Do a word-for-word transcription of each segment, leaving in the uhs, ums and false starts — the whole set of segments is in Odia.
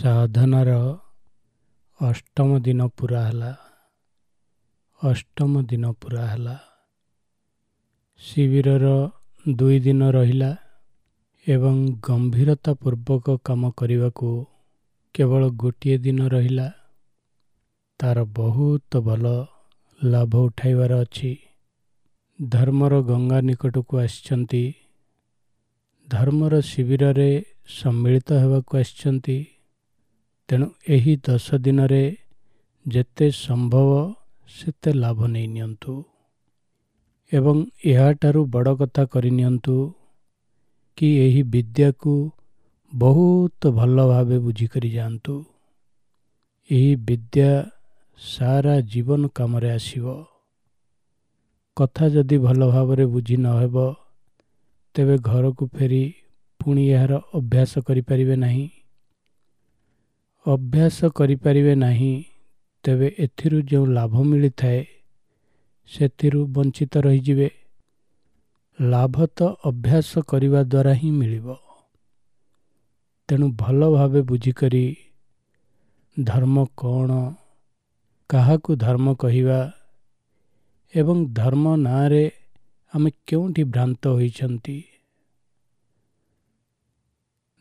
ସାଧନାର ଅଷ୍ଟମ ଦିନ ପୂରା ହେଲା। ଅଷ୍ଟମ ଦିନ ପୂରା ହେଲା। ଶିବିରର ଦୁଇ ଦିନ ରହିଲା ଏବଂ ଗମ୍ଭୀରତା ପୂର୍ବକ କାମ କରିବାକୁ କେବଳ ଗୋଟିଏ ଦିନ ରହିଲା। ତାର ବହୁତ ଭଲ ଲାଭ ଉଠାଇବାର ଅଛି। ଧର୍ମର ଗଙ୍ଗା ନିକଟକୁ ଆସିଛନ୍ତି, ଧର୍ମର ଶିବିରରେ ସମ୍ମିଳିତ ହେବାକୁ ଆସିଛନ୍ତି। ତେଣୁ ଏହି ଦଶ ଦିନରେ ଯେତେ ସମ୍ଭବ ସେତେ ଲାଭ ନେଇ ନିଅନ୍ତୁ ଏବଂ ଏହାଠାରୁ ବଡ଼ କଥା କରିନିଅନ୍ତୁ କି ଏହି ବିଦ୍ୟାକୁ ବହୁତ ଭଲ ଭାବେ ବୁଝିକରି ଯାଆନ୍ତୁ। ଏହି ବିଦ୍ୟା ସାରା ଜୀବନ କାମରେ ଆସିବ। କଥା ଯଦି ଭଲ ଭାବରେ ବୁଝି ନ ହେବ, ତେବେ ଘରକୁ ଫେରି ପୁଣି ଏହାର ଅଭ୍ୟାସ କରିପାରିବେ ନାହିଁ। ଅଭ୍ୟାସ କରିପାରିବେ ନାହିଁ ତେବେ ଏଥିରୁ ଯେଉଁ ଲାଭ ମିଳିଥାଏ ସେଥିରୁ ବଞ୍ଚିତ ରହିଯିବେ। ଲାଭ ତ ଅଭ୍ୟାସ କରିବା ଦ୍ୱାରା ହିଁ ମିଳିବ। ତେଣୁ ଭଲ ଭାବେ ବୁଝିକରି ଧର୍ମ କ'ଣ, କାହାକୁ ଧର୍ମ କହିବା ଏବଂ ଧର୍ମ ନାଁରେ ଆମେ କେଉଁଠି ଭ୍ରାନ୍ତ ହୋଇଛନ୍ତି।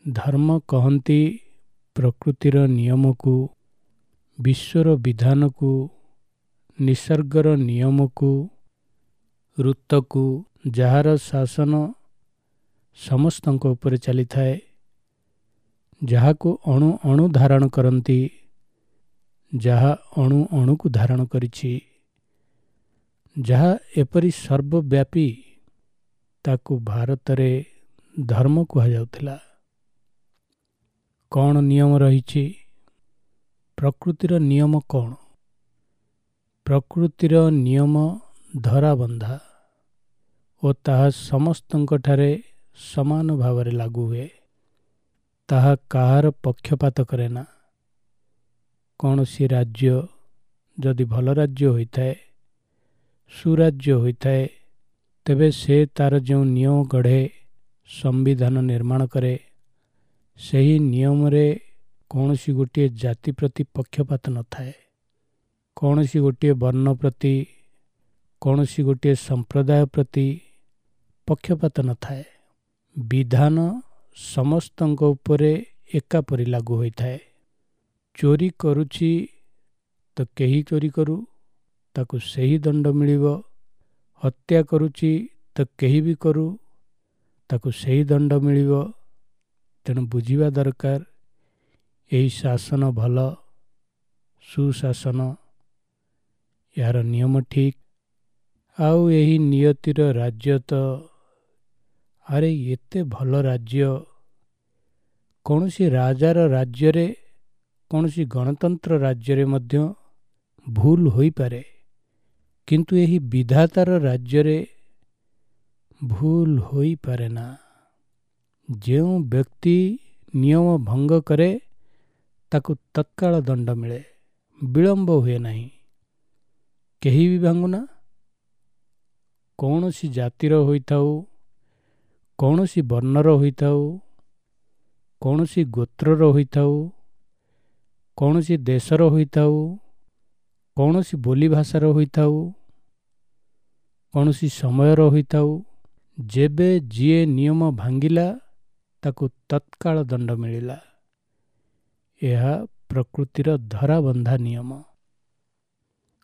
ଧର୍ମ କହନ୍ତି ପ୍ରକୃତିର ନିୟମକୁ, ବିଶ୍ୱର ବିଧାନକୁ, ନିସର୍ଗର ନିୟମକୁ, ଋତୁକୁ, ଯାହାର ଶାସନ ସମସ୍ତଙ୍କ ଉପରେ ଚାଲିଥାଏ, ଯାହାକୁ ଅଣୁ ଅଣୁ ଧାରଣ କରନ୍ତି, ଯାହା ଅଣୁ ଅଣୁକୁ ଧାରଣ କରିଛି, ଯାହା ଏପରି ସର୍ବବ୍ୟାପୀ, ତାକୁ ଭାରତରେ ଧର୍ମ କୁହାଯାଉଥିଲା। କ'ଣ ନିୟମ ରହିଛି? ପ୍ରକୃତିର ନିୟମ କ'ଣ? ପ୍ରକୃତିର ନିୟମ ଧରାବନ୍ଧା ଓ ତାହା ସମସ୍ତଙ୍କଠାରେ ସମାନ ଭାବରେ ଲାଗୁ ହୁଏ। ତାହା କାହାର ପକ୍ଷପାତ କରେ ନା। କୌଣସି ରାଜ୍ୟ ଯଦି ଭଲ ରାଜ୍ୟ ହୋଇଥାଏ, ସୁରାଜ୍ୟ ହୋଇଥାଏ, ତେବେ ସେ ତାର ଯେଉଁ ନିୟମ ଗଢ଼େ, ସମ୍ବିଧାନ ନିର୍ମାଣ କରେ, ସେହି ନିୟମରେ କୌଣସି ଗୋଟିଏ ଜାତି ପ୍ରତି ପକ୍ଷପାତ ନଥାଏ, କୌଣସି ଗୋଟିଏ ବର୍ଣ୍ଣ ପ୍ରତି, କୌଣସି ଗୋଟିଏ ସମ୍ପ୍ରଦାୟ ପ୍ରତି ପକ୍ଷପାତ ନଥାଏ। ବିଧାନ ସମସ୍ତଙ୍କ ଉପରେ ଏକାପରି ଲାଗୁ ହୋଇଥାଏ। ଚୋରି କରୁଛି ତ କେହି ଚୋରି କରୁ, ତାକୁ ସେହି ଦଣ୍ଡ ମିଳିବ। ହତ୍ୟା କରୁଛି ତ କେହି ବି କରୁ, ତାକୁ ସେହି ଦଣ୍ଡ ମିଳିବ। ତେଣୁ ବୁଝିବା ଦରକାର ଏହି ଶାସନ ଭଲ, ସୁଶାସନ, ଏହାର ନିୟମ ଠିକ୍। ଆଉ ଏହି ନିୟତିର ରାଜ୍ୟ ତ, ଆରେ ଏତେ ଭଲ ରାଜ୍ୟ, କୌଣସି ରାଜାର ରାଜ୍ୟରେ, କୌଣସି ଗଣତନ୍ତ୍ର ରାଜ୍ୟରେ ମଧ୍ୟ ଭୁଲ ହୋଇପାରେ, କିନ୍ତୁ ଏହି ବିଧାତାର ରାଜ୍ୟରେ ଭୁଲ ହୋଇପାରେ ନା। ଯେଉଁ ବ୍ୟକ୍ତି ନିୟମ ଭଙ୍ଗ କରେ ତାକୁ ତତ୍କାଳ ଦଣ୍ଡ ମିଳେ, ବିଳମ୍ବ ହୁଏ ନାହିଁ। କେହି ବି ଭାଙ୍ଗୁନା, କୌଣସି ଜାତିର ହୋଇଥାଉ, କୌଣସି ବର୍ଣ୍ଣର ହୋଇଥାଉ, କୌଣସି ଗୋତ୍ରର ହୋଇଥାଉ, କୌଣସି ଦେଶର ହୋଇଥାଉ, କୌଣସି ବୋଲି ଭାଷାର ହୋଇଥାଉ, କୌଣସି ସମୟର ହୋଇଥାଉ, ଯେବେ ଯିଏ ନିୟମ ଭାଙ୍ଗିଲା ତାକୁ ତତ୍କାଳ ଦଣ୍ଡ ମିଳିଲା। ଏହା ପ୍ରକୃତିର ଧରାବନ୍ଧା ନିୟମ।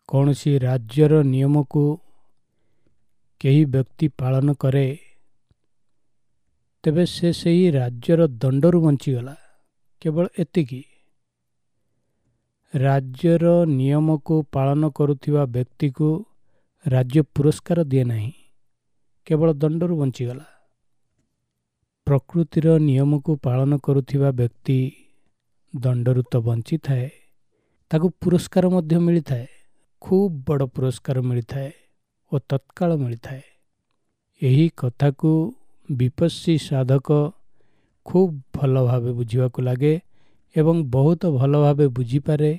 କୌଣସି ରାଜ୍ୟର ନିୟମକୁ କେହି ବ୍ୟକ୍ତି ପାଳନ କରେ ତେବେ ସେ ସେହି ରାଜ୍ୟର ଦଣ୍ଡରୁ ବଞ୍ଚିଗଲା, କେବଳ ଏତିକି। ରାଜ୍ୟର ନିୟମକୁ ପାଳନ କରୁଥିବା ବ୍ୟକ୍ତିକୁ ରାଜ୍ୟ ପୁରସ୍କାର ଦିଏ ନାହିଁ, କେବଳ ଦଣ୍ଡରୁ ବଞ୍ଚିଗଲା। ପ୍ରକୃତିର ନିୟମକୁ ପାଳନ କରୁଥିବା ବ୍ୟକ୍ତି ଦଣ୍ଡରୁ ତ ବଞ୍ଚିଥାଏ, ତାକୁ ପୁରସ୍କାର ମଧ୍ୟ ମିଳିଥାଏ, ଖୁବ୍ ବଡ଼ ପୁରସ୍କାର ମିଳିଥାଏ ଓ ତତ୍କାଳ ମିଳିଥାଏ। ଏହି କଥାକୁ ବିପස්සୀ ସାଧକ ଖୁବ୍ ଭଲ ଭାବେ ବୁଝିବାକୁ ଲାଗେ ଏବଂ ବହୁତ ଭଲ ଭାବେ ବୁଝିପାରେ,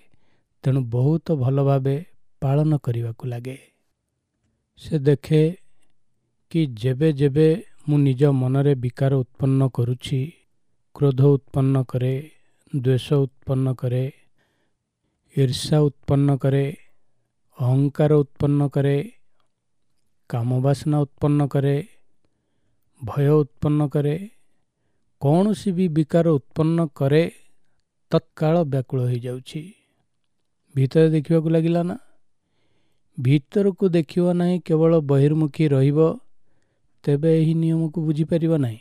ତେଣୁ ବହୁତ ଭଲ ଭାବେ ପାଳନ କରିବାକୁ ଲାଗେ। ସେ ଦେଖେ କି ଯେବେ ଯେବେ ମୁଁ ନିଜ ମନରେ ବିକାର ଉତ୍ପନ୍ନ କରୁଛି, କ୍ରୋଧ ଉତ୍ପନ୍ନ କରେ, ଦ୍ୱେଷ ଉତ୍ପନ୍ନ କରେ, ଈର୍ଷା ଉତ୍ପନ୍ନ କରେ, ଅହଙ୍କାର ଉତ୍ପନ୍ନ କରେ, କାମବାସନା ଉତ୍ପନ୍ନ କରେ, ଭୟ ଉତ୍ପନ୍ନ କରେ, କୌଣସି ବି ବିକାର ଉତ୍ପନ୍ନ କରେ, ତତ୍କାଳ ବ୍ୟାକୁଳ ହୋଇଯାଉଛି। ଭିତରେ ଦେଖିବାକୁ ଲାଗିଲା ନା? ଭିତରକୁ ଦେଖିବ ନାହିଁ, କେବଳ ବହିର୍ମୁଖୀ ରହିବ, ତେବେ ଏହି ନିୟମକୁ ବୁଝିପାରିବ ନାହିଁ।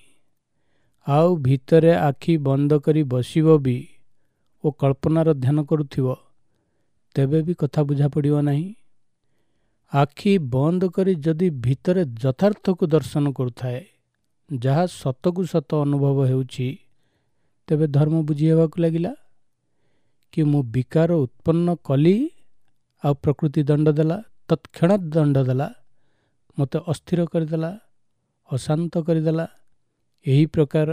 ଆଉ ଭିତରେ ଆଖି ବନ୍ଦ କରି ବସିବ ବି ଓ କଳ୍ପନାର ଧ୍ୟାନ କରୁଥିବ, ତେବେ ବି କଥା ବୁଝା ପଡ଼ିବ ନାହିଁ। ଆଖି ବନ୍ଦ କରି ଯଦି ଭିତରେ ଯଥାର୍ଥକୁ ଦର୍ଶନ କରୁଥାଏ, ଯାହା ସତକୁ ସତ ଅନୁଭବ ହେଉଛି, ତେବେ ଧର୍ମ ବୁଝି ହେବାକୁ ଲାଗିଲା କି ମୁଁ ବିକାର ଉତ୍ପନ୍ନ କଲି ଆଉ ପ୍ରକୃତି ଦଣ୍ଡ ଦେଲା, ତତ୍କ୍ଷଣାତ୍ ଦଣ୍ଡ ଦେଲା, ମୋତେ ଅସ୍ଥିର କରିଦେଲା, ଅଶାନ୍ତ କରିଦେଲା। ଏହି ପ୍ରକାର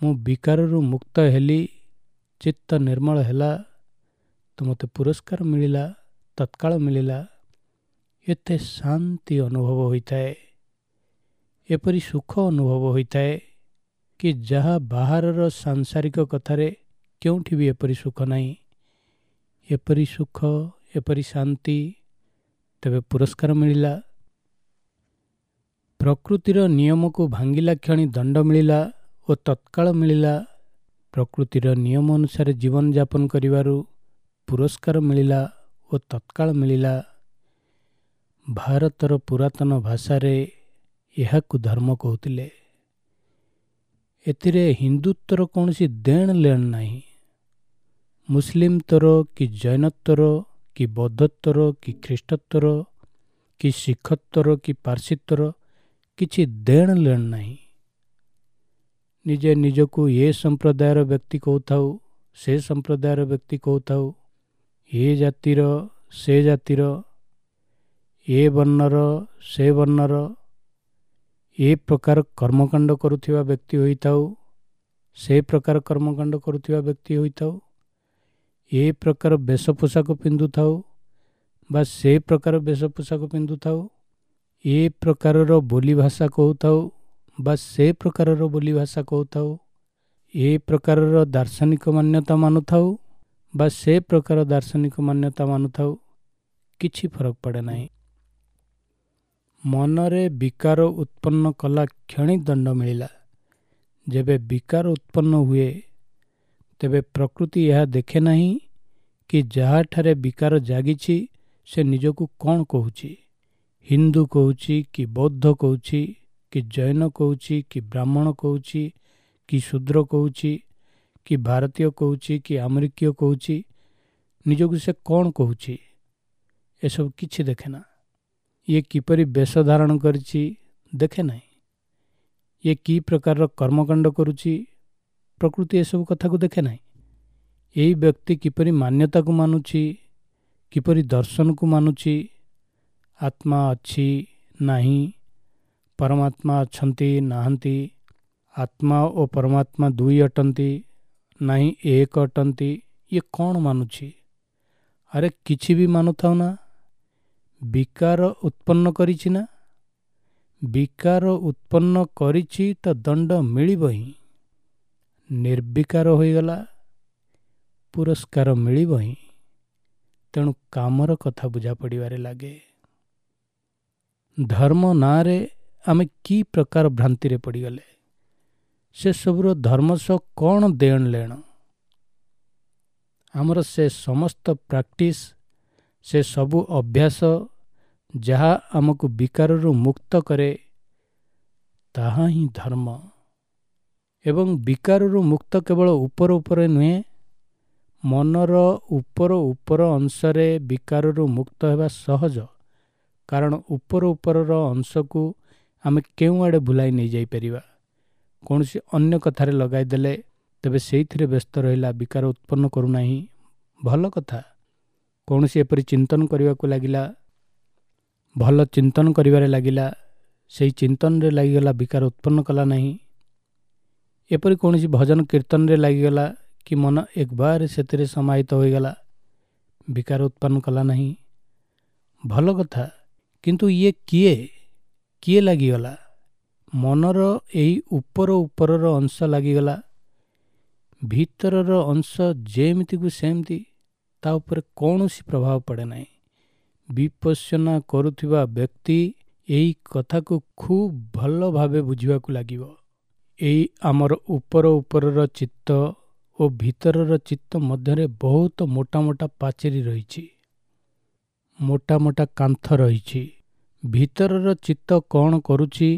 ମୁଁ ବିକାରରୁ ମୁକ୍ତ ହେଲି, ଚିତ୍ତ ନିର୍ମଳ ହେଲା, ତ ମୋତେ ପୁରସ୍କାର ମିଳିଲା, ତତ୍କାଳ ମିଳିଲା। ଏତେ ଶାନ୍ତି ଅନୁଭବ ହୋଇଥାଏ, ଏପରି ସୁଖ ଅନୁଭବ ହୋଇଥାଏ କି ଯାହା ବାହାରର ସାଂସାରିକ କଥାରେ କେଉଁଠି ବି ଏପରି ସୁଖ ନାହିଁ। ଏପରି ସୁଖ, ଏପରି ଶାନ୍ତି, ତେବେ ପୁରସ୍କାର ମିଳିଲା। ପ୍ରକୃତିର ନିୟମକୁ ଭାଙ୍ଗିଲା କ୍ଷଣି ଦଣ୍ଡ ମିଳିଲା ଓ ତତ୍କାଳ ମିଳିଲା। ପ୍ରକୃତିର ନିୟମ ଅନୁସାରେ ଜୀବନଯାପନ କରିବାରୁ ପୁରସ୍କାର ମିଳିଲା ଓ ତତ୍କାଳ ମିଳିଲା। ଭାରତର ପୁରାତନ ଭାଷାରେ ଏହାକୁ ଧର୍ମ କହୁଥିଲେ। ଏଥିରେ ହିନ୍ଦୁତ୍ୱର କୌଣସି ଦେଣ ଲେଣ ନାହିଁ। ମୁସଲିମତ୍ୱର କି ଜୈନତ୍ୱର କି ବୌଦ୍ଧତ୍ୱର କି ଖ୍ରୀଷ୍ଟତ୍ୱର କି ଶିଖତ୍ୱର କି ପାର୍ସୀତ୍ୱର କିଛି ଦେଣ ଲେଣ ନାହିଁ। ନିଜେ ନିଜକୁ ଏ ସମ୍ପ୍ରଦାୟର ବ୍ୟକ୍ତି କହୁଥାଉ, ସେ ସମ୍ପ୍ରଦାୟର ବ୍ୟକ୍ତି କହୁଥାଉ, ଏ ଜାତିର ସେ ଜାତିର, ଏ ବର୍ଣ୍ଣର ସେ ବର୍ଣ୍ଣର, ଏ ପ୍ରକାର କର୍ମକାଣ୍ଡ କରୁଥିବା ବ୍ୟକ୍ତି ହୋଇଥାଉ, ସେ ପ୍ରକାର କର୍ମକାଣ୍ଡ କରୁଥିବା ବ୍ୟକ୍ତି ହୋଇଥାଉ, ଏ ପ୍ରକାର ବେଶ ପୋଷାକ ପିନ୍ଧୁଥାଉ ବା ସେ ପ୍ରକାର ବେଶ ପୋଷାକ ପିନ୍ଧୁଥାଉ, ଏ ପ୍ରକାରର ବୋଲି ଭାଷା କହୁଥାଉ ବା ସେ ପ୍ରକାରର ବୋଲି ଭାଷା କହୁଥାଉ, ଏ ପ୍ରକାରର ଦାର୍ଶନିକ ମାନ୍ୟତା ମାନୁଥାଉ ବା ସେ ପ୍ରକାର ଦାର୍ଶନିକ ମାନ୍ୟତା ମାନୁଥାଉ, କିଛି ଫରକ ପଡ଼େ ନାହିଁ। ମନରେ ବିକାର ଉତ୍ପନ୍ନ କଲା କ୍ଷଣି ଦଣ୍ଡ ମିଳିଲା। ଯେବେ ବିକାର ଉତ୍ପନ୍ନ ହୁଏ, ତେବେ ପ୍ରକୃତି ଏହା ଦେଖେ ନାହିଁ କି ଯାହାଠାରେ ବିକାର ଜାଗିଛି ସେ ନିଜକୁ କ'ଣ କହୁଛି, ହିନ୍ଦୁ କହୁଛି କି ବୌଦ୍ଧ କହୁଛି କି ଜୈନ କହୁଛି କି ବ୍ରାହ୍ମଣ କହୁଛି କି ଶୂଦ୍ର କହୁଛି କି ଭାରତୀୟ କହୁଛି କି ଆମେରିକୀୟ କହୁଛି, ନିଜକୁ ସେ କ'ଣ କହୁଛି ଏସବୁ କିଛି ଦେଖେ ନା। ଇଏ କିପରି ବେଶ ଧାରଣ କରିଛି ଦେଖେ ନାହିଁ। ଇଏ କି ପ୍ରକାରର କର୍ମକାଣ୍ଡ କରୁଛି ପ୍ରକୃତି ଏସବୁ କଥାକୁ ଦେଖେ ନାହିଁ। ଏଇ ବ୍ୟକ୍ତି କିପରି ମାନ୍ୟତାକୁ ମାନୁଛି, କିପରି ଦର୍ଶନକୁ ମାନୁଛି, ଆତ୍ମା ଅଛି ନାହିଁ, ପରମାତ୍ମା ଅଛନ୍ତି ନାହାନ୍ତି, ଆତ୍ମା ଓ ପରମାତ୍ମା ଦୁଇ ଅଟନ୍ତି ନାହିଁ ଏକ ଅଟନ୍ତି, ଇଏ କ'ଣ ମାନୁଛି? ଆରେ କିଛି ବି ମାନୁଥାଉ ନା, ବିକାର ଉତ୍ପନ୍ନ କରିଛି ନା, ବିକାର ଉତ୍ପନ୍ନ କରିଛି ତ ଦଣ୍ଡ ମିଳିବ ହିଁ। ନିର୍ବିକାର ହୋଇଗଲା, ପୁରସ୍କାର ମିଳିବ ହିଁ। ତେଣୁ କାମର କଥା ବୁଝା ପଡ଼ିବାରେ ଲାଗେ। ଧର୍ମ ନାଁରେ ଆମେ କି ପ୍ରକାର ଭ୍ରାନ୍ତିରେ ପଡ଼ିଗଲେ। ସେସବୁର ଧର୍ମ ସହ କ'ଣ ଦେଣ ଲେଣ? ଆମର ସେ ସମସ୍ତ ପ୍ରାକ୍ଟିସ୍, ସେ ସବୁ ଅଭ୍ୟାସ ଯାହା ଆମକୁ ବିକାରରୁ ମୁକ୍ତ କରେ, ତାହା ହିଁ ଧର୍ମ। ଏବଂ ବିକାରରୁ ମୁକ୍ତ କେବଳ ଉପର ଉପରେ ନୁହେଁ, ମନର ଉପର ଉପର ଅଂଶରେ ବିକାରରୁ ମୁକ୍ତ ହେବା ସହଜ। କାରଣ ଉପର ଉପରର ଅଂଶକୁ ଆମେ କେଉଁଆଡ଼େ ଭୁଲାଇ ନେଇଯାଇପାରିବା। କୌଣସି ଅନ୍ୟ କଥାରେ ଲଗାଇଦେଲେ ତେବେ ସେଇଥିରେ ବ୍ୟସ୍ତ ରହିଲା, ବିକାର ଉତ୍ପନ୍ନ କରୁନାହିଁ, ଭଲ କଥା। କୌଣସି ଏପରି ଚିନ୍ତନ କରିବାକୁ ଲାଗିଲା, ଭଲ ଚିନ୍ତନ କରିବାରେ ଲାଗିଲା, ସେଇ ଚିନ୍ତନରେ ଲାଗିଗଲା, ବିକାର ଉତ୍ପନ୍ନ କଲା ନାହିଁ। ଏପରି କୌଣସି ଭଜନ କୀର୍ତ୍ତନରେ ଲାଗିଗଲା କି ମନ ଏକବାର ସେଥିରେ ସମାହିତ ହୋଇଗଲା, ବିକାର ଉତ୍ପନ୍ନ କଲା ନାହିଁ, ଭଲ କଥା। କିନ୍ତୁ ଇଏ କିଏ କିଏ ଲାଗିଗଲା? ମନର ଏଇ ଉପର ଉପରର ଅଂଶ ଲାଗିଗଲା, ଭିତରର ଅଂଶ ଯେମିତିକୁ ସେମିତି, ତା ଉପରେ କୌଣସି ପ୍ରଭାବ ପଡ଼େ ନାହିଁ। ବିପଶ୍ୟନା କରୁଥିବା ବ୍ୟକ୍ତି ଏହି କଥାକୁ ଖୁବ୍ ଭଲ ଭାବେ ବୁଝିବାକୁ ଲାଗିବ। ଏଇ ଆମର ଉପର ଉପରର ଚିତ୍ତ ଓ ଭିତରର ଚିତ୍ତ ମଧ୍ୟରେ ବହୁତ ମୋଟା ମୋଟା ପାଚେରୀ ରହିଛି, ମୋଟା ମୋଟା କାନ୍ଥ ରହିଛି। ଭିତରର ଚିତ୍ତ କ'ଣ କରୁଛି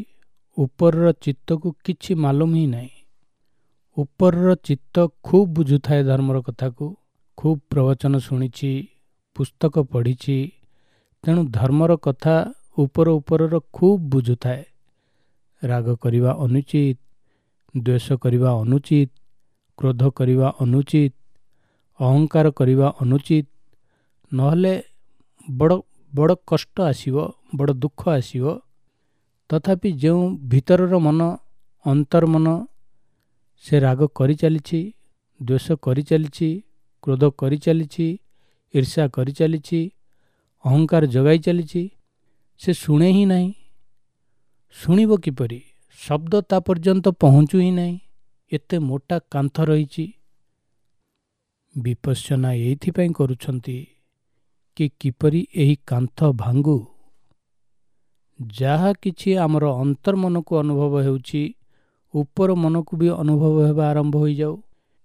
ଉପରର ଚିତ୍ତକୁ କିଛି ମାଲୁମ ହିଁ ନାହିଁ। ଉପରର ଚିତ୍ତ ଖୁବ୍ ବୁଝୁଥାଏ ଧର୍ମର କଥାକୁ, ଖୁବ୍ ପ୍ରବଚନ ଶୁଣିଛି, ପୁସ୍ତକ ପଢ଼ିଛି, ତେଣୁ ଧର୍ମର କଥା ଉପର ଉପରର ଖୁବ୍ ବୁଝୁଥାଏ। ରାଗ କରିବା ଅନୁଚିତ, ଦ୍ୱେଷ କରିବା ଅନୁଚିତ, କ୍ରୋଧ କରିବା ଅନୁଚିତ, ଅହଙ୍କାର କରିବା ଅନୁଚିତ, ନହେଲେ ବଡ଼ ବଡ଼ କଷ୍ଟ ଆସିବ, ବଡ଼ ଦୁଃଖ ଆସିବ। ତଥାପି ଯେଉଁ ଭିତରର ମନ, ଅନ୍ତର୍ମନ, ସେ ରାଗ କରିଚାଲିଛି, ଦ୍ୱେଷ କରିଚାଲିଛି, କ୍ରୋଧ କରିଚାଲିଛି, ଈର୍ଷା କରିଚାଲିଛି, ଅହଙ୍କାର ଜଗାଇ ଚାଲିଛି, ସେ ଶୁଣେ ହିଁ ନାହିଁ। ଶୁଣିବ କିପରି? ଶବ୍ଦ ତା ପର୍ଯ୍ୟନ୍ତ ପହଞ୍ଚୁ ହିଁ ନାହିଁ, ଏତେ ମୋଟା କାନ୍ଥ ରହିଛି। ବିପଶ୍ୟନା ଏଇଥିପାଇଁ କରୁଛନ୍ତି କି କିପରି ଏହି କାନ୍ଥ ଭାଙ୍ଗୁ। ଯାହା କିଛି ଆମର ଅନ୍ତର୍ମନକୁ ଅନୁଭବ ହେଉଛି, ଉପର ମନକୁ ବି ଅନୁଭବ ହେବା ଆରମ୍ଭ ହୋଇଯାଉ,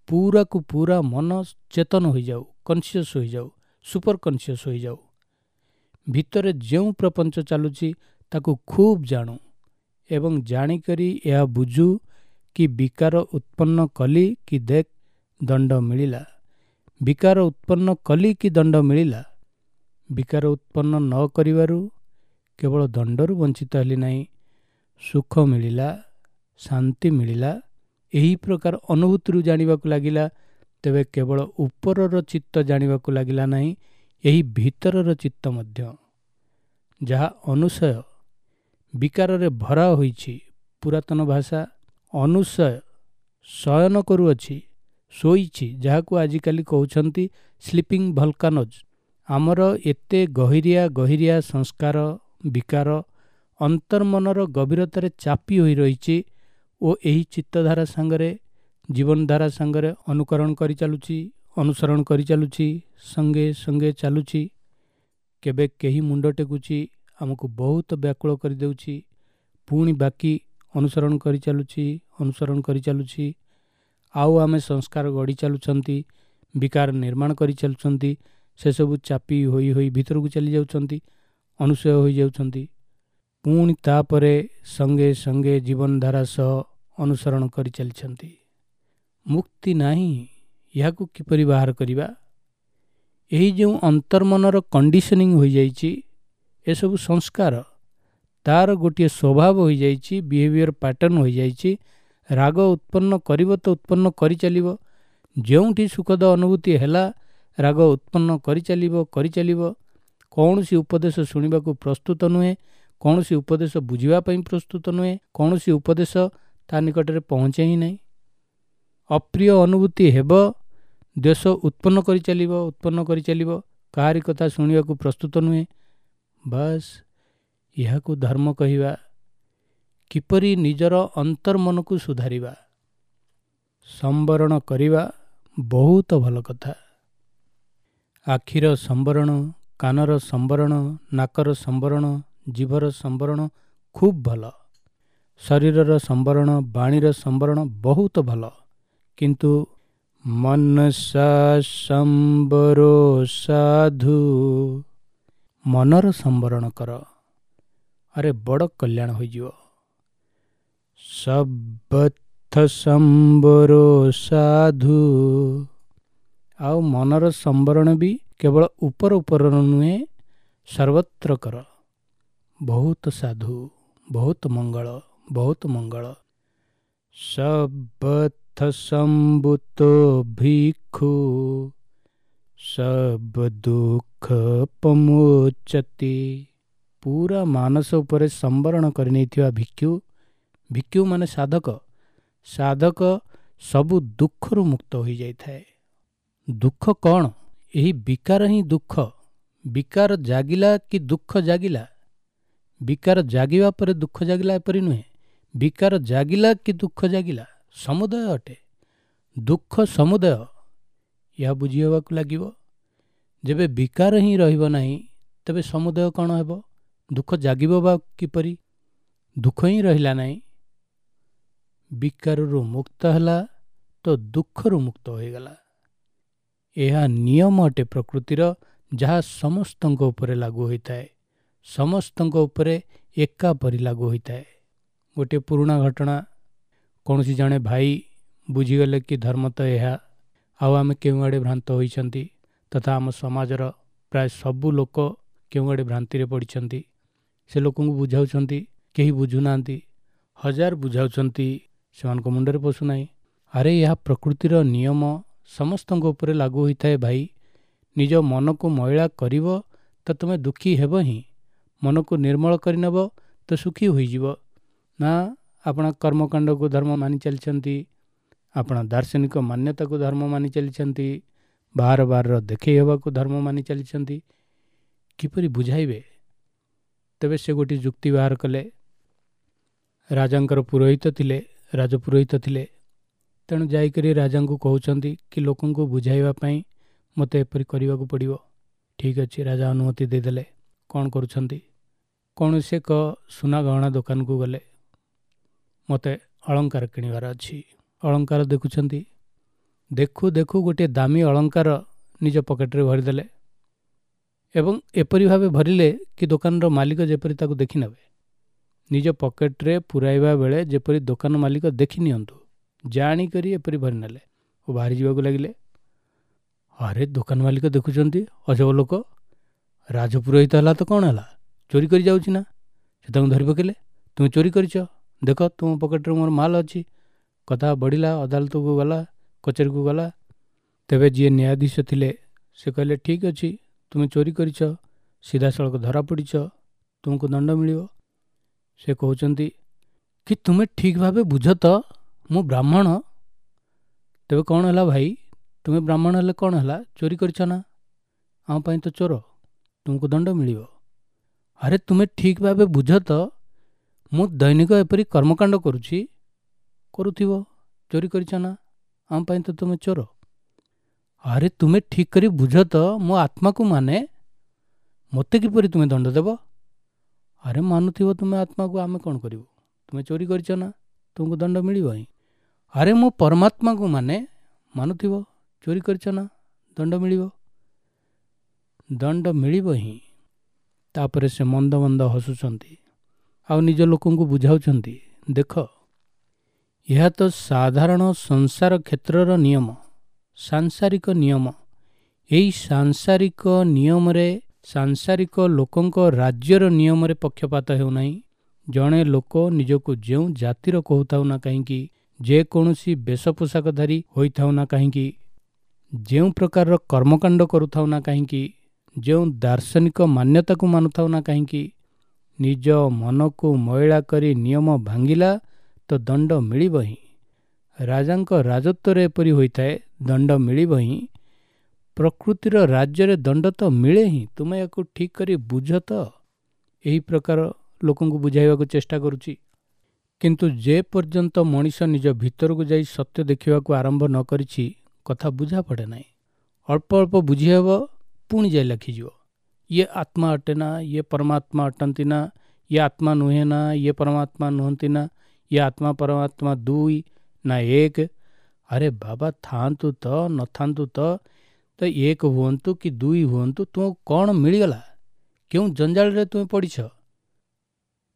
ପୁରାକୁ ପୁରା ମନ ଚେତନ ହୋଇଯାଉ, କନସିୟସ୍ ହୋଇଯାଉ, ସୁପର କନସିୟସ୍ ହୋଇଯାଉ। ଭିତରେ ଯେଉଁ ପ୍ରପଞ୍ଚ ଚାଲୁଛି ତାକୁ ଖୁବ୍ ଜାଣୁ ଏବଂ ଜାଣିକରି ଏହା ବୁଝୁ କି ବିକାର ଉତ୍ପନ୍ନ କଲି କି ଦେଖ ଦଣ୍ଡ ମିଳିଲା, ବିକାର ଉତ୍ପନ୍ନ କଲି କି ଦଣ୍ଡ ମିଳିଲା। ବିକାର ଉତ୍ପନ୍ନ ନ କରିବାରୁ କେବଳ ଦଣ୍ଡରୁ ବଞ୍ଚିତ ହେଲି ନାହିଁ, ସୁଖ ମିଳିଲା, ଶାନ୍ତି ମିଳିଲା। ଏହି ପ୍ରକାର ଅନୁଭୂତିରୁ ଜାଣିବାକୁ ଲାଗିଲା। ତେବେ କେବଳ ଉପରର ଚିତ୍ତ ଜାଣିବାକୁ ଲାଗିଲା ନାହିଁ, ଏହି ଭିତରର ଚିତ୍ତ ମଧ୍ୟ, ଯାହା ଅନୁଶୟ ବିକାରରେ ଭରା ହୋଇଛି। ପୁରାତନ ଭାଷା ଅନୁଶୟ ଶୟନ କରୁଅଛି, ଶୋଇଛି, ଯାହାକୁ ଆଜିକାଲି କହୁଛନ୍ତି ସ୍ଲିପିଂ ଭଲକାନୋଜ୍। ଆମର ଏତେ ଗହିରିଆ ଗହିରିଆ ସଂସ୍କାର ବିକାର ଅନ୍ତର୍ମନର ଗଭୀରତାରେ ଚାପି ହୋଇ ରହିଛି ଓ ଏହି ଚିତ୍ତଧାରା ସାଙ୍ଗରେ, ଜୀବନଧାରା ସାଙ୍ଗରେ ଅନୁକରଣ କରିଚାଲୁଛି, ଅନୁସରଣ କରିଚାଲୁଛି, ସଙ୍ଗେ ସଙ୍ଗେ ଚାଲୁଛି। କେବେ କେହି ମୁଣ୍ଡ ଟେକୁଛି, ଆମକୁ ବହୁତ ବ୍ୟାକୁଳ କରିଦେଉଛି, ପୁଣି ବାକି ଅନୁସରଣ କରିଚାଲୁଛି, ଅନୁସରଣ କରିଚାଲୁଛି। ଆଉ ଆମେ ସଂସ୍କାର ଗଢ଼ି ଚାଲୁଛନ୍ତି, ବିକାର ନିର୍ମାଣ କରିଚାଲୁଛନ୍ତି, ସେସବୁ ଚାପି ହୋଇ ହୋଇ ଭିତରକୁ ଚାଲି ଯାଉଛନ୍ତି, ଅନୁସୟ ହୋଇଯାଉଛନ୍ତି। ପୁଣି ତାପରେ ସଙ୍ଗେ ସଙ୍ଗେ ଜୀବନଧାରା ସହ ଅନୁସରଣ କରିଚାଲିଛନ୍ତି। ମୁକ୍ତି ନାହିଁ, ଏହାକୁ କିପରି ବାହାର କରିବା? ଏହି ଯେଉଁ ଅନ୍ତର୍ମନର କଣ୍ଡିସନିଂ ହୋଇଯାଇଛି, ଏସବୁ ସଂସ୍କାର, ତାର ଗୋଟିଏ ସ୍ୱଭାବ ହୋଇଯାଇଛି, ବିହେଭିଅର ପ୍ୟାଟର୍ନ ହୋଇଯାଇଛି। ରାଗ ଉତ୍ପନ୍ନ କରିବ ତ ଉତ୍ପନ୍ନ କରିଚାଲିବ, ଯେଉଁଠି ସୁଖଦ ଅନୁଭୂତି ହେଲା ରାଗ ଉତ୍ପନ୍ନ କରିଚାଲିବ କରିଚାଲିବ। କୌଣସି ଉପଦେଶ ଶୁଣିବାକୁ ପ୍ରସ୍ତୁତ ନୁହେଁ, କୌଣସି ଉପଦେଶ ବୁଝିବା ପାଇଁ ପ୍ରସ୍ତୁତ ନୁହେଁ, କୌଣସି ଉପଦେଶ ତା ନିକଟରେ ପହଞ୍ଚେ ହିଁ ନାହିଁ। ଅପ୍ରିୟ ଅନୁଭୂତି ହେବ, ଦ୍ୱେଷ ଉତ୍ପନ୍ନ କରିଚାଲିବ, ଉତ୍ପନ୍ନ କରିଚାଲିବ, କାହାରି କଥା ଶୁଣିବାକୁ ପ୍ରସ୍ତୁତ ନୁହେଁ। ବାସ୍, ଏହାକୁ ଧର୍ମ କହିବା। କିପରି ନିଜର ଅନ୍ତର୍ମନକୁ ସୁଧାରିବା, ସମ୍ବରଣ କରିବା ବହୁତ ଭଲ କଥା। ଆଖିର ସମ୍ବରଣ, କାନର ସମ୍ବରଣ, ନାକର ସମ୍ବରଣ, ଜିଭର ସମ୍ବରଣ ଖୁବ୍ ଭଲ। ଶରୀରର ସମ୍ବରଣ, ବାଣୀର ସମ୍ବରଣ ବହୁତ ଭଲ। କିନ୍ତୁ ମନସା ସମ୍ବରୋ ସାଧୁ, ମନର ସମ୍ବରଣ କର, ଆରେ ବଡ଼ କଲ୍ୟାଣ ହୋଇଯିବ। ସର୍ବଥ ସମ୍ବରୋ ସାଧୁ, ଆଉ ମନର ସମ୍ବରଣ ବି କେବଳ ଉପର ଉପରର ନୁହେଁ, ସର୍ବତ୍ର କର। ବହୁତ ସାଧୁ, ବହୁତ ମଙ୍ଗଳ, ବହୁତ ମଙ୍ଗଳ। ସର୍ବଥ ସମ୍ଭୂତୋ ଭିକ୍ଷୁ ସବ ଦୁଃଖ ପମୋଚତି। ପୁରା ମାନସ ଉପରେ ସମ୍ବରଣ କରିନେଇଥିବା ଭିକ୍ଷୁ, ଭିକ୍ଷୁ ମାନେ ସାଧକ, ସାଧକ ସବୁ ଦୁଃଖରୁ ମୁକ୍ତ ହୋଇଯାଇଥାଏ। ଦୁଃଖ କ'ଣ? ଏହି ବିକାର ହିଁ ଦୁଃଖ। ବିକାର ଜାଗିଲା କି ଦୁଃଖ ଜାଗିଲା? ବିକାର ଜାଗିବା ପରେ ଦୁଃଖ ଜାଗିଲା ଏପରି ନୁହେଁ, ବିକାର ଜାଗିଲା କି ଦୁଃଖ ଜାଗିଲା, ସମୁଦାୟ ଅଟେ। ଦୁଃଖ ସମୁଦୟ, ଏହା ବୁଝି ହେବାକୁ ଲାଗିବ। ଯେବେ ବିକାର ହିଁ ରହିବ ନାହିଁ, ତେବେ ସମୁଦୟ କ'ଣ ହେବ? ଦୁଃଖ ଜାଗିବ ବା କିପରି? ଦୁଃଖ ହିଁ ରହିଲା ନାହିଁ। ବିକାରରୁ ମୁକ୍ତ ହେଲା ତ ଦୁଃଖରୁ ମୁକ୍ତ ହୋଇଗଲା। ଏହା ନିୟମ ଅଟେ ପ୍ରକୃତିର, ଯାହା ସମସ୍ତଙ୍କ ଉପରେ ଲାଗୁ ହୋଇଥାଏ, ସମସ୍ତଙ୍କ ଉପରେ ଏକାପରି ଲାଗୁ ହୋଇଥାଏ। ଗୋଟିଏ ପୁରୁଣା ଘଟଣା, କୌଣସି ଜଣେ ଭାଇ ବୁଝିଗଲେ କି ଧର୍ମ ତ ଏହା, ଆଉ ଆମେ କେଉଁଆଡ଼େ ଭ୍ରାନ୍ତ ହୋଇଛନ୍ତି, ତଥା ଆମ ସମାଜର ପ୍ରାୟ ସବୁ ଲୋକ କେଉଁଆଡ଼େ ଭ୍ରାନ୍ତିରେ ପଡ଼ିଛନ୍ତି। ସେ ଲୋକଙ୍କୁ ବୁଝାଉଛନ୍ତି, କେହି ବୁଝୁନାହାନ୍ତି। ହଜାର ବୁଝାଉଛନ୍ତି, ସେମାନଙ୍କ ମୁଣ୍ଡରେ ପଶୁନାହିଁ। ଆରେ ଏହା ପ୍ରକୃତିର ନିୟମ, ସମସ୍ତଙ୍କ ଉପରେ ଲାଗୁ ହୋଇଥାଏ ଭାଇ। ନିଜ ମନକୁ ମଇଳା କରିବ ତ ତୁମେ ଦୁଃଖୀ ହେବ ହିଁ, ମନକୁ ନିର୍ମଳ କରିନେବ ତ ସୁଖୀ ହୋଇଯିବ। ନା, ଆପଣ କର୍ମକାଣ୍ଡକୁ ଧର୍ମ ମାନି ଚାଲିଛନ୍ତି, ଆପଣ ଦାର୍ଶନିକ ମାନ୍ୟତାକୁ ଧର୍ମ ମାନି ଚାଲିଛନ୍ତି, ବାର ବାରର ଦେଖେଇ ହେବାକୁ ଧର୍ମ ମାନି ଚାଲିଛନ୍ତି। କିପରି ବୁଝାଇବେ? ତେବେ ସେ ଗୋଟିଏ ଯୁକ୍ତି ବାହାର କଲେ। ରାଜାଙ୍କର ପୁରୋହିତ ଥିଲେ, ରାଜପୁରୋହିତ ଥିଲେ। ତେଣୁ ଯାଇକରି ରାଜାଙ୍କୁ କହୁଛନ୍ତି କି ଲୋକଙ୍କୁ ବୁଝାଇବା ପାଇଁ ମୋତେ ଏପରି କରିବାକୁ ପଡ଼ିବ। ଠିକ୍ ଅଛି, ରାଜା ଅନୁମତି ଦେଇଦେଲେ। କ'ଣ କରୁଛନ୍ତି? କୌଣସି ଏକ ସୁନା ଗହଣା ଦୋକାନକୁ ଗଲେ। ମୋତେ ଅଳଙ୍କାର କିଣିବାର ଅଛି। ଅଳଙ୍କାର ଦେଖୁଛନ୍ତି। ଦେଖୁ ଦେଖୁ ଗୋଟିଏ ଦାମୀ ଅଳଙ୍କାର ନିଜ ପକେଟରେ ଭରିଦେଲେ, ଏବଂ ଏପରି ଭାବେ ଭରିଲେ କି ଦୋକାନର ମାଲିକ ଯେପରି ତାକୁ ଦେଖିନେବେ। ନିଜ ପକେଟରେ ପୁରାଇବା ବେଳେ ଯେପରି ଦୋକାନ ମାଲିକ ଦେଖି ନିଅନ୍ତୁ, ଜାଣିକରି ଏପରି ଭରିନେଲେ ଓ ବାହାରି ଯିବାକୁ ଲାଗିଲେ। ଆରେ ଦୋକାନ ମାଲିକ ଦେଖୁଛନ୍ତି, ଅଜବ ଲୋକ, ରାଜପୁରୋହିତ ହେଲା ତ କ'ଣ ହେଲା, ଚୋରି କରି ଯାଉଛି ନା। ସେ ତାଙ୍କୁ ଧରି ପକେଇଲେ, ତୁମେ ଚୋରି କରିଛ, ଦେଖ ତୁମ ପକେଟରେ ମୋର ମାଲ ଅଛି। କଥା ବଢ଼ିଲା, ଅଦାଲତକୁ ଗଲା, କଚେରୀକୁ ଗଲା। ତେବେ ଯିଏ ନ୍ୟାୟାଧୀଶ ଥିଲେ ସେ କହିଲେ, ଠିକ୍ ଅଛି, ତୁମେ ଚୋରି କରିଛ, ସିଧାସଳଖ ଧରା ପଡ଼ିଛ, ତୁମକୁ ଦଣ୍ଡ ମିଳିବ। ସେ କହୁଛନ୍ତି କି ତୁମେ ଠିକ୍ ଭାବେ ବୁଝ ତ, ମୁଁ ବ୍ରାହ୍ମଣ। ତେବେ କ'ଣ ହେଲା ଭାଇ, ତୁମେ ବ୍ରାହ୍ମଣ ହେଲେ କ'ଣ ହେଲା, ଚୋରି କରିଛ ନା, ଆମ ପାଇଁ ତ ଚୋର, ତୁମକୁ ଦଣ୍ଡ ମିଳିବ। ଆରେ ତୁମେ ଠିକ୍ ଭାବେ ବୁଝ ତ, ମୁଁ ଦୈନିକ ଏପରି କର୍ମକାଣ୍ଡ କରୁଛି। କରୁଥିବ, ଚୋରି କରିଛ ନା, ଆମ ପାଇଁ ତ ତୁମେ ଚୋର। ଆରେ ତୁମେ ଠିକ୍ କରି ବୁଝ ତ, ମୋ ଆତ୍ମାକୁ ମାନେ, ମୋତେ କିପରି ତୁମେ ଦଣ୍ଡ ଦେବ? ଆରେ ମାନୁଥିବ ତୁମେ ଆତ୍ମାକୁ, ଆମେ କ'ଣ କରିବୁ, ତୁମେ ଚୋରି କରିଛ ନା, ତୁମକୁ ଦଣ୍ଡ ମିଳିବ ହିଁ। ଆରେ ମୁଁ ପରମାତ୍ମାକୁ ମାନେ, ମାନୁଥିବ, ଚୋରି କରିଛ ନା, ଦଣ୍ଡ ମିଳିବ, ଦଣ୍ଡ ମିଳିବ ହିଁ। ତାପରେ ସେ ମନ୍ଦ ମନ୍ଦ ହସୁଛନ୍ତି ଆଉ ନିଜ ଲୋକଙ୍କୁ ବୁଝାଉଛନ୍ତି, ଦେଖ ଏହା ତ ସାଧାରଣ ସଂସାର କ୍ଷେତ୍ରର ନିୟମ, ସାଂସାରିକ ନିୟମ। ଏହି ସାଂସାରିକ ନିୟମରେ ସାଂସାରିକ ଲୋକଙ୍କ ରାଜ୍ୟର ନିୟମରେ ପକ୍ଷପାତ ହେଉନାହିଁ। ଜଣେ ଲୋକ ନିଜକୁ ଯେଉଁ ଜାତିର କହୁଥାଉ ନା କାହିଁକି, ଯେକୌଣସି ବେଶ ପୋଷାକଧାରୀ ହୋଇଥାଉ ନା କାହିଁକି, ଯେଉଁ ପ୍ରକାରର କର୍ମକାଣ୍ଡ କରୁଥାଉ ନା କାହିଁକି, ଯେଉଁ ଦାର୍ଶନିକ ମାନ୍ୟତାକୁ ମାନୁଥାଉ ନା କାହିଁକି, ନିଜ ମନକୁ ମଇଳା କରି ନିୟମ ଭାଙ୍ଗିଲା ତ ଦଣ୍ଡ ମିଳିବ ହିଁ। ରାଜାଙ୍କ ରାଜତ୍ୱରେ ଏପରି ହୋଇଥାଏ, ଦଣ୍ଡ ମିଳିବ ହିଁ। ପ୍ରକୃତିର ରାଜ୍ୟରେ ଦଣ୍ଡ ତ ମିଳେ ହିଁ, ତୁମେ ୟାକୁ ଠିକ୍ କରି ବୁଝ ତ। ଏହି ପ୍ରକାର ଲୋକଙ୍କୁ ବୁଝାଇବାକୁ ଚେଷ୍ଟା କରୁଛି। କିନ୍ତୁ ଯେ ପର୍ଯ୍ୟନ୍ତ ମଣିଷ ନିଜ ଭିତରକୁ ଯାଇ ସତ୍ୟ ଦେଖିବାକୁ ଆରମ୍ଭ ନ କରିଛି, କଥା ବୁଝା ପଡ଼େ ନାହିଁ। ଅଳ୍ପ ଅଳ୍ପ ବୁଝି ହେବ, ପୁଣି ଯାଇ ଲେଖିଯିବ, ଇଏ ଆତ୍ମା ଅଟେ ନା, ଇଏ ପରମାତ୍ମା ଅଟନ୍ତି ନା, ଇଏ ଆତ୍ମା ନୁହେଁ ନା, ଇଏ ପରମାତ୍ମା ନୁହନ୍ତି ନା, ଇଏ ଆତ୍ମା ପରମାତ୍ମା ଦୁଇ ନା ଏକ। ଆରେ ବାବା ଥାଆନ୍ତୁ ତ ନଥାନ୍ତୁ ତ, ତ ଏକ ହୁଅନ୍ତୁ କି ଦୁଇ ହୁଅନ୍ତୁ, ତୁମକୁ କ'ଣ ମିଳିଗଲା? କେଉଁ ଜଞ୍ଜାଳରେ ତୁମେ ପଡ଼ିଛ?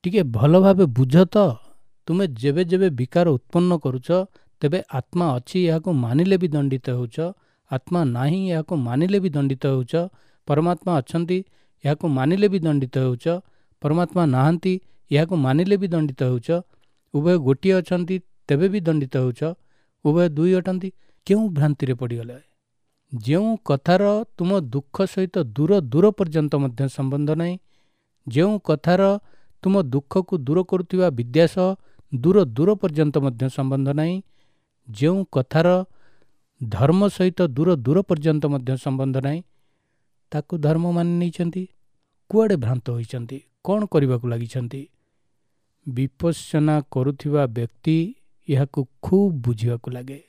ଟିକେ ଭଲ ଭାବେ ବୁଝ ତ। ତୁମେ ଯେବେ ଯେବେ ବିକାର ଉତ୍ପନ୍ନ କରୁଛ, ତେବେ ଆତ୍ମା ଅଛି ଏହାକୁ ମାନିଲେ ବି ଦଣ୍ଡିତ ହେଉଛ, ଆତ୍ମା ନାହିଁ ଏହାକୁ ମାନିଲେ ବି ଦଣ୍ଡିତ ହେଉଛ, ପରମାତ୍ମା ଅଛନ୍ତି ଏହାକୁ ମାନିଲେ ବି ଦଣ୍ଡିତ ହେଉଛ, ପରମାତ୍ମା ନାହାନ୍ତି ଏହାକୁ ମାନିଲେ ବି ଦଣ୍ଡିତ ହେଉଛ, ଉଭୟ ଗୋଟିଏ ଅଛନ୍ତି ତେବେ ବି ଦଣ୍ଡିତ ହେଉଛ, ଉଭୟ ଦୁଇ ଅଟନ୍ତି। କେଉଁ ଭ୍ରାନ୍ତିରେ ପଡ଼ିଗଲେ? ଯେଉଁ କଥାର ତୁମ ଦୁଃଖ ସହିତ ଦୂର ଦୂର ପର୍ଯ୍ୟନ୍ତ ମଧ୍ୟ ସମ୍ବନ୍ଧ ନାହିଁ, ଯେଉଁ କଥାର ତୁମ ଦୁଃଖକୁ ଦୂର କରୁଥିବା ବିଦ୍ୟା ସହ ଦୂର ଦୂର ପର୍ଯ୍ୟନ୍ତ ମଧ୍ୟ ସମ୍ବନ୍ଧ ନାହିଁ, ଯେଉଁ କଥାର ଧର୍ମ ସହିତ ଦୂର ଦୂର ପର୍ଯ୍ୟନ୍ତ ମଧ୍ୟ ସମ୍ବନ୍ଧ ନାହିଁ, ତାକୁ ଧର୍ମ ମାନି ନେଇଛନ୍ତି। କୁଆଡ଼େ ଭ୍ରାନ୍ତ ହୋଇଛନ୍ତି? କ'ଣ କରିବାକୁ ଲାଗିଛନ୍ତି? ବିପස්සନା କରୁଥିବା ବ୍ୟକ୍ତି ଏହାକୁ ଖୁବ୍ ବୁଝିବାକୁ ଲାଗେ।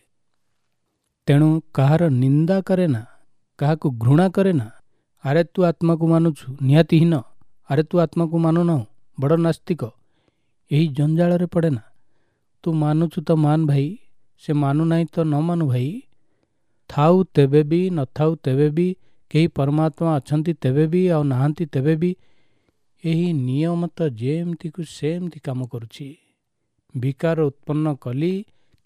ତେଣୁ କାହାର ନିନ୍ଦା କରେ ନା, କାହାକୁ ଘୃଣା କରେ ନା। ଆରେ ତୁ ଆତ୍ମାକୁ ମାନୁଛୁ, ନିହାତି ହୀନ। ଆରେ ତୁ ଆତ୍ମାକୁ ମାନୁନାହୁଁ, ବଡ଼ ନାସ୍ତିକ। ଏହି ଜଞ୍ଜାଳରେ ପଡ଼େ ନା। ତୁ ମାନୁଛୁ ତ ମାନ ଭାଇ, ସେ ମାନୁନାହିଁ ତ ନ ମାନୁ ଭାଇ। ଥାଉ ତେବେ ବି, ନଥାଉ ତେବେ ବି, କେହି ପରମାତ୍ମା ଅଛନ୍ତି ତେବେ ବି, ଆଉ ନାହାନ୍ତି ତେବେ ବି, ଏହି ନିୟମ ତ ଯେମିତିକୁ ସେମିତି କାମ କରୁଛି। ବିକାର ଉତ୍ପନ୍ନ କଲି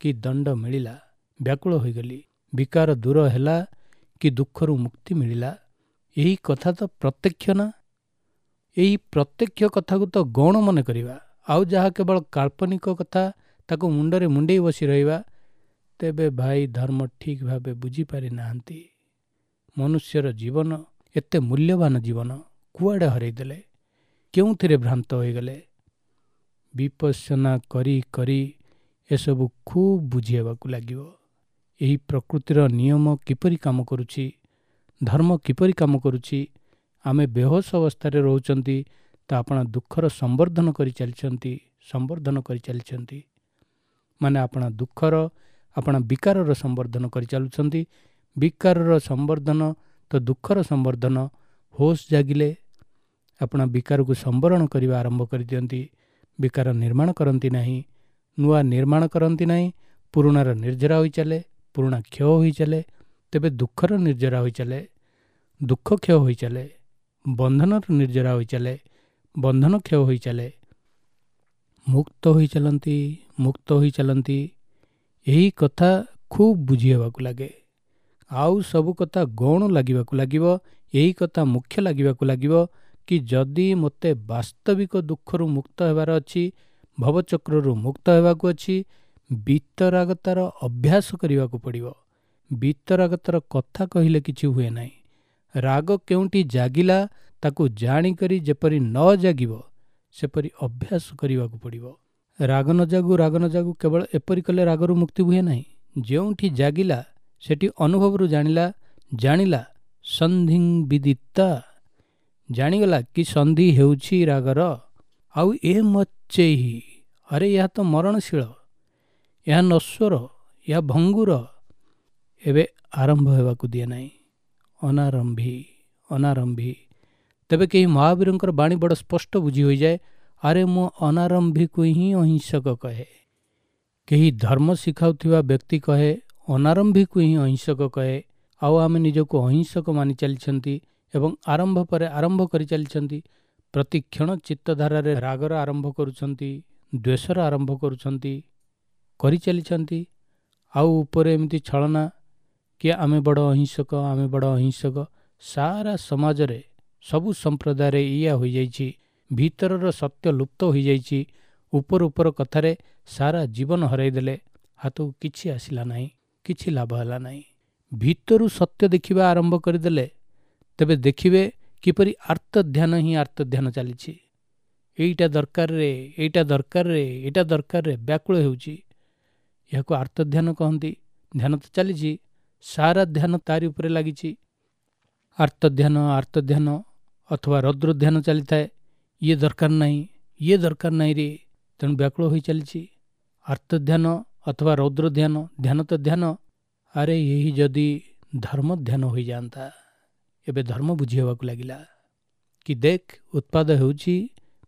କି ଦଣ୍ଡ ମିଳିଲା, ବ୍ୟାକୁଳ ହୋଇଗଲି। ବିକାର ଦୂର ହେଲା କି ଦୁଃଖରୁ ମୁକ୍ତି ମିଳିଲା। ଏହି କଥା ତ ପ୍ରତ୍ୟକ୍ଷ ନା? ଏହି ପ୍ରତ୍ୟକ୍ଷ କଥାକୁ ତ ଗୌଣ ମନେ କରିବା, ଆଉ ଯାହା କେବଳ କାଳ୍ପନିକ କଥା ତାକୁ ମୁଣ୍ଡରେ ମୁଣ୍ଡେଇ ବସି ରହିବା, ତେବେ ଭାଇ ଧର୍ମ ଠିକ୍ ଭାବେ ବୁଝିପାରି ନାହାନ୍ତି। ମନୁଷ୍ୟର ଜୀବନ ଏତେ ମୂଲ୍ୟବାନ ଜୀବନ କୁଆଡ଼େ ହରାଇଦେଲେ, କେଉଁଥିରେ ଭ୍ରାନ୍ତ ହୋଇଗଲେ। ବିପස්සନା କରି କରି ଏସବୁ ଖୁବ୍ ବୁଝି ହେବାକୁ ଲାଗିବ। ଏହି ପ୍ରକୃତିର ନିୟମ କିପରି କାମ କରୁଛି, ଧର୍ମ କିପରି କାମ କରୁଛି। ଆମେ ବେହୋସ ଅବସ୍ଥାରେ ରହୁଛନ୍ତି ତ ଆପଣା ଦୁଃଖର ସମ୍ବର୍ଦ୍ଧନ କରି ଚାଲିଛନ୍ତି, ସମ୍ବର୍ଦ୍ଧନ କରି ଚାଲିଛନ୍ତି। ମାନେ ଆପଣା ଦୁଃଖର, ଆପଣା ବିକାରର ସମ୍ବର୍ଦ୍ଧନ କରି ଚାଲୁଛନ୍ତି। ବିକାରର ସମ୍ବର୍ଦ୍ଧନ ତ ଦୁଃଖର ସମ୍ବର୍ଦ୍ଧନ। ହୋସ୍ ଜାଗିଲେ ଆପଣା ବିକାରକୁ ସମ୍ବରଣ କରିବା ଆରମ୍ଭ କରିଦିଅନ୍ତି। ବିକାର ନିର୍ମାଣ କରନ୍ତି ନାହିଁ, ନୂଆ ନିର୍ମାଣ କରନ୍ତି ନାହିଁ, ପୁରୁଣାର ନିର୍ଜରା ହୋଇ ଚାଲେ, ପୁରୁଣା କ୍ଷୟ ହୋଇ ଚାଲେ। ତେବେ ଦୁଃଖର ନିର୍ଜରା ହୋଇ ଚାଲେ, ଦୁଃଖ କ୍ଷୟ ହୋଇ ଚାଲେ, ବନ୍ଧନର ନିର୍ଜରା ହୋଇ ଚାଲେ, ବନ୍ଧନ କ୍ଷୟ ହୋଇ ଚାଲେ। ମୁକ୍ତ ହୋଇ ଚାଲନ୍ତି, ମୁକ୍ତ ହୋଇ ଚାଲନ୍ତି। ଏହି କଥା ଖୁବ୍ ବୁଝି ହେବାକୁ ଲାଗେ। ଆଉ ସବୁ କଥା ଗୌଣ ଲାଗିବାକୁ ଲାଗିବ, ଏହି କଥା ମୁଖ୍ୟ ଲାଗିବାକୁ ଲାଗିବ କି ଯଦି ମୋତେ ବାସ୍ତବିକ ଦୁଃଖରୁ ମୁକ୍ତ ହେବାର ଅଛି, ଭବଚକ୍ରରୁ ମୁକ୍ତ ହେବାକୁ ଅଛି, ବିତରାଗତାର ଅଭ୍ୟାସ କରିବାକୁ ପଡ଼ିବ। ବିତରାଗତାର କଥା କହିଲେ କିଛି ହୁଏ ନାହିଁ। ରାଗ କେଉଁଠି ଜାଗିଲା ତାକୁ ଜାଣିକରି ଯେପରି ନ ଜାଗିବ ସେପରି ଅଭ୍ୟାସ କରିବାକୁ ପଡ଼ିବ। ରାଗ ନ ଜାଗୁ, ରାଗ ନ ଜାଗୁ କେବଳ ଏପରି କଲେ ରାଗରୁ ମୁକ୍ତି ହୁଏ ନାହିଁ। ଯେଉଁଠି ଜାଗିଲା ସେଠି ଅନୁଭବରୁ ଜାଣିଲା, ଜାଣିଲା ସନ୍ଧିଂ ବିଦିତା, ଜାଣିଗଲା କି ସନ୍ଧି ହେଉଛି ରାଗର। ଆଉ ଏ ମଚ୍ଚେହି, ଆରେ ଏହା ତ ମରଣଶୀଳ, ଏହା ନଶ୍ୱର, ଏହା ଭଙ୍ଗୁର, ଏବେ ଆରମ୍ଭ ହେବାକୁ ଦିଏ ନାହିଁ। ଅନାରମ୍ଭି, ଅନାରମ୍ଭି। ତେବେ କେହି ମହାବୀରଙ୍କର ବାଣୀ ବଡ଼ ସ୍ପଷ୍ଟ ବୁଝି ହୋଇଯାଏ। ଆରେ ମୁଁ ଅନାରମ୍ଭିକୁ ହିଁ ଅହିଂସକ କହେ। କେହି ଧର୍ମ ଶିଖାଉଥିବା ବ୍ୟକ୍ତି କହେ ଅନାରମ୍ଭିକୁ ହିଁ ଅହିଂସକ କହେ। ଆଉ ଆମେ ନିଜକୁ ଅହିଂସକ ମାନି ଚାଲିଛନ୍ତି ଏବଂ ଆରମ୍ଭ ପରେ ଆରମ୍ଭ କରି ଚାଲିଛନ୍ତି। ପ୍ରତିକ୍ଷଣ ଚିତ୍ତଧାରାରେ ରାଗର ଆରମ୍ଭ କରୁଛନ୍ତି, ଦ୍ୱେଷର ଆରମ୍ଭ କରୁଛନ୍ତି, କରିଚାଲିଛନ୍ତି। ଆଉ ଉପରେ ଏମିତି ଛଳନା କି ଆମେ ବଡ଼ ଅହିଂସକ, ଆମେ ବଡ଼ ଅହିଂସକ। ସାରା ସମାଜରେ ସବୁ ସମ୍ପ୍ରଦାୟରେ ଏଇଆ ହୋଇଯାଇଛି। ଭିତରର ସତ୍ୟ ଲୁପ୍ତ ହୋଇଯାଇଛି। ଉପର ଉପର କଥାରେ ସାରା ଜୀବନ ହରାଇଦେଲେ, ହାତକୁ କିଛି ଆସିଲା ନାହିଁ, କିଛି ଲାଭ ହେଲା ନାହିଁ। ଭିତରୁ ସତ୍ୟ ଦେଖିବା ଆରମ୍ଭ କରିଦେଲେ ତେବେ ଦେଖିବେ କିପରି ଆର୍ତ୍ତଧ୍ୟାନ ହିଁ ଆର୍ତ୍ତଧ୍ୟାନ ଚାଲିଛି। ଏଇଟା ଦରକାରରେ, ଏଇଟା ଦରକାରରେ, ଏଇଟା ଦରକାରରେ ବ୍ୟାକୁଳ ହେଉଛି। ଏହାକୁ ଆର୍ତ୍ତଧ୍ୟାନ କହନ୍ତି। ଧ୍ୟାନ ତ ଚାଲିଛି, ସାରା ଧ୍ୟାନ ତାରି ଉପରେ ଲାଗିଛି। ଆର୍ତ୍ତଧ୍ୟାନ, ଆର୍ତ୍ତଧ୍ୟାନ ଅଥବା ରୌଦ୍ରଧ୍ୟାନ ଚାଲିଥାଏ। ଇଏ ଦରକାର ନାହିଁ, ଇଏ ଦରକାର ନାହିଁ ରେ, ତେଣୁ ବ୍ୟାକୁଳ ହୋଇ ଚାଲିଛି। ଆର୍ତ୍ତଧ୍ୟାନ ଅଥବା ରୌଦ୍ରଧ୍ୟାନ, ଧ୍ୟାନ ତ ଧ୍ୟାନ। ଆରେ ଏହି ଯଦି ଧର୍ମ ଧ୍ୟାନ ହୋଇଯାଆନ୍ତା। ଏବେ ଧର୍ମ ବୁଝି ହେବାକୁ ଲାଗିଲା କି ଦେଖ, ଉତ୍ପାଦ ହେଉଛି,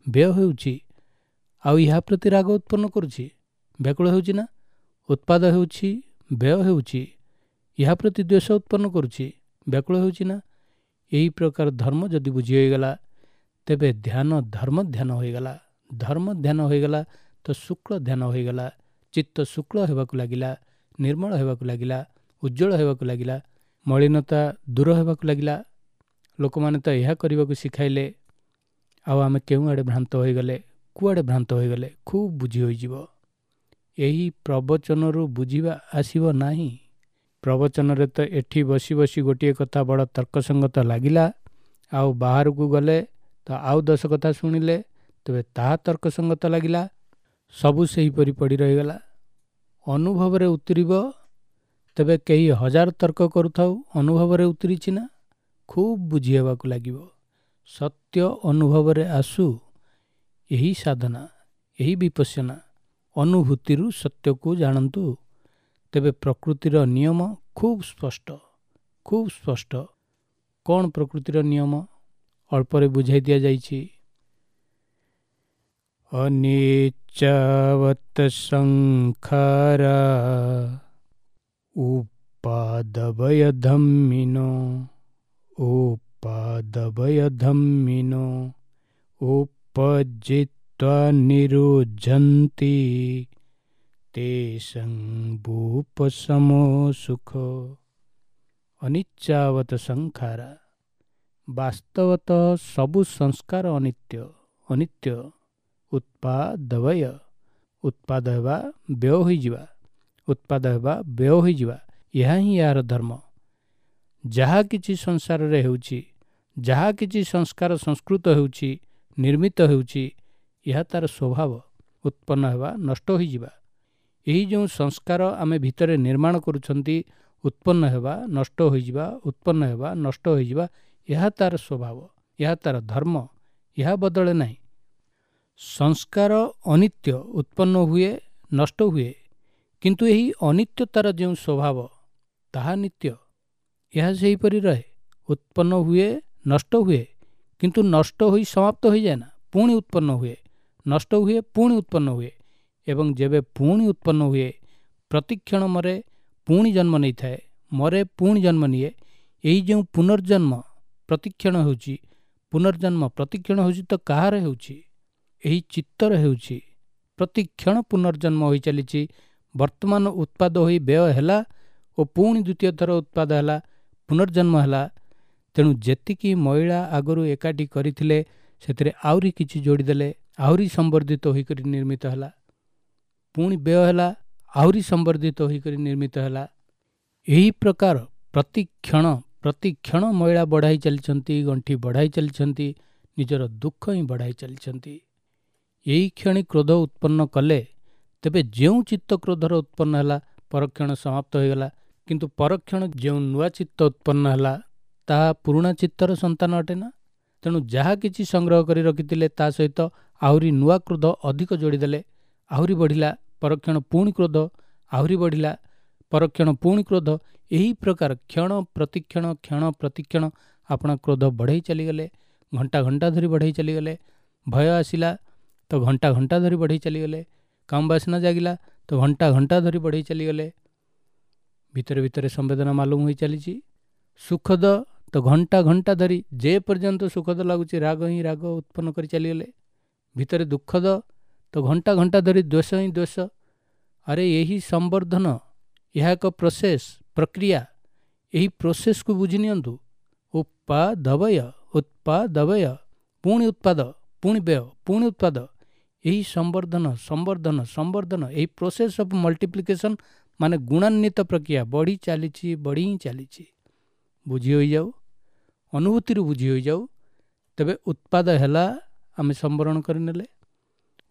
ବ୍ୟୟ ହେଉଛି, ଆଉ ଏହା ପ୍ରତି ରାଗ ଉତ୍ପନ୍ନ କରୁଛି, ବ୍ୟାକୁଳ ହେଉଛି ନା। ଉତ୍ପାଦ ହେଉଛି, ବ୍ୟୟ ହେଉଛି, ଏହା ପ୍ରତି ଦ୍ୱେଷ ଉତ୍ପନ୍ନ କରୁଛି, ବ୍ୟାକୁଳ ହେଉଛି ନା। ଏହି ପ୍ରକାର ଧର୍ମ ଯଦି ବୁଝି ହୋଇଗଲା ତେବେ ଧ୍ୟାନ ଧର୍ମ ଧ୍ୟାନ ହୋଇଗଲା। ଧର୍ମ ଧ୍ୟାନ ହୋଇଗଲା ତ ଶୁକ୍ଳ ଧ୍ୟାନ ହୋଇଗଲା। ଚିତ୍ତ ଶୁକ୍ଳ ହେବାକୁ ଲାଗିଲା, ନିର୍ମଳ ହେବାକୁ ଲାଗିଲା, ଉଜ୍ଜଳ ହେବାକୁ ଲାଗିଲା, ମଳିନତା ଦୂର ହେବାକୁ ଲାଗିଲା। ଲୋକମାନେ ତ ଏହା କରିବାକୁ ଶିଖାଇଲେ, ଆଉ ଆମେ କେଉଁଆଡ଼େ ଭ୍ରାନ୍ତ ହୋଇଗଲେ, କୁଆଡ଼େ ଭ୍ରାନ୍ତ ହୋଇଗଲେ ଖୁବ୍ ବୁଝି ହୋଇଯିବ। ଏହି ପ୍ରବଚନରୁ ବୁଝିବା ଆସିବ ନାହିଁ। ପ୍ରବଚନରେ ତ ଏଠି ବସି ବସି ଗୋଟିଏ କଥା ବଡ଼ ତର୍କସଙ୍ଗତ ଲାଗିଲା, ଆଉ ବାହାରକୁ ଗଲେ ତ ଆଉ ଦଶ କଥା ଶୁଣିଲେ ତେବେ ତାହା ତର୍କସଙ୍ଗତ ଲାଗିଲା। ସବୁ ସେହିପରି ପଡ଼ି ରହିଗଲା। ଅନୁଭବରେ ଉତୁରିବ ତେବେ କେହି ହଜାର ତର୍କ କରୁଥାଉ, ଅନୁଭବରେ ଉତୁରିଛି ନା, ଖୁବ୍ ବୁଝି ହେବାକୁ ଲାଗିବ। ସତ୍ୟ ଅନୁଭବରେ ଆସୁ ଏହି ସାଧନା, ଏହି ବିପස්සନା। ଅନୁଭୂତିରୁ ସତ୍ୟକୁ ଜାଣନ୍ତୁ, ତେବେ ପ୍ରକୃତିର ନିୟମ ଖୁବ୍ ସ୍ପଷ୍ଟ, ଖୁବ୍ ସ୍ପଷ୍ଟ। କ'ଣ ପ୍ରକୃତିର ନିୟମ ଅଳ୍ପରେ ବୁଝାଇ ଦିଆଯାଇଛି। ଅନିଚ୍ଛାବତ ସଂଖାରା ଉପାଦବୟ ଧମ୍ମିନୋ ଉପାଦବୟ ଧମ୍ମିନୋ ଉପଜିତ୍ୱା ନିରୁଝନ୍ତି ତେଷଂ ଭୂପଶମୋ ସୁଖ। ଅନିଚ୍ଛାବତ ସଂଖାରା, ବାସ୍ତବତଃ ସବୁ ସଂସ୍କାର ଅନିତ୍ୟ, ଅନିତ୍ୟ। ଉତ୍ପାଦବୟ, ଉତ୍ପାଦ ହେବା ବ୍ୟୟ ହୋଇଯିବା, ଉତ୍ପାଦ ହେବା ବ୍ୟୟ ହୋଇଯିବା, ଏହା ହିଁ ଏହାର ଧର୍ମ। ଯାହା କିଛି ସଂସାରରେ ହେଉଛି, ଯାହା କିଛି ସଂସ୍କାର ସଂସ୍କୃତ ହେଉଛି, ନିର୍ମିତ ହେଉଛି, ଏହା ତାର ସ୍ୱଭାବ, ଉତ୍ପନ୍ନ ହେବା, ନଷ୍ଟ ହୋଇଯିବା। ଏହି ଯେଉଁ ସଂସ୍କାର ଆମେ ଭିତରେ ନିର୍ମାଣ କରୁଛନ୍ତି, ଉତ୍ପନ୍ନ ହେବା, ନଷ୍ଟ ହୋଇଯିବା, ଉତ୍ପନ୍ନ ହେବା, ନଷ୍ଟ ହୋଇଯିବା, ଏହା ତାର ସ୍ୱଭାବ, ଏହା ତାର ଧର୍ମ, ଏହା ବଦଳେ ନାହିଁ। ସଂସ୍କାର ଅନିତ୍ୟ, ଉତ୍ପନ୍ନ ହୁଏ, ନଷ୍ଟ ହୁଏ, କିନ୍ତୁ ଏହି ଅନିତ୍ୟତାର ଯେଉଁ ସ୍ୱଭାବ ତାହା ନିତ୍ୟ, ଏହା ସେହିପରି ରହେ। ଉତ୍ପନ୍ନ ହୁଏ, ନଷ୍ଟ ହୁଏ, କିନ୍ତୁ ନଷ୍ଟ ହୋଇ ସମାପ୍ତ ହୋଇଯାଏ ନା, ପୁଣି ଉତ୍ପନ୍ନ ହୁଏ, ନଷ୍ଟ ହୁଏ, ପୁଣି ଉତ୍ପନ୍ନ ହୁଏ। ଏବଂ ଯେବେ ପୁଣି ଉତ୍ପନ୍ନ ହୁଏ, ପ୍ରତିକ୍ଷଣ ମରେ, ପୁଣି ଜନ୍ମ ନେଇଥାଏ, ମରେ, ପୁଣି ଜନ୍ମ ନିଏ। ଏହି ଯେଉଁ ପୁନର୍ଜନ୍ମ ପ୍ରତିକ୍ଷଣ ହେଉଛି, ପୁନର୍ଜନ୍ମ ପ୍ରତିକ୍ଷଣ ହେଉଛି ତ କାହାର ହେଉଛି? ଏହି ଚିତ୍ତର ହେଉଛି। ପ୍ରତିକ୍ଷଣ ପୁନର୍ଜନ୍ମ ହୋଇ ଚାଲିଛି। ବର୍ତ୍ତମାନ ଉତ୍ପାଦ ହୋଇ ବ୍ୟୟ ହେଲା ଓ ପୁଣି ଦ୍ୱିତୀୟ ଥର ଉତ୍ପାଦ ହେଲା, ପୁନର୍ଜନ୍ମ ହେଲା। ତେଣୁ ଯେତିକି ମଇଳା ଆଗରୁ ଏକାଠି କରିଥିଲେ ସେଥିରେ ଆହୁରି କିଛି ଯୋଡ଼ିଦେଲେ, ଆହୁରି ସମ୍ବର୍ଦ୍ଧିତ ହୋଇକରି ନିର୍ମିତ ହେଲା। ପୁଣି ବ୍ୟୟ ହେଲା, ଆହୁରି ସମ୍ବର୍ଦ୍ଧିତ ହୋଇକରି ନିର୍ମିତ ହେଲା। ଏହି ପ୍ରକାର ପ୍ରତିକ୍ଷଣ ପ୍ରତିକ୍ଷଣ ମଇଳା ବଢ଼ାଇ ଚାଲିଛନ୍ତି, ଗଣ୍ଠି ବଢ଼ାଇ ଚାଲିଛନ୍ତି, ନିଜର ଦୁଃଖ ହିଁ ବଢ଼ାଇ ଚାଲିଛନ୍ତି। ଏହି କ୍ଷଣି କ୍ରୋଧ ଉତ୍ପନ୍ନ କଲେ ତେବେ ଯେଉଁ ଚିତ୍ତ କ୍ରୋଧର ଉତ୍ପନ୍ନ ହେଲା ପରକ୍ଷଣ ସମାପ୍ତ ହୋଇଗଲା, କିନ୍ତୁ ପରକ୍ଷଣ ଯେଉଁ ନୂଆ ଚିତ୍ତ ଉତ୍ପନ୍ନ ହେଲା ତାହା ପୁରୁଣା ଚିତ୍ତର ସନ୍ତାନ ଅଟେ ନା। ତେଣୁ ଯାହା କିଛି ସଂଗ୍ରହ କରି ରଖିଥିଲେ ତା ସହିତ ଆହୁରି ନୂଆ କ୍ରୋଧ ଅଧିକ ଯୋଡ଼ିଦେଲେ, ଆହୁରି ବଢ଼ିଲା, ପରକ୍ଷଣ ପୁଣି କ୍ରୋଧ, ଆହୁରି ବଢ଼ିଲା, ପରକ୍ଷଣ ପୁଣି କ୍ରୋଧ। ଏହି ପ୍ରକାର କ୍ଷଣ ପ୍ରତିକ୍ଷଣ କ୍ଷଣ ପ୍ରତିକ୍ଷଣ ଆପଣ କ୍ରୋଧ ବଢ଼େଇ ଚାଲିଗଲେ, ଘଣ୍ଟା ଘଣ୍ଟା ଧରି ବଢ଼େଇ ଚାଲିଗଲେ। ଭୟ ଆସିଲା ତ ଘଣ୍ଟା ଘଣ୍ଟା ଧରି ବଢ଼େଇ ଚାଲିଗଲେ, କାମ ବାସନା ଜାଗିଲା ତ ଘଣ୍ଟା ଘଣ୍ଟା ଧରି ବଢ଼େଇ ଚାଲିଗଲେ। ଭିତରେ ଭିତରେ ସମ୍ବେଦନା ମାଲୁମ ହୋଇ ଚାଲିଛି। ସୁଖଦ ତ ଘଣ୍ଟା ଘଣ୍ଟା ଧରି ଯେ ପର୍ଯ୍ୟନ୍ତ ସୁଖଦ ଲାଗୁଛି ରାଗ ହିଁ ରାଗ ଉତ୍ପନ୍ନ କରି ଚାଲିଗଲେ। ଭିତରେ ଦୁଃଖଦ ତ ଘଣ୍ଟା ଘଣ୍ଟା ଧରି ଦ୍ୱେଷ ହିଁ ଦ୍ୱେଷ। ଆରେ ଏହି ସମ୍ବର୍ଦ୍ଧନ, ଏହା ଏକ ପ୍ରୋସେସ୍, ପ୍ରକ୍ରିୟା। ଏହି ପ୍ରୋସେସ୍କୁ ବୁଝି ନିଅନ୍ତୁ। ଉତ୍ପାଦବୟ, ଉତ୍ପାଦବୟ, ପୁଣି ଉତ୍ପାଦ, ପୁଣି ବ୍ୟୟ, ପୁଣି ଉତ୍ପାଦ। ଏହି ସମ୍ବର୍ଦ୍ଧନ ସମ୍ବର୍ଦ୍ଧନ ସମ୍ବର୍ଦ୍ଧନ, ଏହି ପ୍ରୋସେସ୍ ଅଫ୍ ମଲ୍ଟିପ୍ଲିକେସନ୍ ମାନେ ଗୁଣାନ୍ୱିତ ପ୍ରକ୍ରିୟା ବଢ଼ି ଚାଲିଛି, ବଢ଼ି ହିଁ ଚାଲିଛି। ବୁଝି ହୋଇଯାଉ, ଅନୁଭୂତିରୁ ବୁଝି ହୋଇଯାଉ। ତେବେ ଉତ୍ପାଦ ହେଲା, ଆମେ ସମ୍ବରଣ କରିନେଲେ।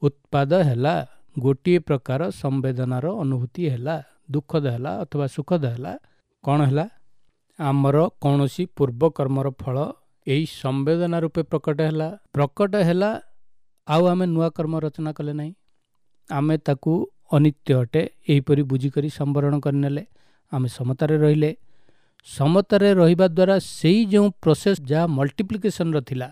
ଉତ୍ପାଦ ହେଲା ଗୋଟିଏ ପ୍ରକାର ସମ୍ବେଦନାର ଅନୁଭୂତି ହେଲା, ଦୁଃଖଦ ହେଲା ଅଥବା ସୁଖଦ ହେଲା। କ'ଣ ହେଲା? ଆମର କୌଣସି ପୂର୍ବକର୍ମର ଫଳ ଏହି ସମ୍ବେଦନା ରୂପେ ପ୍ରକଟ ହେଲା। ପ୍ରକଟ ହେଲା, ଆଉ ଆମେ ନୂଆ କର୍ମ ରଚନା କଲେ ନାହିଁ। ଆମେ ତାକୁ ଅନିତ୍ୟ ଅଟେ ଏହିପରି ବୁଝିକରି ସମ୍ବରଣ କରିନେଲେ। ଆମେ ସମତାରେ ରହିଲେ। ସମତାରେ ରହିବା ଦ୍ୱାରା ସେଇ ଯେଉଁ ପ୍ରୋସେସ୍ ଯାହା ମଲ୍ଟିପ୍ଲିକେସନ୍ର ଥିଲା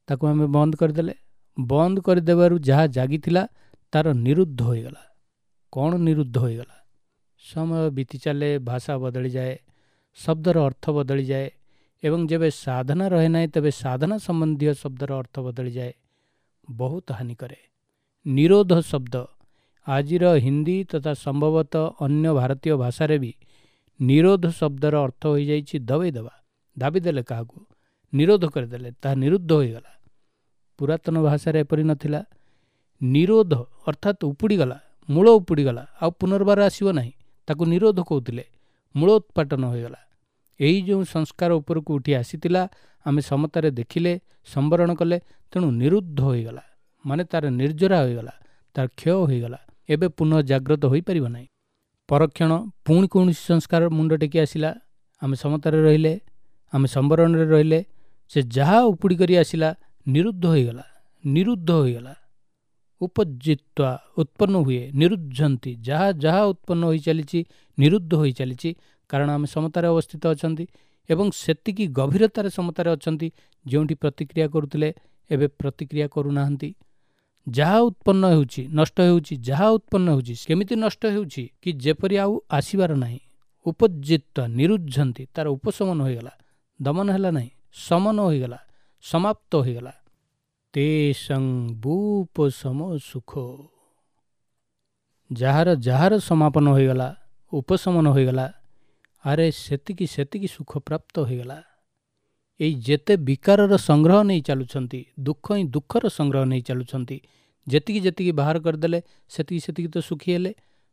ତାକୁ ଆମେ ବନ୍ଦ କରିଦେଲେ। ବନ୍ଦ କରିଦେବାରୁ ଯାହା ଜାଗିଥିଲା ତାର ନିରୁଦ୍ଧ ହୋଇଗଲା। କ'ଣ ନିରୁଦ୍ଧ ହୋଇଗଲା? ସମୟ ବିତି ଚାଲେ, ଭାଷା ବଦଳିଯାଏ, ଶବ୍ଦର ଅର୍ଥ ବଦଳିଯାଏ, ଏବଂ ଯେବେ ସାଧନା ରହେ ନାହିଁ ତେବେ ସାଧନା ସମ୍ବନ୍ଧୀୟ ଶବ୍ଦର ଅର୍ଥ ବଦଳିଯାଏ, ବହୁତ ହାନି କରେ। ନିରୋଧ ଶବ୍ଦ ଆଜିର ହିନ୍ଦୀ ତଥା ସମ୍ଭବତଃ ଅନ୍ୟ ଭାରତୀୟ ଭାଷାରେ ବି ନିରୋଧ ଶବ୍ଦର ଅର୍ଥ ହୋଇଯାଇଛି ଦବେଇ ଦେବା, ଦାବି ଦେଲେ କାହାକୁ, ନିରୋଧ କରିଦେଲେ, ତାହା ନିରୁଦ୍ଧ ହୋଇଗଲା। ପୁରାତନ ଭାଷାରେ ଏପରି ନଥିଲା। ନିରୋଧ ଅର୍ଥାତ୍ ଉପୁଡ଼ିଗଲା, ମୂଳ ଉପୁଡ଼ିଗଲା, ଆଉ ପୁନର୍ବାର ଆସିବ ନାହିଁ, ତାକୁ ନିରୋଧ କହୁଥିଲେ। ମୂଳୋତ୍ପାଟନ ହୋଇଗଲା। ଏହି ଯେଉଁ ସଂସ୍କାର ଉପରକୁ ଉଠି ଆସିଥିଲା ଆମେ ସମତାରେ ଦେଖିଲେ, ସମ୍ବରଣ କଲେ, ତେଣୁ ନିରୁଦ୍ଧ ହୋଇଗଲା, ମାନେ ତାର ନିର୍ଜରା ହୋଇଗଲା, ତାର କ୍ଷୟ ହୋଇଗଲା। ଏବେ ପୁନଃ ଜାଗ୍ରତ ହୋଇପାରିବ ନାହିଁ। ପରକ୍ଷଣ ପୁଣି କୌଣସି ସଂସ୍କାର ମୁଣ୍ଡ ଟେକି ଆସିଲା, ଆମେ ସମତାରେ ରହିଲେ, ଆମେ ସମ୍ବରଣରେ ରହିଲେ, ସେ ଯାହା ଉପୁଡ଼ି କରି ଆସିଲା ନିରୁଦ୍ଧ ହୋଇଗଲା, ନିରୁଦ୍ଧ ହୋଇଗଲା। ଉପଜିତ୍ୱା ଉତ୍ପନ୍ନ ହୁଏ, ନିରୁଦ୍ଧନ୍ତି, ଯାହା ଯାହା ଉତ୍ପନ୍ନ ହୋଇ ଚାଲିଛି ନିରୁଦ୍ଧ ହୋଇ ଚାଲିଛି। କାରଣ ଆମେ ସମତାରେ ଅବସ୍ଥିତ ଅଛନ୍ତି ଏବଂ ସେତିକି ଗଭୀରତାରେ ସମତାରେ ଅଛନ୍ତି ଯେଉଁଠି ପ୍ରତିକ୍ରିୟା କରୁଥିଲେ ଏବେ ପ୍ରତିକ୍ରିୟା କରୁନାହାନ୍ତି। ଯାହା ଉତ୍ପନ୍ନ ହେଉଛି ନଷ୍ଟ ହେଉଛି, ଯାହା ଉତ୍ପନ୍ନ ହେଉଛି କେମିତି ନଷ୍ଟ ହେଉଛି କି ଯେପରି ଆଉ ଆସିବାର ନାହିଁ। ଉପଜିତ୍ୱ ନିରୁଝନ୍ତି, ତାର ଉପଶମନ ହୋଇଗଲା, ଦମନ ହେଲା ନାହିଁ, ଶମନ ହୋଇଗଲା, ସମାପ୍ତ ହୋଇଗଲା। ତେଷଂ ବୁପଶମ ସୁଖ, ଯାହାର ଯାହାର ସମାପନ ହୋଇଗଲା, ଉପଶମନ ହୋଇଗଲା, ଆରେ ସେତିକି ସେତିକି ସୁଖ ପ୍ରାପ୍ତ ହୋଇଗଲା। ଏଇ ଯେତେ ବିକାରର ସଂଗ୍ରହ ନେଇ ଚାଲୁଛନ୍ତି, ଦୁଃଖ ହିଁ ଦୁଃଖର ସଂଗ୍ରହ ନେଇ ଚାଲୁଛନ୍ତି, ଯେତିକି ଯେତିକି ବାହାର କରିଦେଲେ ସେତିକି ସେତିକି ତ ସୁଖୀ ହେଲେ।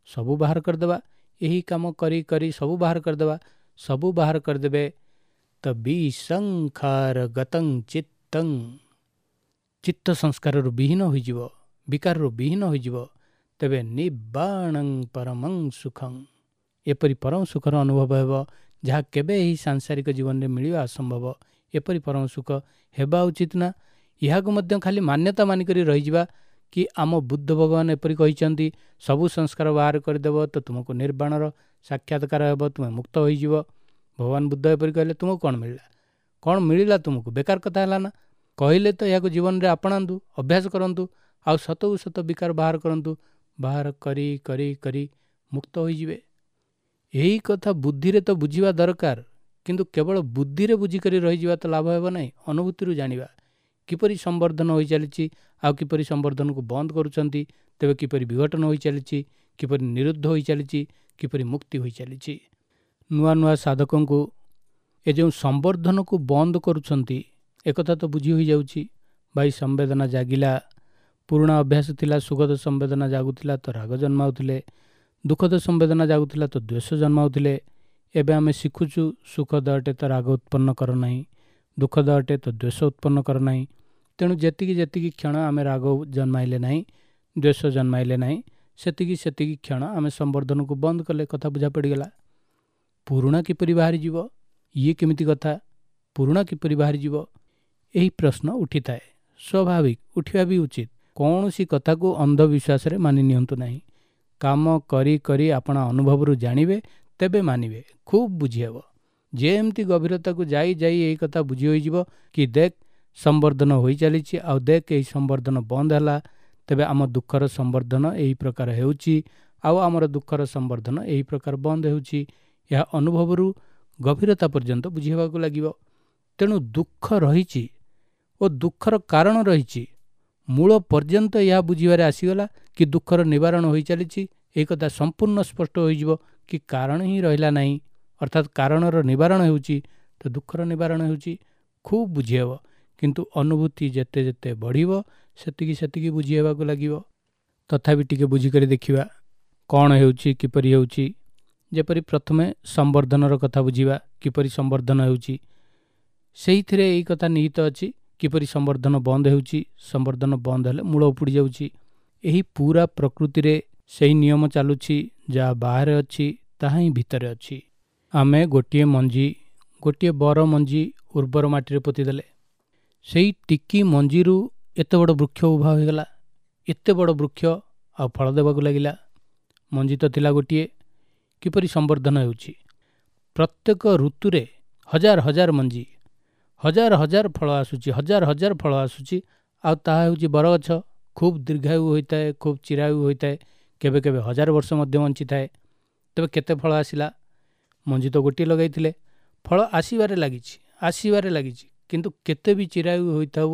ସବୁ ବାହାର କରିଦେବା, ଏହି କାମ କରି କରି ସବୁ ବାହାର କରିଦେବା, ସବୁ ବାହାର କରିଦେବେ ତ ବିସଂଖାର ଗତଂ ଚିତ୍ତଂ, ଚିତ୍ତ ସଂସ୍କାରରୁ ବିହୀନ ହୋଇଯିବ, ବିକାରରୁ ବିହୀନ ହୋଇଯିବ। ତେବେ ନିର୍ବାଣଂ ପରମଂ ସୁଖଂ, ଏପରି ପରମ ସୁଖର ଅନୁଭବ ହେବ ଯାହା କେବେ ଏହି ସାଂସାରିକ ଜୀବନରେ ମିଳିବା ଅସମ୍ଭବ। ଏପରି ପରମ ସୁଖ ହେବା ଉଚିତ ନା? ଏହାକୁ ମଧ୍ୟ ଖାଲି ମାନ୍ୟତା ମାନିକରି ରହିଯିବା କି ଆମ ବୁଦ୍ଧ ଭଗବାନ ଏପରି କହିଛନ୍ତି, ସବୁ ସଂସ୍କାର ବାହାର କରିଦେବ ତ ତୁମକୁ ନିର୍ବାଣର ସାକ୍ଷାତକାର ହେବ, ତୁମେ ମୁକ୍ତ ହୋଇଯିବ। ଭଗବାନ ବୁଦ୍ଧ ଏପରି କହିଲେ, ତୁମକୁ କ'ଣ ମିଳିଲା? କ'ଣ ମିଳିଲା ତୁମକୁ? ବେକାର କଥା ହେଲା ନା? କହିଲେ ତ ଏହାକୁ ଜୀବନରେ ଆପଣାନ୍ତୁ, ଅଭ୍ୟାସ କରନ୍ତୁ, ଆଉ ସତକୁ ସତ ବିକାର ବାହାର କରନ୍ତୁ, ବାହାର କରି କରି କରି ମୁକ୍ତ ହୋଇଯିବେ। ଏହି କଥା ବୁଦ୍ଧିରେ ତ ବୁଝିବା ଦରକାର, କିନ୍ତୁ କେବଳ ବୁଦ୍ଧିରେ ବୁଝିକରି ରହିଯିବା ତ ଲାଭ ହେବ ନାହିଁ। ଅନୁଭୂତିରୁ ଜାଣିବା କିପରି ସମ୍ବର୍ଦ୍ଧନ ହୋଇଚାଲିଛି, ଆଉ କିପରି ସମ୍ବର୍ଦ୍ଧନକୁ ବନ୍ଦ କରୁଛନ୍ତି, ତେବେ କିପରି ବିଘଟନ ହୋଇଚାଲିଛି, କିପରି ନିରୁଦ୍ଧ ହୋଇଚାଲିଛି, କିପରି ମୁକ୍ତି ହୋଇଚାଲିଛି। ନୂଆ ନୂଆ ସାଧକଙ୍କୁ ଏ ଯେଉଁ ସମ୍ବର୍ଦ୍ଧନକୁ ବନ୍ଦ କରୁଛନ୍ତି ଏକଥା ତ ବୁଝି ହୋଇଯାଉଛି। ଭାଇ ସମ୍ବେଦନା ଜାଗିଲା, ପୁରୁଣା ଅଭ୍ୟାସ ଥିଲା, ସୁଖଦ ସମ୍ବେଦନା ଜାଗୁଥିଲା ତ ରାଗ ଜନ୍ମାଉଥିଲେ, ଦୁଃଖଦ ସମ୍ବେଦନା ଜାଗୁଥିଲା ତ ଦ୍ୱେଷ ଜନ୍ମାଉଥିଲେ। ଏବେ ଆମେ ଶିଖୁଛୁ ସୁଖଦ ଅଟେ ତ ରାଗ ଉତ୍ପନ୍ନ କର ନାହିଁ, ଦୁଃଖଦ ଅଟେ ତ ଦ୍ୱେଷ ଉତ୍ପନ୍ନ କର ନାହିଁ। ତେଣୁ ଯେତିକି ଯେତିକି କ୍ଷଣ ଆମେ ରାଗ ଜନ୍ମାଇଲେ ନାହିଁ, ଦ୍ୱେଷ ଜନ୍ମାଇଲେ ନାହିଁ, ସେତିକି ସେତିକି କ୍ଷଣ ଆମେ ସମ୍ବର୍ଦ୍ଧନକୁ ବନ୍ଦ କଲେ। କଥା ବୁଝା ପଡ଼ିଗଲା। ପୁରୁଣା କିପରି ବାହାରିଯିବ, ଇଏ କେମିତି କଥା? ପୁରୁଣା କିପରି ବାହାରିଯିବ, ଏହି ପ୍ରଶ୍ନ ଉଠିଥାଏ। ସ୍ୱାଭାବିକ, ଉଠିବା ବି ଉଚିତ। କୌଣସି କଥାକୁ ଅନ୍ଧବିଶ୍ୱାସରେ ମାନି ନିଅନ୍ତୁ ନାହିଁ। କାମ କରି କରି ଆପଣ ଅନୁଭବରୁ ଜାଣିବେ, ତେବେ ମାନିବେ, ଖୁବ୍ ବୁଝିହେବ। ଯେମିତି ଗଭୀରତାକୁ ଯାଇ ଯାଇ ଏହି କଥା ବୁଝି ହୋଇଯିବ କି ଦେଖ ସମ୍ବର୍ଦ୍ଧନ ହୋଇ ଚାଲିଛି, ଆଉ ଦେଖ ଏହି ସମ୍ବର୍ଦ୍ଧନ ବନ୍ଦ ହେଲା, ତେବେ ଆମ ଦୁଃଖର ସମ୍ବର୍ଦ୍ଧନ ଏହି ପ୍ରକାର ହେଉଛି, ଆଉ ଆମର ଦୁଃଖର ସମ୍ବର୍ଦ୍ଧନ ଏହି ପ୍ରକାର ବନ୍ଦ ହେଉଛି। ଏହା ଅନୁଭବରୁ ଗଭୀରତା ପର୍ଯ୍ୟନ୍ତ ବୁଝି ହେବାକୁ ଲାଗିବ। ତେଣୁ ଦୁଃଖ ରହିଛି ଓ ଦୁଃଖର କାରଣ ରହିଛି, ମୂଳ ପର୍ଯ୍ୟନ୍ତ ଏହା ବୁଝିବାରେ ଆସିଗଲା କି ଦୁଃଖର ନିବାରଣ ହୋଇ ଚାଲିଛି, ଏହି କଥା ସମ୍ପୂର୍ଣ୍ଣ ସ୍ପଷ୍ଟ ହୋଇଯିବ କି କାରଣ ହିଁ ରହିଲା ନାହିଁ, ଅର୍ଥାତ୍ କାରଣର ନିବାରଣ ହେଉଛି ତ ଦୁଃଖର ନିବାରଣ ହେଉଛି। ଖୁବ୍ ବୁଝିହେବ। କିନ୍ତୁ ଅନୁଭୂତି ଯେତେ ଯେତେ ବଢ଼ିବ ସେତିକି ସେତିକି ବୁଝି ହେବାକୁ ଲାଗିବ। ତଥାପି ଟିକେ ବୁଝିକରି ଦେଖିବା କ'ଣ ହେଉଛି, କିପରି ହେଉଛି। ଯେପରି ପ୍ରଥମେ ସମ୍ବର୍ଦ୍ଧନର କଥା ବୁଝିବା, କିପରି ସମ୍ବର୍ଦ୍ଧନ ହେଉଛି, ସେଇଥିରେ ଏଇ କଥା ନିହିତ ଅଛି, କିପରି ସମ୍ବର୍ଦ୍ଧନ ବନ୍ଦ ହେଉଛି, ସମ୍ବର୍ଦ୍ଧନ ବନ୍ଦ ହେଲେ ମୂଳ ଉପୁଡ଼ି ଯାଉଛି। ଏହି ପୁରା ପ୍ରକୃତିରେ ସେଇ ନିୟମ ଚାଲୁଛି, ଯାହା ବାହାରେ ଅଛି ତାହା ହିଁ ଭିତରେ ଅଛି। ଆମେ ଗୋଟିଏ ମଞ୍ଜି, ଗୋଟିଏ ବର ମଞ୍ଜି ଉର୍ବର ମାଟିରେ ପୋତିଦେଲେ, ସେଇ ଟିକି ମଞ୍ଜିରୁ ଏତେ ବଡ଼ ବୃକ୍ଷ ଉଭା ହୋଇଗଲା, ଏତେ ବଡ଼ ବୃକ୍ଷ ଆଉ ଫଳ ଦେବାକୁ ଲାଗିଲା। ମଞ୍ଜି ତ ଥିଲା ଗୋଟିଏ, କିପରି ସମ୍ବର୍ଦ୍ଧନ ହେଉଛି। ପ୍ରତ୍ୟେକ ଋତୁରେ ହଜାର ହଜାର ମଞ୍ଜି, ହଜାର ହଜାର ଫଳ ଆସୁଛି, ହଜାର ହଜାର ଫଳ ଆସୁଛି। ଆଉ ତାହା ହେଉଛି ବରଗଛ। ଖୁବ୍ ଦୀର୍ଘାୟୁ ହୋଇଥାଏ, ଖୁବ୍ ଚିରାୟୁ ହୋଇଥାଏ, କେବେ କେବେ ହଜାର ବର୍ଷ ମଧ୍ୟ ବଞ୍ଚିଥାଏ। ତେବେ କେତେ ଫଳ ଆସିଲା? ମଞ୍ଜି ତ ଗୋଟିଏ ଲଗାଇଥିଲେ, ଫଳ ଆସିବାରେ ଲାଗିଛି, ଆସିବାରେ ଲାଗିଛି। କିନ୍ତୁ କେତେ ବି ଚିରାୟୁ ହୋଇଥାଉ,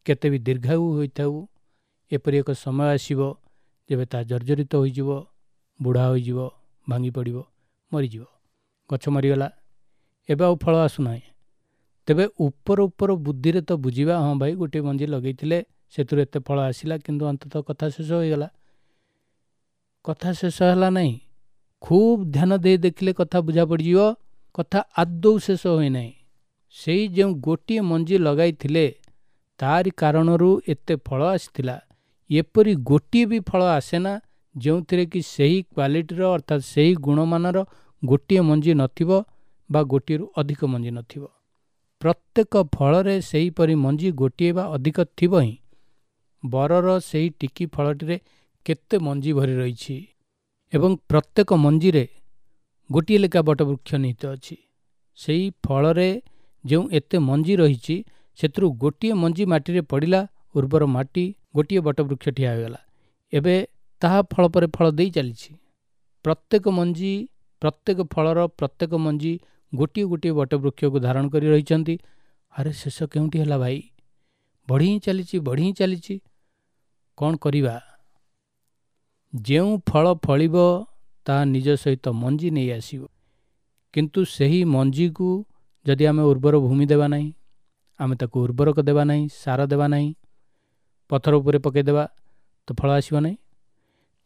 କେତେ ବି ଦୀର୍ଘାୟୁ ହୋଇଥାଉ, ଏପରି ଏକ ସମୟ ଆସିବ ଯେବେ ତାହା ଜର୍ଜରିତ ହୋଇଯିବ, ବୁଢ଼ା ହୋଇଯିବ, ଭାଙ୍ଗି ପଡ଼ିବ, ମରିଯିବ। ଗଛ ମରିଗଲା, ଏବେ ଆଉ ଫଳ ଆସୁନାହିଁ। ତେବେ ଉପର ଉପର ବୁଦ୍ଧିରେ ତ ବୁଝିବା, ହଁ ଭାଇ ଗୋଟିଏ ମଞ୍ଜି ଲଗେଇଥିଲେ ସେଥିରୁ ଏତେ ଫଳ ଆସିଲା, କିନ୍ତୁ ଅନ୍ତତଃ କଥା ଶେଷ ହୋଇଗଲା। କଥା ଶେଷ ହେଲା ନାହିଁ। ଖୁବ୍ ଧ୍ୟାନ ଦେଇ ଦେଖିଲେ କଥା ବୁଝା ପଡ଼ିଯିବ, କଥା ଆଦୌ ଶେଷ ହୋଇନାହିଁ। ସେଇ ଯେଉଁ ଗୋଟିଏ ମଞ୍ଜି ଲଗାଇଥିଲେ ତାରି କାରଣରୁ ଏତେ ଫଳ ଆସିଥିଲା। ଏପରି ଗୋଟିଏ ବି ଫଳ ଆସେନା ଯେଉଁଥିରେ କି ସେହି କ୍ୱାଲିଟିର, ଅର୍ଥାତ୍ ସେହି ଗୁଣମାନର ଗୋଟିଏ ମଞ୍ଜି ନଥିବ ବା ଗୋଟିଏରୁ ଅଧିକ ମଞ୍ଜି ନଥିବ। ପ୍ରତ୍ୟେକ ଫଳରେ ସେହିପରି ମଞ୍ଜି ଗୋଟିଏ ବା ଅଧିକ ଥିବ ହିଁ। ବରର ସେହି ଟିକି ଫଳଟିରେ କେତେ ମଞ୍ଜି ଭରି ରହିଛି ଏବଂ ପ୍ରତ୍ୟେକ ମଞ୍ଜିରେ ଗୋଟିଏ ଲେଖା ବଟବୃକ୍ଷ ନିହିତ ଅଛି। ସେଇ ଫଳରେ ଯେଉଁ ଏତେ ମଞ୍ଜି ରହିଛି, ସେଥିରୁ ଗୋଟିଏ ମଞ୍ଜି ମାଟିରେ ପଡ଼ିଲା, ଉର୍ବର ମାଟି, ଗୋଟିଏ ବଟବୃକ୍ଷ ଠିଆ ହୋଇଗଲା। ଏବେ ତାହା ଫଳ ପରେ ଫଳ ଦେଇ ଚାଲିଛି। ପ୍ରତ୍ୟେକ ମଞ୍ଜି, ପ୍ରତ୍ୟେକ ଫଳର ପ୍ରତ୍ୟେକ ମଞ୍ଜି ଗୋଟିଏ ଗୋଟିଏ ବଟବୃକ୍ଷକୁ ଧାରଣ କରି ରହିଛନ୍ତି। ଆରେ ଶେଷ କେଉଁଠି ହେଲା ଭାଇ? ବଢ଼ି ହିଁ ଚାଲିଛି, ବଢ଼ି ହିଁ ଚାଲିଛି। କ'ଣ କରିବା? ଯେଉଁ ଫଳ ଫଳିବ ତାହା ନିଜ ସହିତ ମଞ୍ଜି ନେଇ ଆସିବ, କିନ୍ତୁ ସେହି ମଞ୍ଜିକୁ ଯଦି ଆମେ ଉର୍ବର ଭୂମି ଦେବା ନାହିଁ, ଆମେ ତାକୁ ଉର୍ବରକ ଦେବା ନାହିଁ, ସାର ଦେବା ନାହିଁ, ପଥର ଉପରେ ପକାଇଦେବା, ତ ଫଳ ଆସିବ ନାହିଁ।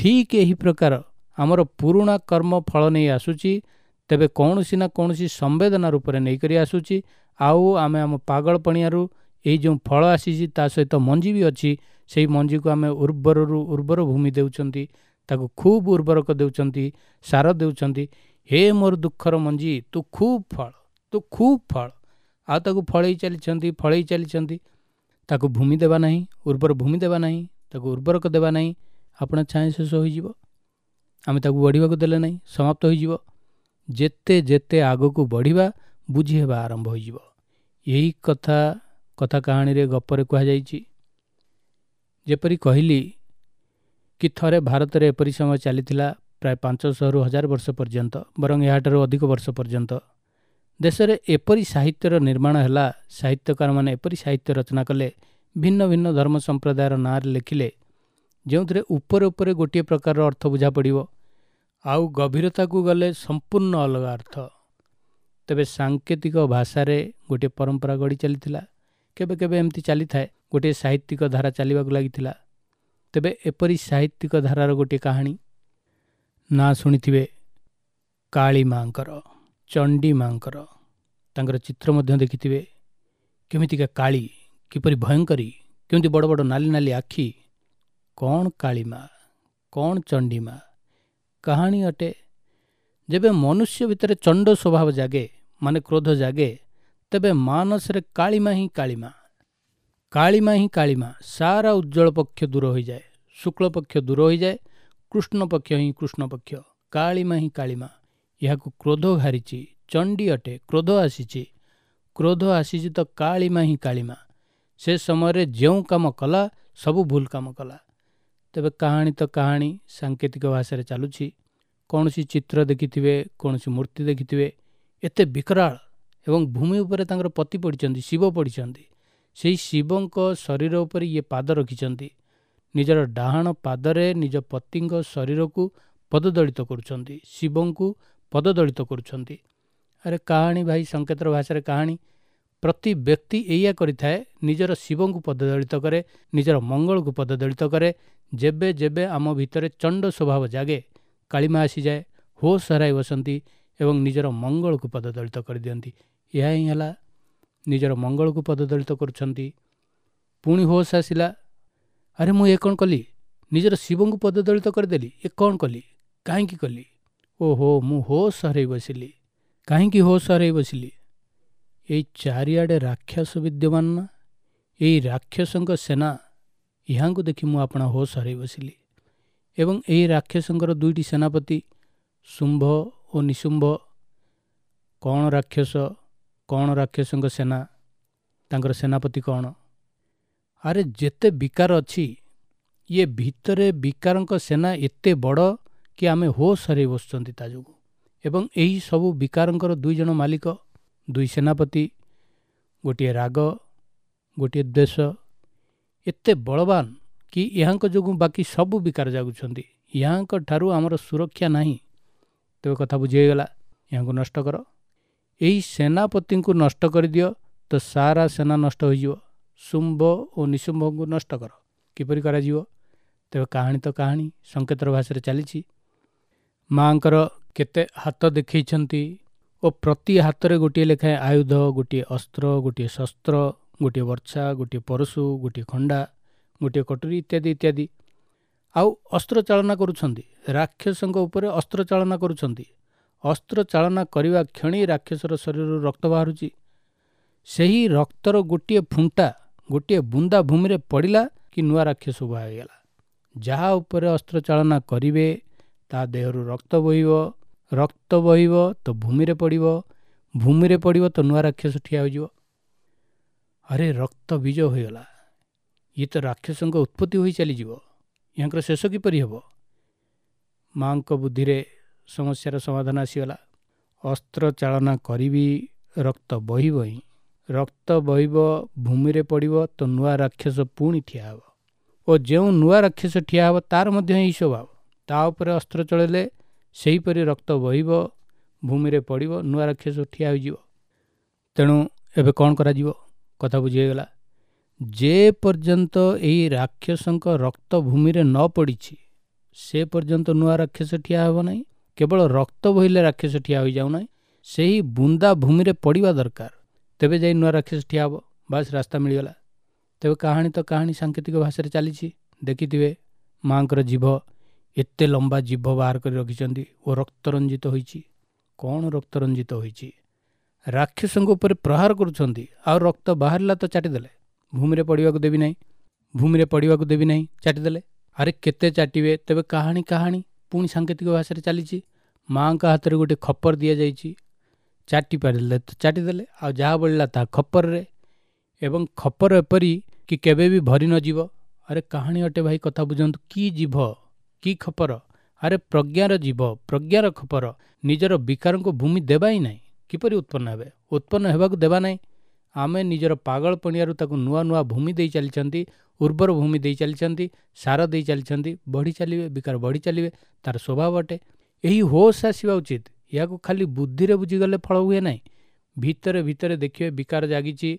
ଠିକ୍ ଏହି ପ୍ରକାର ଆମର ପୁରୁଣା କର୍ମ ଫଳ ନେଇ ଆସୁଛି, ତେବେ କୌଣସି ନା କୌଣସି ସମ୍ବେଦନା ରୂପରେ ନେଇକରି ଆସୁଛି। ଆଉ ଆମେ ଆମ ପାଗଳ ପଣିଆରୁ ଏଇ ଯେଉଁ ଫଳ ଆସିଛି ତା ସହିତ ମଞ୍ଜି ବି ଅଛି, ସେଇ ମଞ୍ଜିକୁ ଆମେ ଉର୍ବରରୁ ଉର୍ବର ଭୂମି ଦେଉଛନ୍ତି, ତାକୁ ଖୁବ୍ ଉର୍ବରକ ଦେଉଛନ୍ତି, ସାର ଦେଉଛନ୍ତି। ହେ ମୋର ଦୁଃଖର ମଞ୍ଜି, ତୁ ଖୁବ୍ ଫଳ, ତୁ ଖୁବ୍ ଫଳ। ଆଉ ତାକୁ ଫଳେଇ ଚାଲିଛନ୍ତି, ଫଳେଇ ଚାଲିଛନ୍ତି। ତାକୁ ଭୂମି ଦେବା ନାହିଁ, ଉର୍ବର ଭୂମି ଦେବା ନାହିଁ, ତାକୁ ଉର୍ବରକ ଦେବା ନାହିଁ, ଆପଣ ଛାଏଁ ଶେଷ ହୋଇଯିବ। ଆମେ ତାକୁ ବଢ଼ିବାକୁ ଦେଲେ ନାହିଁ, ସମାପ୍ତ ହୋଇଯିବ। ଯେତେ ଯେତେ ଆଗକୁ ବଢ଼ିବା, ବୁଝି ହେବା ଆରମ୍ଭ ହୋଇଯିବ। ଏହି କଥା କଥା କାହାଣୀରେ, ଗପରେ କୁହାଯାଇଛି। ଯେପରି କହିଲି କି ଥରେ ଭାରତରେ ଏପରି ସମୟ ଚାଲିଥିଲା, ପ୍ରାୟ ପାଞ୍ଚଶହରୁ ହଜାର ବର୍ଷ ପର୍ଯ୍ୟନ୍ତ, ବରଂ ଏହାଠାରୁ ଅଧିକ ବର୍ଷ ପର୍ଯ୍ୟନ୍ତ ଦେଶରେ ଏପରି ସାହିତ୍ୟର ନିର୍ମାଣ ହେଲା। ସାହିତ୍ୟକାରମାନେ ଏପରି ସାହିତ୍ୟ ରଚନା କଲେ, ଭିନ୍ନ ଭିନ୍ନ ଧର୍ମ ସମ୍ପ୍ରଦାୟର ନାଁରେ ଲେଖିଲେ, ଯେଉଁଥିରେ ଉପରେ ଉପରେ ଗୋଟିଏ ପ୍ରକାରର ଅର୍ଥ ବୁଝା ପଡ଼ିବ, ଆଉ ଗଭୀରତାକୁ ଗଲେ ସମ୍ପୂର୍ଣ୍ଣ ଅଲଗା ଅର୍ଥ। ତେବେ ସାଙ୍କେତିକ ଭାଷାରେ ଗୋଟିଏ ପରମ୍ପରା ଗଢ଼ି ଚାଲିଥିଲା। କେବେ କେବେ ଏମିତି ଚାଲିଥାଏ, ଗୋଟିଏ ସାହିତ୍ୟିକ ଧାରା ଚାଲିବାକୁ ଲାଗିଥିଲା। ତେବେ ଏପରି ସାହିତ୍ୟିକ ଧାରାର ଗୋଟିଏ କାହାଣୀ ନାଁ ଶୁଣିଥିବେ, କାଳୀ ମାଙ୍କର, ଚଣ୍ଡୀ ମାଙ୍କର। ତାଙ୍କର ଚିତ୍ର ମଧ୍ୟ ଦେଖିଥିବେ। କେମିତିକା କାଳୀ, କିପରି ଭୟଙ୍କରୀ, କେମିତି ବଡ଼ ବଡ଼ ନାଲି ନାଲି ଆଖି। କ'ଣ କାଳୀ ମା, କ'ଣ ଚଣ୍ଡୀ ମା? କାହାଣୀ ଅଟେ, ଯେବେ ମନୁଷ୍ୟ ଭିତରେ ଚଣ୍ଡ ସ୍ୱଭାବ ଜାଗେ, ମାନେ କ୍ରୋଧ ଜାଗେ, ତେବେ ମାନସରେ କାଳିମା ହିଁ କାଳିମା, କାଳିମା ହିଁ କାଳିମା। ସାରା ଉଜ୍ଜଳ ପକ୍ଷ ଦୂର ହୋଇଯାଏ, ଶୁକ୍ଳ ପକ୍ଷ ଦୂର ହୋଇଯାଏ, କୃଷ୍ଣ ପକ୍ଷ ହିଁ କୃଷ୍ଣ ପକ୍ଷ, କାଳିମା ହିଁ କାଳିମା। ଏହାକୁ କ୍ରୋଧ ଘାରିଛି, ଚଣ୍ଡୀ ଅଟେ, କ୍ରୋଧ ଆସିଛି, କ୍ରୋଧ ଆସିଛି ତ କାଳିମା ହିଁ କାଳିମା। ସେ ସମୟରେ ଯେଉଁ କାମ କଲା ସବୁ ଭୁଲ କାମ କଲା। ତେବେ କାହାଣୀ ତ କାହାଣୀ ସାଙ୍କେତିକ ଭାଷାରେ ଚାଲୁଛି। କୌଣସି ଚିତ୍ର ଦେଖିଥିବେ, କୌଣସି ମୂର୍ତ୍ତି ଦେଖିଥିବେ, ଏତେ ବିକରାଳ, ଏବଂ ଭୂମି ଉପରେ ତାଙ୍କର ପତି ପଡ଼ିଛନ୍ତି, ଶିବ ପଡ଼ିଛନ୍ତି। ସେଇ ଶିବଙ୍କ ଶରୀର ଉପରେ ଇଏ ପାଦ ରଖିଛନ୍ତି, ନିଜର ଡାହାଣ ପାଦରେ ନିଜ ପତିଙ୍କ ଶରୀରକୁ ପଦଦଳିତ କରୁଛନ୍ତି, ଶିବଙ୍କୁ ପଦଦଳିତ କରୁଛନ୍ତି। ଆରେ କାହାଣୀ ଭାଇ, ସଂକେତର ଭାଷାରେ କାହାଣୀ। ପ୍ରତି ବ୍ୟକ୍ତି ଏଇଆ କରିଥାଏ, ନିଜର ଶିବଙ୍କୁ ପଦଦଳିତ କରେ, ନିଜର ମଙ୍ଗଳକୁ ପଦଦଳିତ କରେ। ଯେବେ ଯେବେ ଆମ ଭିତରେ ଚଣ୍ଡ ସ୍ୱଭାବ ଜାଗେ, କାଳିମା ଆସିଯାଏ, ହୋସ୍ ହରାଇ ବସନ୍ତି ଏବଂ ନିଜର ମଙ୍ଗଳକୁ ପଦଦଳିତ କରିଦିଅନ୍ତି। ଏହା ହିଁ ହେଲା, ନିଜର ମଙ୍ଗଳକୁ ପଦଦଳିତ କରୁଛନ୍ତି। ପୁଣି ହୋସ୍ ଆସିଲା, ଆରେ ମୁଁ ଏ କ'ଣ କଲି? ନିଜର ଶିବଙ୍କୁ ପଦଦଳିତ କରିଦେଲି, ଏ କ'ଣ କଲି, କାହିଁକି କଲି? ଓହୋ, ମୁଁ ହୋସ୍ ହରାଇ ବସିଲି। କାହିଁକି ହୋସ୍ ହରାଇ ବସିଲି? ଏଇ ଚାରିଆଡ଼େ ରାକ୍ଷସ ବିଦ୍ୟମାନ ନା, ଏଇ ରାକ୍ଷସଙ୍କ ସେନା, ଏହାଙ୍କୁ ଦେଖି ମୁଁ ଆପଣା ହୋସ୍ ହରାଇ ବସିଲି। ଏବଂ ଏହି ରାକ୍ଷସଙ୍କର ଦୁଇଟି ସେନାପତି ଶୁମ୍ଭ ଓ ନିଶୁମ୍ଭ। କ'ଣ ରାକ୍ଷସ, କ'ଣ ରାକ୍ଷସଙ୍କ ସେନା, ତାଙ୍କର ସେନାପତି କ'ଣ? ଆରେ ଯେତେ ବିକାର ଅଛି, ଇଏ ଭିତରେ ବିକାରଙ୍କ ସେନା ଏତେ ବଡ଼ କି ଆମେ ହୋସ୍ ହରାଇ ବସୁଛନ୍ତି ତା ଯୋଗୁଁ। ଏବଂ ଏହି ସବୁ ବିକାରଙ୍କର ଦୁଇ ଜଣ ମାଲିକ, ଦୁଇ ସେନାପତି, ଗୋଟିଏ ରାଗ, ଗୋଟିଏ ଦ୍ୱେଷ, ଏତେ ବଳବାନ କି ଏହାଙ୍କ ଯୋଗୁଁ ବାକି ସବୁ ବିକାର ଜାଗୁଛନ୍ତି। ଏହାଙ୍କ ଠାରୁ ଆମର ସୁରକ୍ଷା ନାହିଁ। ତେବେ କଥା ବୁଝି ହେଇଗଲା, ଏହାଙ୍କୁ ନଷ୍ଟ କର। ଏହି ସେନାପତିଙ୍କୁ ନଷ୍ଟ କରିଦିଅ ତ ସାରା ସେନା ନଷ୍ଟ ହୋଇଯିବ। ଶୁମ୍ଭ ଓ ନିଶୁମ୍ଭଙ୍କୁ ନଷ୍ଟ କର। କିପରି କରାଯିବ? ତେବେ କାହାଣୀ ତ କାହାଣୀ ସଂକେତର ଭାଷାରେ ଚାଲିଛି। ମାଆଙ୍କର କେତେ ହାତ ଦେଖେଇଛନ୍ତି ଓ ପ୍ରତି ହାତରେ ଗୋଟିଏ ଲେଖାଏଁ ଆୟୁଧ, ଗୋଟିଏ ଅସ୍ତ୍ର, ଗୋଟିଏ ଶସ୍ତ୍ର, ଗୋଟିଏ ବର୍ଚ୍ଛା, ଗୋଟିଏ ପରଶୁ, ଗୋଟିଏ ଖଣ୍ଡା, ଗୋଟିଏ କଟୁରୀ ଇତ୍ୟାଦି ଇତ୍ୟାଦି। ଆଉ ଅସ୍ତ୍ର ଚାଳନା କରୁଛନ୍ତି, ରାକ୍ଷସଙ୍କ ଉପରେ ଅସ୍ତ୍ର ଚାଳନା କରୁଛନ୍ତି। ଅସ୍ତ୍ର ଚାଳନା କରିବା କ୍ଷଣି ରାକ୍ଷସର ଶରୀରରୁ ରକ୍ତ ବାହାରୁଛି। ସେହି ରକ୍ତର ଗୋଟିଏ ଫୁଣ୍ଟା, ଗୋଟିଏ ବୁନ୍ଦା ଭୂମିରେ ପଡ଼ିଲା କି ନୂଆ ରାକ୍ଷସ ଉଭା ହୋଇଗଲା। ଯାହା ଉପରେ ଅସ୍ତ୍ର ଚାଳନା କରିବେ ତା ଦେହରୁ ରକ୍ତ ବୋହିବ, ରକ୍ତ ବହିବ ତ ଭୂମିରେ ପଡ଼ିବ, ଭୂମିରେ ପଡ଼ିବ ତ ନୂଆ ରାକ୍ଷସ ଠିଆ ହୋଇଯିବ। ଆରେ ରକ୍ତ ବୀଜ ହୋଇଗଲା, ଇଏ ତ ରାକ୍ଷସଙ୍କ ଉତ୍ପତ୍ତି ହୋଇ ଚାଲିଯିବ, ୟାଙ୍କର ଶେଷ କିପରି ହେବ? ମାଆଙ୍କ ବୁଦ୍ଧିରେ ସମସ୍ୟାର ସମାଧାନ ଆସିଗଲା। ଅସ୍ତ୍ର ଚାଳନା କରିବି, ରକ୍ତ ବହିବ ହିଁ, ରକ୍ତ ବହିବ, ଭୂମିରେ ପଡ଼ିବ ତ ନୂଆ ରାକ୍ଷସ ପୁଣି ଠିଆ ହେବ, ଓ ଯେଉଁ ନୂଆ ରାକ୍ଷସ ଠିଆ ହେବ ତାର ମଧ୍ୟ ଏହି ସ୍ୱଭାବ। ତା ଉପରେ ଅସ୍ତ୍ର ଚଳେଇଲେ ସେହିପରି ରକ୍ତ ବହିବ, ଭୂମିରେ ପଡ଼ିବ, ନୂଆ ରାକ୍ଷସ ଠିଆ ହୋଇଯିବ। ତେଣୁ ଏବେ କ'ଣ କରାଯିବ? କଥା ବୁଝି ହୋଇଗଲା। ଯେ ପର୍ଯ୍ୟନ୍ତ ଏହି ରାକ୍ଷସଙ୍କ ରକ୍ତ ଭୂମିରେ ନ ପଡ଼ିଛି ସେ ପର୍ଯ୍ୟନ୍ତ ନୂଆ ରାକ୍ଷସ ଠିଆ ହେବ ନାହିଁ। କେବଳ ରକ୍ତ ବହିଲେ ରାକ୍ଷସ ଠିଆ ହୋଇଯାଉନାହିଁ, ସେହି ବୁନ୍ଦା ଭୂମିରେ ପଡ଼ିବା ଦରକାର, ତେବେ ଯାଇ ନୂଆ ରାକ୍ଷସ ଠିଆ ହେବ। ବାସ୍, ରାସ୍ତା ମିଳିଗଲା। ତେବେ କାହାଣୀ ତ କାହାଣୀ ସାଙ୍କେତିକ ଭାଷାରେ ଚାଲିଛି। ଦେଖିଥିବେ ମାଆଙ୍କର ଜିଭ, ଏତେ ଲମ୍ବା ଜିଭ ବାହାର କରି ରଖିଛନ୍ତି ଓ ରକ୍ତରଞ୍ଜିତ ହୋଇଛି। କ'ଣ ରକ୍ତରଞ୍ଜିତ ହୋଇଛି? ରାକ୍ଷସଙ୍କ ଉପରେ ପ୍ରହାର କରୁଛନ୍ତି, ଆଉ ରକ୍ତ ବାହାରିଲା ତ ଚାଟିଦେଲେ। ଭୂମିରେ ପଡ଼ିବାକୁ ଦେବି ନାହିଁ, ଭୂମିରେ ପଡ଼ିବାକୁ ଦେବି ନାହିଁ, ଚାଟିଦେଲେ। ଆରେ କେତେ ଚାଟିବେ? ତେବେ କାହାଣୀ କାହାଣୀ ପୁଣି ସାଙ୍କେତିକ ଭାଷାରେ ଚାଲିଛି। ମାଆଙ୍କ ହାତରେ ଗୋଟେ ଖପର ଦିଆଯାଇଛି, ଚାଟି ପାରିଲେ ତ ଚାଟିଦେଲେ, ଆଉ ଯାହା ବଳିଲା ତାହା ଖପରରେ, ଏବଂ ଖପର ଏପରି କି କେବେ ବି ଭରି ନଯିବ। ଆରେ କାହାଣୀ ଅଟେ ଭାଇ, କଥା ବୁଝନ୍ତୁ। କି ଜିଭ, କି ଖପର? ଆରେ ପ୍ରଜ୍ଞାର ଜିଭ, ପ୍ରଜ୍ଞାର ଖପର। ନିଜର ବିକାରଙ୍କୁ ଭୂମି ଦେବା ହିଁ ନାହିଁ। କିପରି ଉତ୍ପନ୍ନ ହେବେ? ଉତ୍ପନ୍ନ ହେବାକୁ ଦେବା ନାହିଁ। ଆମେ ନିଜର ପାଗଳ ପଣିଆରୁ ତାକୁ ନୂଆ ନୂଆ ଭୂମି ଦେଇ ଚାଲିଛନ୍ତି, ଉର୍ବର ଭୂମି ଦେଇ ଚାଲିଛନ୍ତି, ସାର ଦେଇ ଚାଲିଛନ୍ତି, ବଢ଼ି ଚାଲିବେ, ବିକାର ବଢ଼ି ଚାଲିବେ, ତାର ସ୍ୱଭାବ ଅଟେ। ଏହି ହୋସ୍ ଆସିବା ଉଚିତ। ଏହାକୁ ଖାଲି ବୁଦ୍ଧିରେ ବୁଝିଗଲେ ଫଳ ହୁଏ ନାହିଁ। ଭିତରେ ଭିତରେ ଦେଖିବେ ବିକାର ଜାଗିଛି,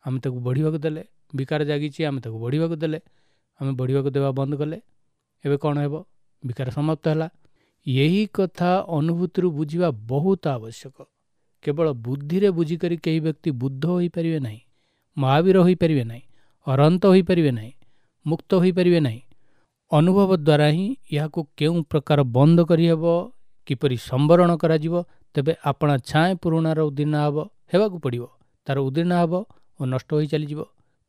ଆମେ ତାକୁ ବଢ଼ିବାକୁ ଦେଲେ, ବିକାର ଜାଗିଛି, ଆମେ ତାକୁ ବଢ଼ିବାକୁ ଦେଲେ, ଆମେ ବଢ଼ିବାକୁ ଦେବା ବନ୍ଦ କଲେ, ଏବେ କ'ଣ ହେବ? ବିକାର ସମାପ୍ତ ହେଲା। ଏହି କଥା ଅନୁଭୂତିରୁ ବୁଝିବା ବହୁତ ଆବଶ୍ୟକ। କେବଳ ବୁଦ୍ଧିରେ ବୁଝିକରି କେହି ବ୍ୟକ୍ତି ବୁଦ୍ଧ ହୋଇପାରିବେ ନାହିଁ, ମହାବୀର ହୋଇପାରିବେ ନାହିଁ, ଅରହନ୍ତ ହୋଇପାରିବେ ନାହିଁ, ମୁକ୍ତ ହୋଇପାରିବେ ନାହିଁ। ଅନୁଭବ ଦ୍ୱାରା ହିଁ ଏହାକୁ କେଉଁ ପ୍ରକାର ବନ୍ଦ କରିହେବ, କିପରି ସମ୍ବରଣ କରାଯିବ, ତେବେ ଆପଣା ଛାଏଁ ପୁରୁଣାର ଉଦୀର୍ଣ୍ଣ ହେବ, ହେବାକୁ ପଡ଼ିବ। ତାର ଉଦୀର୍ଣ୍ଣ ହେବ ଓ ନଷ୍ଟ ହୋଇ ଚାଲିଯିବ।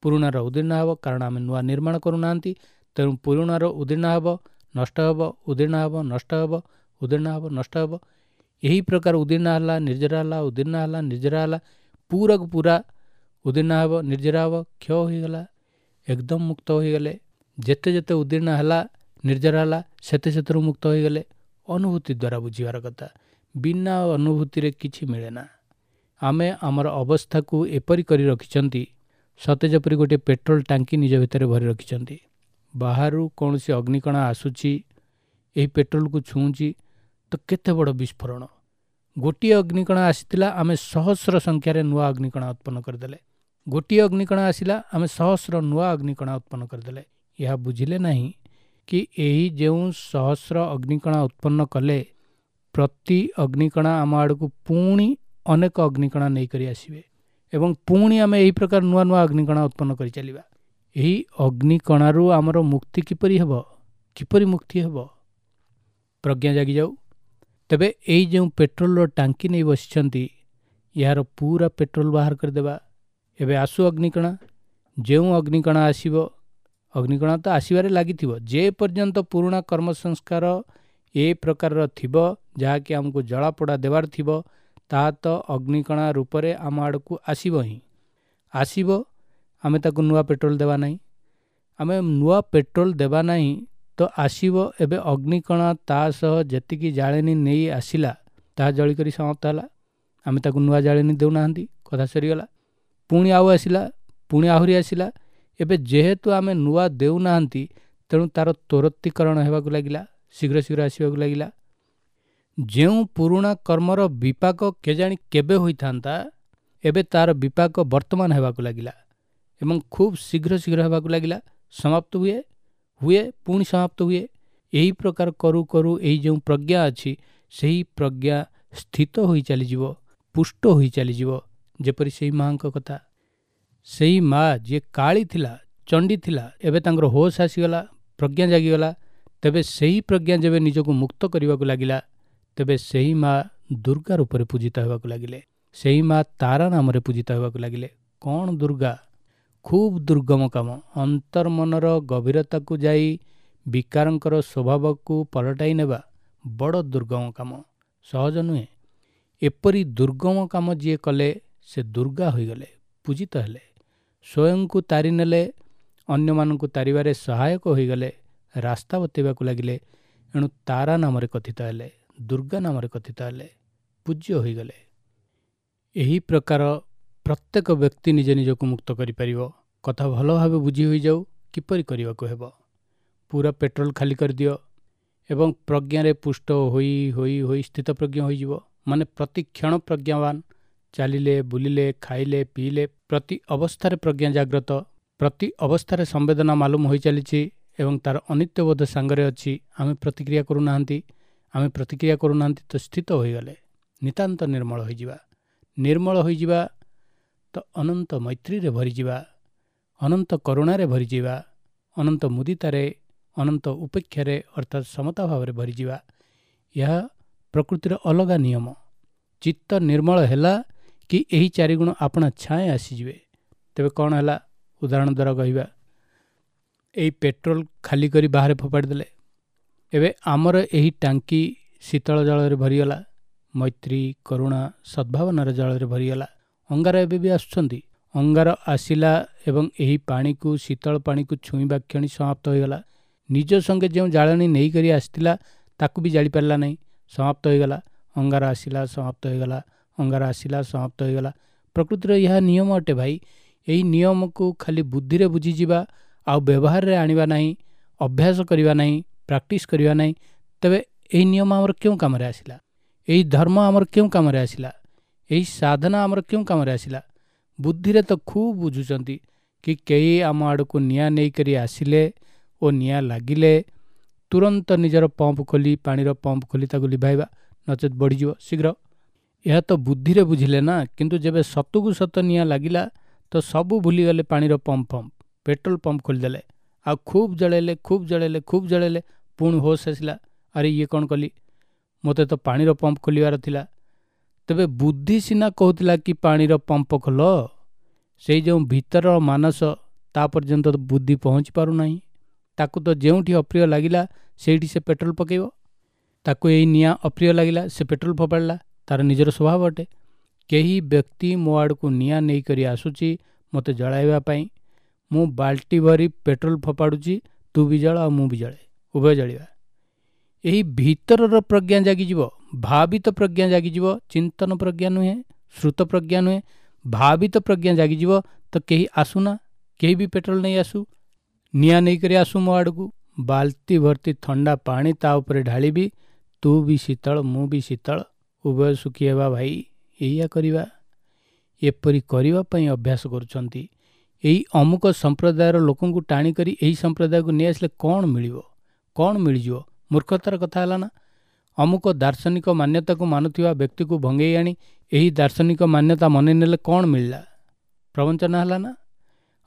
ପୁରୁଣାର ଉଦୀର୍ଣ୍ଣ ହେବ, କାରଣ ଆମେ ନୂଆ ନିର୍ମାଣ କରୁନାହାନ୍ତି। ତେଣୁ ପୁରୁଣାର ଉଦୀର୍ଣ୍ଣ ହେବ, ନଷ୍ଟ ହେବ, ଉଦୀର୍ଣ୍ଣ ହେବ, ନଷ୍ଟ ହେବ, ଉଦୀର୍ଣ୍ଣ ହେବ, ନଷ୍ଟ ହେବ। ଏହି ପ୍ରକାର ଉଦୀର୍ଣ୍ଣ ହେଲା, ନିର୍ଜରା ହେଲା, ଉଦୀର୍ଣ୍ଣ ହେଲା, ନିର୍ଜରା ହେଲା, ପୁରାକୁ ପୁରା ଉଦୀର୍ଣ୍ଣ ହେବ, ନିର୍ଜରା ହେବ, କ୍ଷୟ ହୋଇଗଲା, ଏକଦମ ମୁକ୍ତ ହୋଇଗଲେ। ଯେତେ ଯେତେ ଉଦୀର୍ଣ୍ଣ ହେଲା, ନିର୍ଜରା ହେଲା, ସେତେ ସେଥିରୁ ମୁକ୍ତ ହୋଇଗଲେ। ଅନୁଭୂତି ଦ୍ୱାରା ବୁଝିବାର କଥା, ବିନା ଅନୁଭୂତିରେ କିଛି ମିଳେ ନା। ଆମେ ଆମର ଅବସ୍ଥାକୁ ଏପରି କରି ରଖିଛନ୍ତି, ସତେ ଯେପରି ଗୋଟିଏ ପେଟ୍ରୋଲ ଟାଙ୍କି ନିଜ ଭିତରେ ଭରି ରଖିଛନ୍ତି। ବାହାରୁ କୌଣସି ଅଗ୍ନିକଣା ଆସୁଛି, ଏହି ପେଟ୍ରୋଲକୁ ଛୁଉଁଛି ତ କେତେ ବଡ଼ ବିସ୍ଫୋରଣ। ଗୋଟିଏ ଅଗ୍ନିକଣା ଆସିଥିଲା, ଆମେ ସହସ୍ର ସଂଖ୍ୟାରେ ନୂଆ ଅଗ୍ନିକଣା ଉତ୍ପନ୍ନ କରିଦେଲେ। ଗୋଟିଏ ଅଗ୍ନିକଣା ଆସିଲା, ଆମେ ସହସ୍ର ନୂଆ ଅଗ୍ନିକଣା ଉତ୍ପନ୍ନ କରିଦେଲେ। ଏହା ବୁଝିଲେ ନାହିଁ କି ଏହି ଯେଉଁ ସହସ୍ର ଅଗ୍ନିକଣା ଉତ୍ପନ୍ନ କଲେ, ପ୍ରତି ଅଗ୍ନିକଣା ଆମ ଆଡ଼କୁ ପୁଣି ଅନେକ ଅଗ୍ନିକଣା ନେଇକରି ଆସିବେ ଏବଂ ପୁଣି ଆମେ ଏହି ପ୍ରକାର ନୂଆ ନୂଆ ଅଗ୍ନିକଣା ଉତ୍ପନ୍ନ କରି ଚାଲିବା। ଏହି ଅଗ୍ନିକଣାରୁ ଆମର ମୁକ୍ତି କିପରି ହେବ? କିପରି ମୁକ୍ତି ହେବ? ପ୍ରଜ୍ଞା ଜାଗିଯାଉ। ତେବେ ଏଇ ଯେଉଁ ପେଟ୍ରୋଲର ଟାଙ୍କି ନେଇ ବସିଛନ୍ତି, ଏହାର ପୁରା ପେଟ୍ରୋଲ ବାହାର କରିଦେବା। ଏବେ ଆସୁ ଅଗ୍ନିକଣା। ଯେଉଁ ଅଗ୍ନିକଣା ଆସିବ, ଅଗ୍ନିକଣା ତ ଆସିବାରେ ଲାଗିଥିବ। ଯେ ପର୍ଯ୍ୟନ୍ତ ପୁରୁଣା କର୍ମ ସଂସ୍କାର ଏ ପ୍ରକାରର ଥିବ, ଯାହାକି ଆମକୁ ଜଳାପୋଡ଼ା ଦେବାର ଥିବ, ତାହା ତ ଅଗ୍ନିକଣା ରୂପରେ ଆମ ଆଡ଼କୁ ଆସିବ ହିଁ ଆସିବ। ଆମେ ତାକୁ ନୂଆ ପେଟ୍ରୋଲ ଦେବା ନାହିଁ। ଆମେ ନୂଆ ପେଟ୍ରୋଲ ଦେବା ନାହିଁ ତ ଆସିବ। ଏବେ ଅଗ୍ନିକଣା ତା ସହ ଯେତିକି ଜାଳେଣୀ ନେଇ ଆସିଲା, ତାହା ଜଳିକରି ସମାପ୍ତ ହେଲା। ଆମେ ତାକୁ ନୂଆ ଜାଳେଣୀ ଦେଉନାହାନ୍ତି, କଥା ସରିଗଲା। ପୁଣି ଆଉ ଆସିଲା, ପୁଣି ଆହୁରି ଆସିଲା। ଏବେ ଯେହେତୁ ଆମେ ନୂଆ ଦେଉନାହାନ୍ତି, ତେଣୁ ତା'ର ତ୍ୱରିତୀକରଣ ହେବାକୁ ଲାଗିଲା, ଶୀଘ୍ର ଶୀଘ୍ର ଆସିବାକୁ ଲାଗିଲା। ଯେଉଁ ପୁରୁଣା କର୍ମର ବିପାକ କେଜାଣି କେବେ ହୋଇଥାନ୍ତା, ଏବେ ତା'ର ବିପାକ ବର୍ତ୍ତମାନ ହେବାକୁ ଲାଗିଲା ଏବଂ ଖୁବ୍ ଶୀଘ୍ର ଶୀଘ୍ର ହେବାକୁ ଲାଗିଲା। ସମାପ୍ତ ହୁଏ, ହୁଏ, ପୁଣି ସମାପ୍ତ ହୁଏ। ଏହି ପ୍ରକାର କରୁ କରୁ ଏହି ଯେଉଁ ପ୍ରଜ୍ଞା ଅଛି, ସେହି ପ୍ରଜ୍ଞା ସ୍ଥିତ ହୋଇ ଚାଲିଯିବ, ପୁଷ୍ଟ ହୋଇ ଚାଲିଯିବ। ଯେପରି ସେଇ ମାଆଙ୍କ କଥା, ସେଇ ମା ଯିଏ କାଳୀ ଥିଲା, ଚଣ୍ଡୀ ଥିଲା, ଏବେ ତାଙ୍କର ହୋସ୍ ଆସିଗଲା, ପ୍ରଜ୍ଞା ଜାଗିଗଲା। ତେବେ ସେହି ପ୍ରଜ୍ଞା ଯେବେ ନିଜକୁ ମୁକ୍ତ କରିବାକୁ ଲାଗିଲା, ତେବେ ସେହି ମା ଦୁର୍ଗା ରୂପରେ ପୂଜିତ ହେବାକୁ ଲାଗିଲେ। ସେହି ମା ତାରା ନାମରେ ପୂଜିତ ହେବାକୁ ଲାଗିଲେ। କ'ଣ ଦୁର୍ଗା? ଖୁବ୍ ଦୁର୍ଗମ କାମ। ଅନ୍ତର୍ମନର ଗଭୀରତାକୁ ଯାଇ ବିକାରଙ୍କର ସ୍ୱଭାବକୁ ପଲଟାଇ ନେବା ବଡ଼ ଦୁର୍ଗମ କାମ। ସହଜ ନୁହେଁ। ଏପରି ଦୁର୍ଗମ କାମ ଯିଏ କଲେ ସେ ଦୁର୍ଗା ହୋଇଗଲେ, ପୂଜିତ ହେଲେ, ସ୍ୱୟଂକୁ ତାରି ନେଲେ, ଅନ୍ୟମାନଙ୍କୁ ତାରିବାରେ ସହାୟକ ହୋଇଗଲେ, ରାସ୍ତା ବତେଇବାକୁ ଲାଗିଲେ। ଏଣୁ ତାରା ନାମରେ କଥିତ ହେଲେ, ଦୁର୍ଗା ନାମରେ କଥିତ ହେଲେ, ପୂଜ୍ୟ ହୋଇଗଲେ। ଏହି ପ୍ରକାର ପ୍ରତ୍ୟେକ ବ୍ୟକ୍ତି ନିଜ ନିଜକୁ ମୁକ୍ତ କରିପାରିବ। କଥା ଭଲ ଭାବେ ବୁଝି ହୋଇଯାଉ କିପରି କରିବାକୁ ହେବ। ପୁରା ପେଟ୍ରୋଲ ଖାଲି କରିଦିଅ ଏବଂ ପ୍ରଜ୍ଞାରେ ପୁଷ୍ଟ ହୋଇ ହୋଇ ହୋଇ ସ୍ଥିତପ୍ରଜ୍ଞ ହୋଇଯିବ। ମାନେ ପ୍ରତି କ୍ଷଣ ପ୍ରଜ୍ଞାବାନ, ଚାଲିଲେ, ବୁଲିଲେ, ଖାଇଲେ, ପିଇଲେ, ପ୍ରତି ଅବସ୍ଥାରେ ପ୍ରଜ୍ଞା ଜାଗ୍ରତ, ପ୍ରତି ଅବସ୍ଥାରେ ସମ୍ବେଦନା ମାଲୁମ ହୋଇ ଚାଲିଛି ଏବଂ ତାର ଅନିତ୍ୟବୋଧ ସାଙ୍ଗରେ ଅଛି। ଆମେ ପ୍ରତିକ୍ରିୟା କରୁନାହାନ୍ତି, ଆମେ ପ୍ରତିକ୍ରିୟା କରୁନାହାନ୍ତି ତ ସ୍ଥିତ ହୋଇଗଲେ ନିତାନ୍ତ ନିର୍ମଳ ହୋଇଯିବା। ନିର୍ମଳ ହୋଇଯିବା ତ ଅନନ୍ତ ମୈତ୍ରୀରେ ଭରିଯିବା, ଅନନ୍ତ କରୁଣାରେ ଭରିଯିବା, ଅନନ୍ତ ମୁଦିତାରେ, ଅନନ୍ତ ଉପେକ୍ଷାରେ ଅର୍ଥାତ୍ ସମତା ଭାବରେ ଭରିଯିବା। ଏହା ପ୍ରକୃତିର ଅଲଗା ନିୟମ। ଚିତ୍ତ ନିର୍ମଳ ହେଲା କି ଏହି ଚାରିଗୁଣ ଆପଣା ଛାଏଁ ଆସିଯିବେ। ତେବେ କ'ଣ ହେଲା? ଉଦାହରଣ ଦ୍ୱାରା କହିବା। ଏଇ ପେଟ୍ରୋଲ ଖାଲି କରି ବାହାରେ ଫୋପାଡ଼ି ଦେଲେ, ଏବେ ଆମର ଏହି ଟାଙ୍କି ଶୀତଳ ଜଳରେ ଭରିଗଲା, ମୈତ୍ରୀ, କରୁଣା, ସଦ୍ଭାବନାର ଜଳରେ ଭରିଗଲା। ଅଙ୍ଗାର ଏବେ ବି ଆସୁଛନ୍ତି। ଅଙ୍ଗାର ଆସିଲା ଏବଂ ଏହି ପାଣିକୁ, ଶୀତଳ ପାଣିକୁ ଛୁଇଁବା କ୍ଷଣି ସମାପ୍ତ ହୋଇଗଲା। ନିଜ ସଙ୍ଗେ ଯେଉଁ ଜାଳେଣୀ ନେଇକରି ଆସିଥିଲା ତାକୁ ବି ଜାଳିପାରିଲା ନାହିଁ, ସମାପ୍ତ ହୋଇଗଲା। ଅଙ୍ଗାର ଆସିଲା, ସମାପ୍ତ ହୋଇଗଲା। ଅଙ୍ଗାର ଆସିଲା, ସମାପ୍ତ ହୋଇଗଲା। ପ୍ରକୃତିର ଏହା ନିୟମ ଅଟେ ଭାଇ। ଏହି ନିୟମକୁ ଖାଲି ବୁଦ୍ଧିରେ ବୁଝିଯିବା ଆଉ ବ୍ୟବହାରରେ ଆଣିବା ନାହିଁ, ଅଭ୍ୟାସ କରିବା ନାହିଁ, ପ୍ରାକ୍ଟିସ୍ କରିବା ନାହିଁ, ତେବେ ଏହି ନିୟମ ଆମର କେଉଁ କାମରେ ଆସିଲା? ଏହି ଧର୍ମ ଆମର କେଉଁ କାମରେ ଆସିଲା? ଏହି ସାଧନା ଆମର କେଉଁ କାମରେ ଆସିଲା? ବୁଦ୍ଧିରେ ତ ଖୁବ୍ ବୁଝୁଛନ୍ତି କି କେହି ଆମ ଆଡ଼କୁ ନିଆଁ ନେଇକରି ଆସିଲେ ଓ ନିଆଁ ଲାଗିଲେ ତୁରନ୍ତ ନିଜର ପମ୍ପ ଖୋଲି, ପାଣିର ପମ୍ପ ଖୋଲି ତାକୁ ଲିଭାଇବା, ନଚେତ୍ ବଢ଼ିଯିବ ଶୀଘ୍ର। ଏହା ତ ବୁଦ୍ଧିରେ ବୁଝିଲେ ନା, କିନ୍ତୁ ଯେବେ ସତକୁ ସତ ନିଆଁ ଲାଗିଲା ତ ସବୁ ଭୁଲିଗଲେ। ପାଣିର ପମ୍ପ ଫମ୍ପ, ପେଟ୍ରୋଲ ପମ୍ପ ଖୋଲିଦେଲେ ଆଉ ଖୁବ୍ ଜଳେଇଲେ, ଖୁବ୍ ଜଳେଇଲେ, ଖୁବ୍ ଜଳେଇଲେ। ପୁଣି ହୋସ୍ ଆସିଲା, ଆରେ ଇଏ କ'ଣ କଲି, ମୋତେ ତ ପାଣିର ପମ୍ପ ଖୋଲିବାର ଥିଲା। ତେବେ ବୁଦ୍ଧି ସିନା କହୁଥିଲା କି ପାଣିର ପମ୍ପ ଖୋଲ, ସେଇ ଯେଉଁ ଭିତରର ମାନସ ତା ପର୍ଯ୍ୟନ୍ତ ବୁଦ୍ଧି ପହଞ୍ଚି ପାରୁନାହିଁ। ତାକୁ ତ ଯେଉଁଠି ଅପ୍ରିୟ ଲାଗିଲା ସେଇଠି ସେ ପେଟ୍ରୋଲ ପକାଇବ। ତାକୁ ଏଇ ନିଆଁ ଅପ୍ରିୟ ଲାଗିଲା, ସେ ପେଟ୍ରୋଲ ଫୋପାଡ଼ିଲା। ତାର ନିଜର ସ୍ୱଭାବ ଅଟେ। କେହି ବ୍ୟକ୍ତି ମୋ ଆଡ଼କୁ ନିଆଁ ନେଇକରି ଆସୁଛି ମୋତେ ଜଳାଇବା ପାଇଁ, ମୁଁ ବାଲ୍ଟି ଭରି ପେଟ୍ରୋଲ ଫୋପାଡ଼ୁଛି, ତୁ ବି ଜଳ ଆଉ ମୁଁ ବି ଜଳେ, ଉଭୟ ଜଳିବା। ଏହି ଭିତରର ପ୍ରଜ୍ଞା ଜାଗିଯିବ, ଭାବିତ ପ୍ରଜ୍ଞା ଜାଗିଯିବ। ଚିନ୍ତନ ପ୍ରଜ୍ଞା ନୁହେଁ, ଶ୍ରୁତ ପ୍ରଜ୍ଞା ନୁହେଁ, ଭାବିତ ପ୍ରଜ୍ଞା ଜାଗିଯିବ। ତ କେହି ଆସୁନା, କେହି ବି ପେଟ୍ରୋଲ ନେଇ ଆସୁ, ନିଆଁ ନେଇକରି ଆସୁ ମୋ ଆଡ଼କୁ, ବାଲ୍ଟି ଭର୍ତ୍ତି ଥଣ୍ଡା ପାଣି ତା ଉପରେ ଢାଳିବି, ତୁ ବି ଶୀତଳ ମୁଁ ବି ଶୀତଳ, ଉଭୟ ସୁଖୀ ହେବା ଭାଇ। ଏଇଆ କରିବା, ଏପରି କରିବା ପାଇଁ ଅଭ୍ୟାସ କରୁଛନ୍ତି। ଏଇ ଅମୁକ ସମ୍ପ୍ରଦାୟର ଲୋକଙ୍କୁ ଟାଣିକରି ଏହି ସମ୍ପ୍ରଦାୟକୁ ନେଇଆସିଲେ କ'ଣ ମିଳିବ? କ'ଣ ମିଳିଯିବ? ମୂର୍ଖତାର କଥା ହେଲା ନା। ଅମୁକ ଦାର୍ଶନିକ ମାନ୍ୟତାକୁ ମାନୁଥିବା ବ୍ୟକ୍ତିକୁ ଭଙ୍ଗେଇ ଆଣି ଏହି ଦାର୍ଶନିକ ମାନ୍ୟତା ମନେ ନେଲେ କ'ଣ ମିଳିଲା? ପ୍ରବଞ୍ଚନା ହେଲା ନା।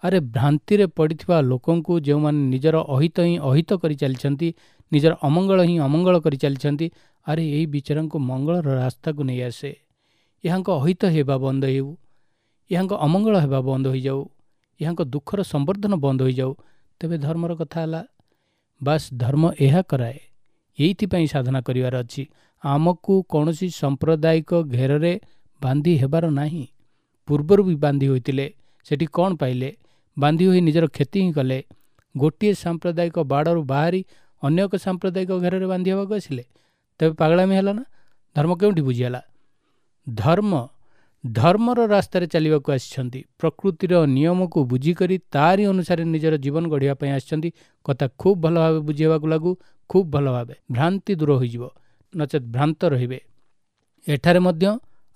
ଆରେ ଭ୍ରାନ୍ତିରେ ପଡ଼ିଥିବା ଲୋକଙ୍କୁ, ଯେଉଁମାନେ ନିଜର ଅହିତ ହିଁ ଅହିତ କରି ଚାଲିଛନ୍ତି, ନିଜର ଅମଙ୍ଗଳ ହିଁ ଅମଙ୍ଗଳ କରି ଚାଲିଛନ୍ତି, ଆରେ ଏଇ ବିଚାରାଙ୍କୁ ମଙ୍ଗଳର ରାସ୍ତାକୁ ନେଇ ଆସେ। ଏହାଙ୍କ ଅହିତ ହେବା ବନ୍ଦ ହେଉ, ଏହାଙ୍କ ଅମଙ୍ଗଳ ହେବା ବନ୍ଦ ହୋଇଯାଉ, ଏହାଙ୍କ ଦୁଃଖର ସମ୍ବର୍ଦ୍ଧନ ବନ୍ଦ ହୋଇଯାଉ, ତେବେ ଧର୍ମର କଥା ହେଲା। ବାସ୍ ଧର୍ମ ଏହା କରାଏ। ଏଇଥିପାଇଁ ସାଧନା କରିବାର ଅଛି। ଆମକୁ କୌଣସି ସାମ୍ପ୍ରଦାୟିକ ଘେରରେ ବାନ୍ଧି ହେବାର ନାହିଁ। ପୂର୍ବରୁ ବି ବାନ୍ଧି ହୋଇଥିଲେ, ସେଠି କ'ଣ ପାଇଲେ? ବାନ୍ଧି ହୋଇ ନିଜର କ୍ଷତି ହିଁ କଲେ। ଗୋଟିଏ ସାମ୍ପ୍ରଦାୟିକ ବାଡ଼ରୁ ବାହାରି ଅନ୍ୟ ଏକ ସାମ୍ପ୍ରଦାୟିକ ଘେରରେ ବାନ୍ଧି ହେବାକୁ ଆସିଲେ, ତେବେ ପାଗଳାମି ହେଲା ନା? ଧର୍ମ କେଉଁଠି ବୁଝିହେଲା? ଧର୍ମ ଧର୍ମର ରାସ୍ତାରେ ଚାଲିବାକୁ ଆସିଛନ୍ତି। ପ୍ରକୃତିର ନିୟମକୁ ବୁଝିକରି ତାରି ଅନୁସାରେ ନିଜର ଜୀବନ ଗଢ଼ିବା ପାଇଁ ଆସିଛନ୍ତି। କଥା ଖୁବ୍ ଭଲ ଭାବେ ବୁଝି ହେବାକୁ ଲାଗୁ, ଖୁବ୍ ଭଲ ଭାବେ। ଭ୍ରାନ୍ତି ଦୂର ହୋଇଯିବ, ନଚେତ୍ ଭ୍ରାନ୍ତ ରହିବେ। ଏଠାରେ ମଧ୍ୟ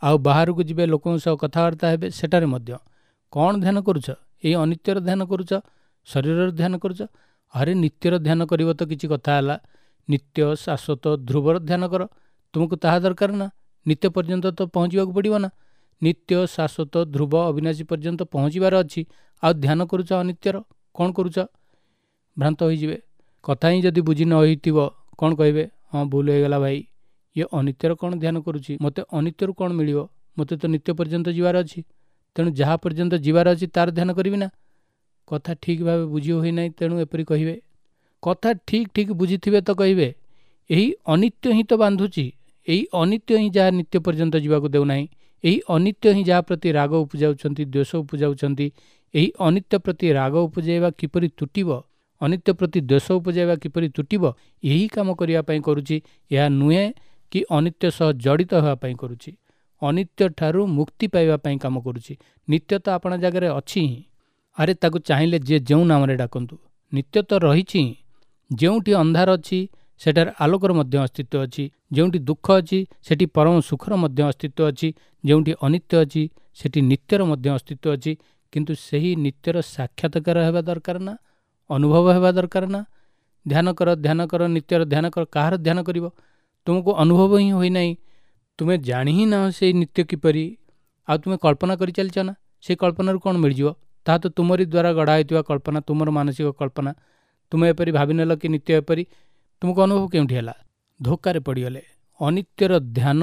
ଆଉ ବାହାରକୁ ଯିବେ, ଲୋକଙ୍କ ସହ କଥାବାର୍ତ୍ତା ହେବେ, ସେଠାରେ ମଧ୍ୟ କ'ଣ ଧ୍ୟାନ କରୁଛ? ଏଇ ଅନିତ୍ୟର ଧ୍ୟାନ କରୁଛ, ଶରୀରର ଧ୍ୟାନ କରୁଛ? ଆରେ ନିତ୍ୟର ଧ୍ୟାନ କରିବ ତ କିଛି କଥା ହେଲା। ନିତ୍ୟ, ଶାଶ୍ୱତ, ଧ୍ରୁବର ଧ୍ୟାନ କର। ତୁମକୁ ତାହା ଦରକାର ନା? ନିତ୍ୟ ପର୍ଯ୍ୟନ୍ତ ତ ପହଞ୍ଚିବାକୁ ପଡ଼ିବ ନା। ନିତ୍ୟ, ଶାଶ୍ୱତ, ଧ୍ରୁବ, ଅବିନାଶୀ ପର୍ଯ୍ୟନ୍ତ ପହଞ୍ଚିବାର ଅଛି, ଆଉ ଧ୍ୟାନ କରୁଛ ଅନିତ୍ୟର, କ'ଣ କରୁଛ? ଭ୍ରାନ୍ତ ହୋଇଯିବେ। କଥା ହିଁ ଯଦି ବୁଝି ନ ହୋଇଥିବ କ'ଣ କହିବେ? ହଁ ଭୁଲ ହେଇଗଲା ଭାଇ, ଇଏ ଅନିତ୍ୟର କ'ଣ ଧ୍ୟାନ କରୁଛି, ମୋତେ ଅନିତ୍ୟରୁ କ'ଣ ମିଳିବ, ମୋତେ ତ ନିତ୍ୟ ପର୍ଯ୍ୟନ୍ତ ଯିବାର ଅଛି, ତେଣୁ ଯାହା ପର୍ଯ୍ୟନ୍ତ ଯିବାର ଅଛି ତାର ଧ୍ୟାନ କରିବି ନା। କଥା ଠିକ୍ ଭାବେ ବୁଝି ହୋଇନାହିଁ, ତେଣୁ ଏପରି କହିବେ। କଥା ଠିକ୍ ଠିକ୍ ବୁଝିଥିବେ ତ କହିବେ ଏହି ଅନିତ୍ୟ ହିଁ ତ ବାନ୍ଧୁଛି, ଏହି ଅନିତ୍ୟ ହିଁ ଯାହା ନିତ୍ୟ ପର୍ଯ୍ୟନ୍ତ ଯିବାକୁ ଦେଉନାହିଁ, ଏହି ଅନିତ୍ୟ ହିଁ ଯାହା ପ୍ରତି ରାଗ ଉପୁଜାଉଛନ୍ତି, ଦ୍ୱେଷ ଉପୁଜାଉଛନ୍ତି। ଏହି ଅନିତ୍ୟ ପ୍ରତି ରାଗ ଉପୁଜାଇବା କିପରି ତୁଟିବ, ଅନିତ୍ୟ ପ୍ରତି ଦ୍ୱେଷ ଉପୁଜାଇବା କିପରି ତୁଟିବ, ଏହି କାମ କରିବା ପାଇଁ କରୁଛି। ଏହା ନୁହେଁ କି ଅନିତ୍ୟ ସହ ଜଡ଼ିତ ହେବା ପାଇଁ କରୁଛି, ଅନିତ୍ୟ ଠାରୁ ମୁକ୍ତି ପାଇବା ପାଇଁ କାମ କରୁଛି। ନିତ୍ୟ ତ ଆପଣା ଜାଗାରେ ଅଛି ହିଁ। ଆରେ ତାକୁ ଚାହିଁଲେ ଯିଏ ଯେଉଁ ନାମରେ ଡାକନ୍ତୁ, ନିତ୍ୟ ତ ରହିଛି ହିଁ। ଯେଉଁଠି ଅନ୍ଧାର ଅଛି ସେଠାରେ ଆଲୋକର ମଧ୍ୟ ଅସ୍ତିତ୍ୱ ଅଛି, ଯେଉଁଠି ଦୁଃଖ ଅଛି ସେଠି ପରମ ସୁଖର ମଧ୍ୟ ଅସ୍ତିତ୍ୱ ଅଛି, ଯେଉଁଠି ଅନିତ୍ୟ ଅଛି ସେଠି ନିତ୍ୟର ମଧ୍ୟ ଅସ୍ତିତ୍ୱ ଅଛି। କିନ୍ତୁ ସେହି ନିତ୍ୟର ସାକ୍ଷାତକାର ହେବା ଦରକାର ନା, ଅନୁଭବ ହେବା ଦରକାର ନା। ଧ୍ୟାନ କର, ଧ୍ୟାନ କର, ନିତ୍ୟର ଧ୍ୟାନ କର, କାହାର ଧ୍ୟାନ କରିବ? ତୁମକୁ ଅନୁଭବ ହିଁ ହୋଇନାହିଁ, ତୁମେ ଜାଣି ହିଁ ନାହ ସେଇ ନିତ୍ୟ କିପରି, ଆଉ ତୁମେ କଳ୍ପନା କରି ଚାଲିଛ ନା। ସେଇ କଳ୍ପନାରୁ କ'ଣ ମିଳିଯିବ? ତାହା ତ ତୁମରି ଦ୍ୱାରା ଗଢ଼ା ହୋଇଥିବା କଳ୍ପନା, ତୁମର ମାନସିକ କଳ୍ପନା। ତୁମେ ଏପରି ଭାବିନେଲ କି ନିତ୍ୟ ଏପରି, ତୁମକୁ ଅନୁଭବ କେଉଁଠି ହେଲା? ଧୋକାରେ ପଡ଼ିଗଲେ। ଅନିତ୍ୟର ଧ୍ୟାନ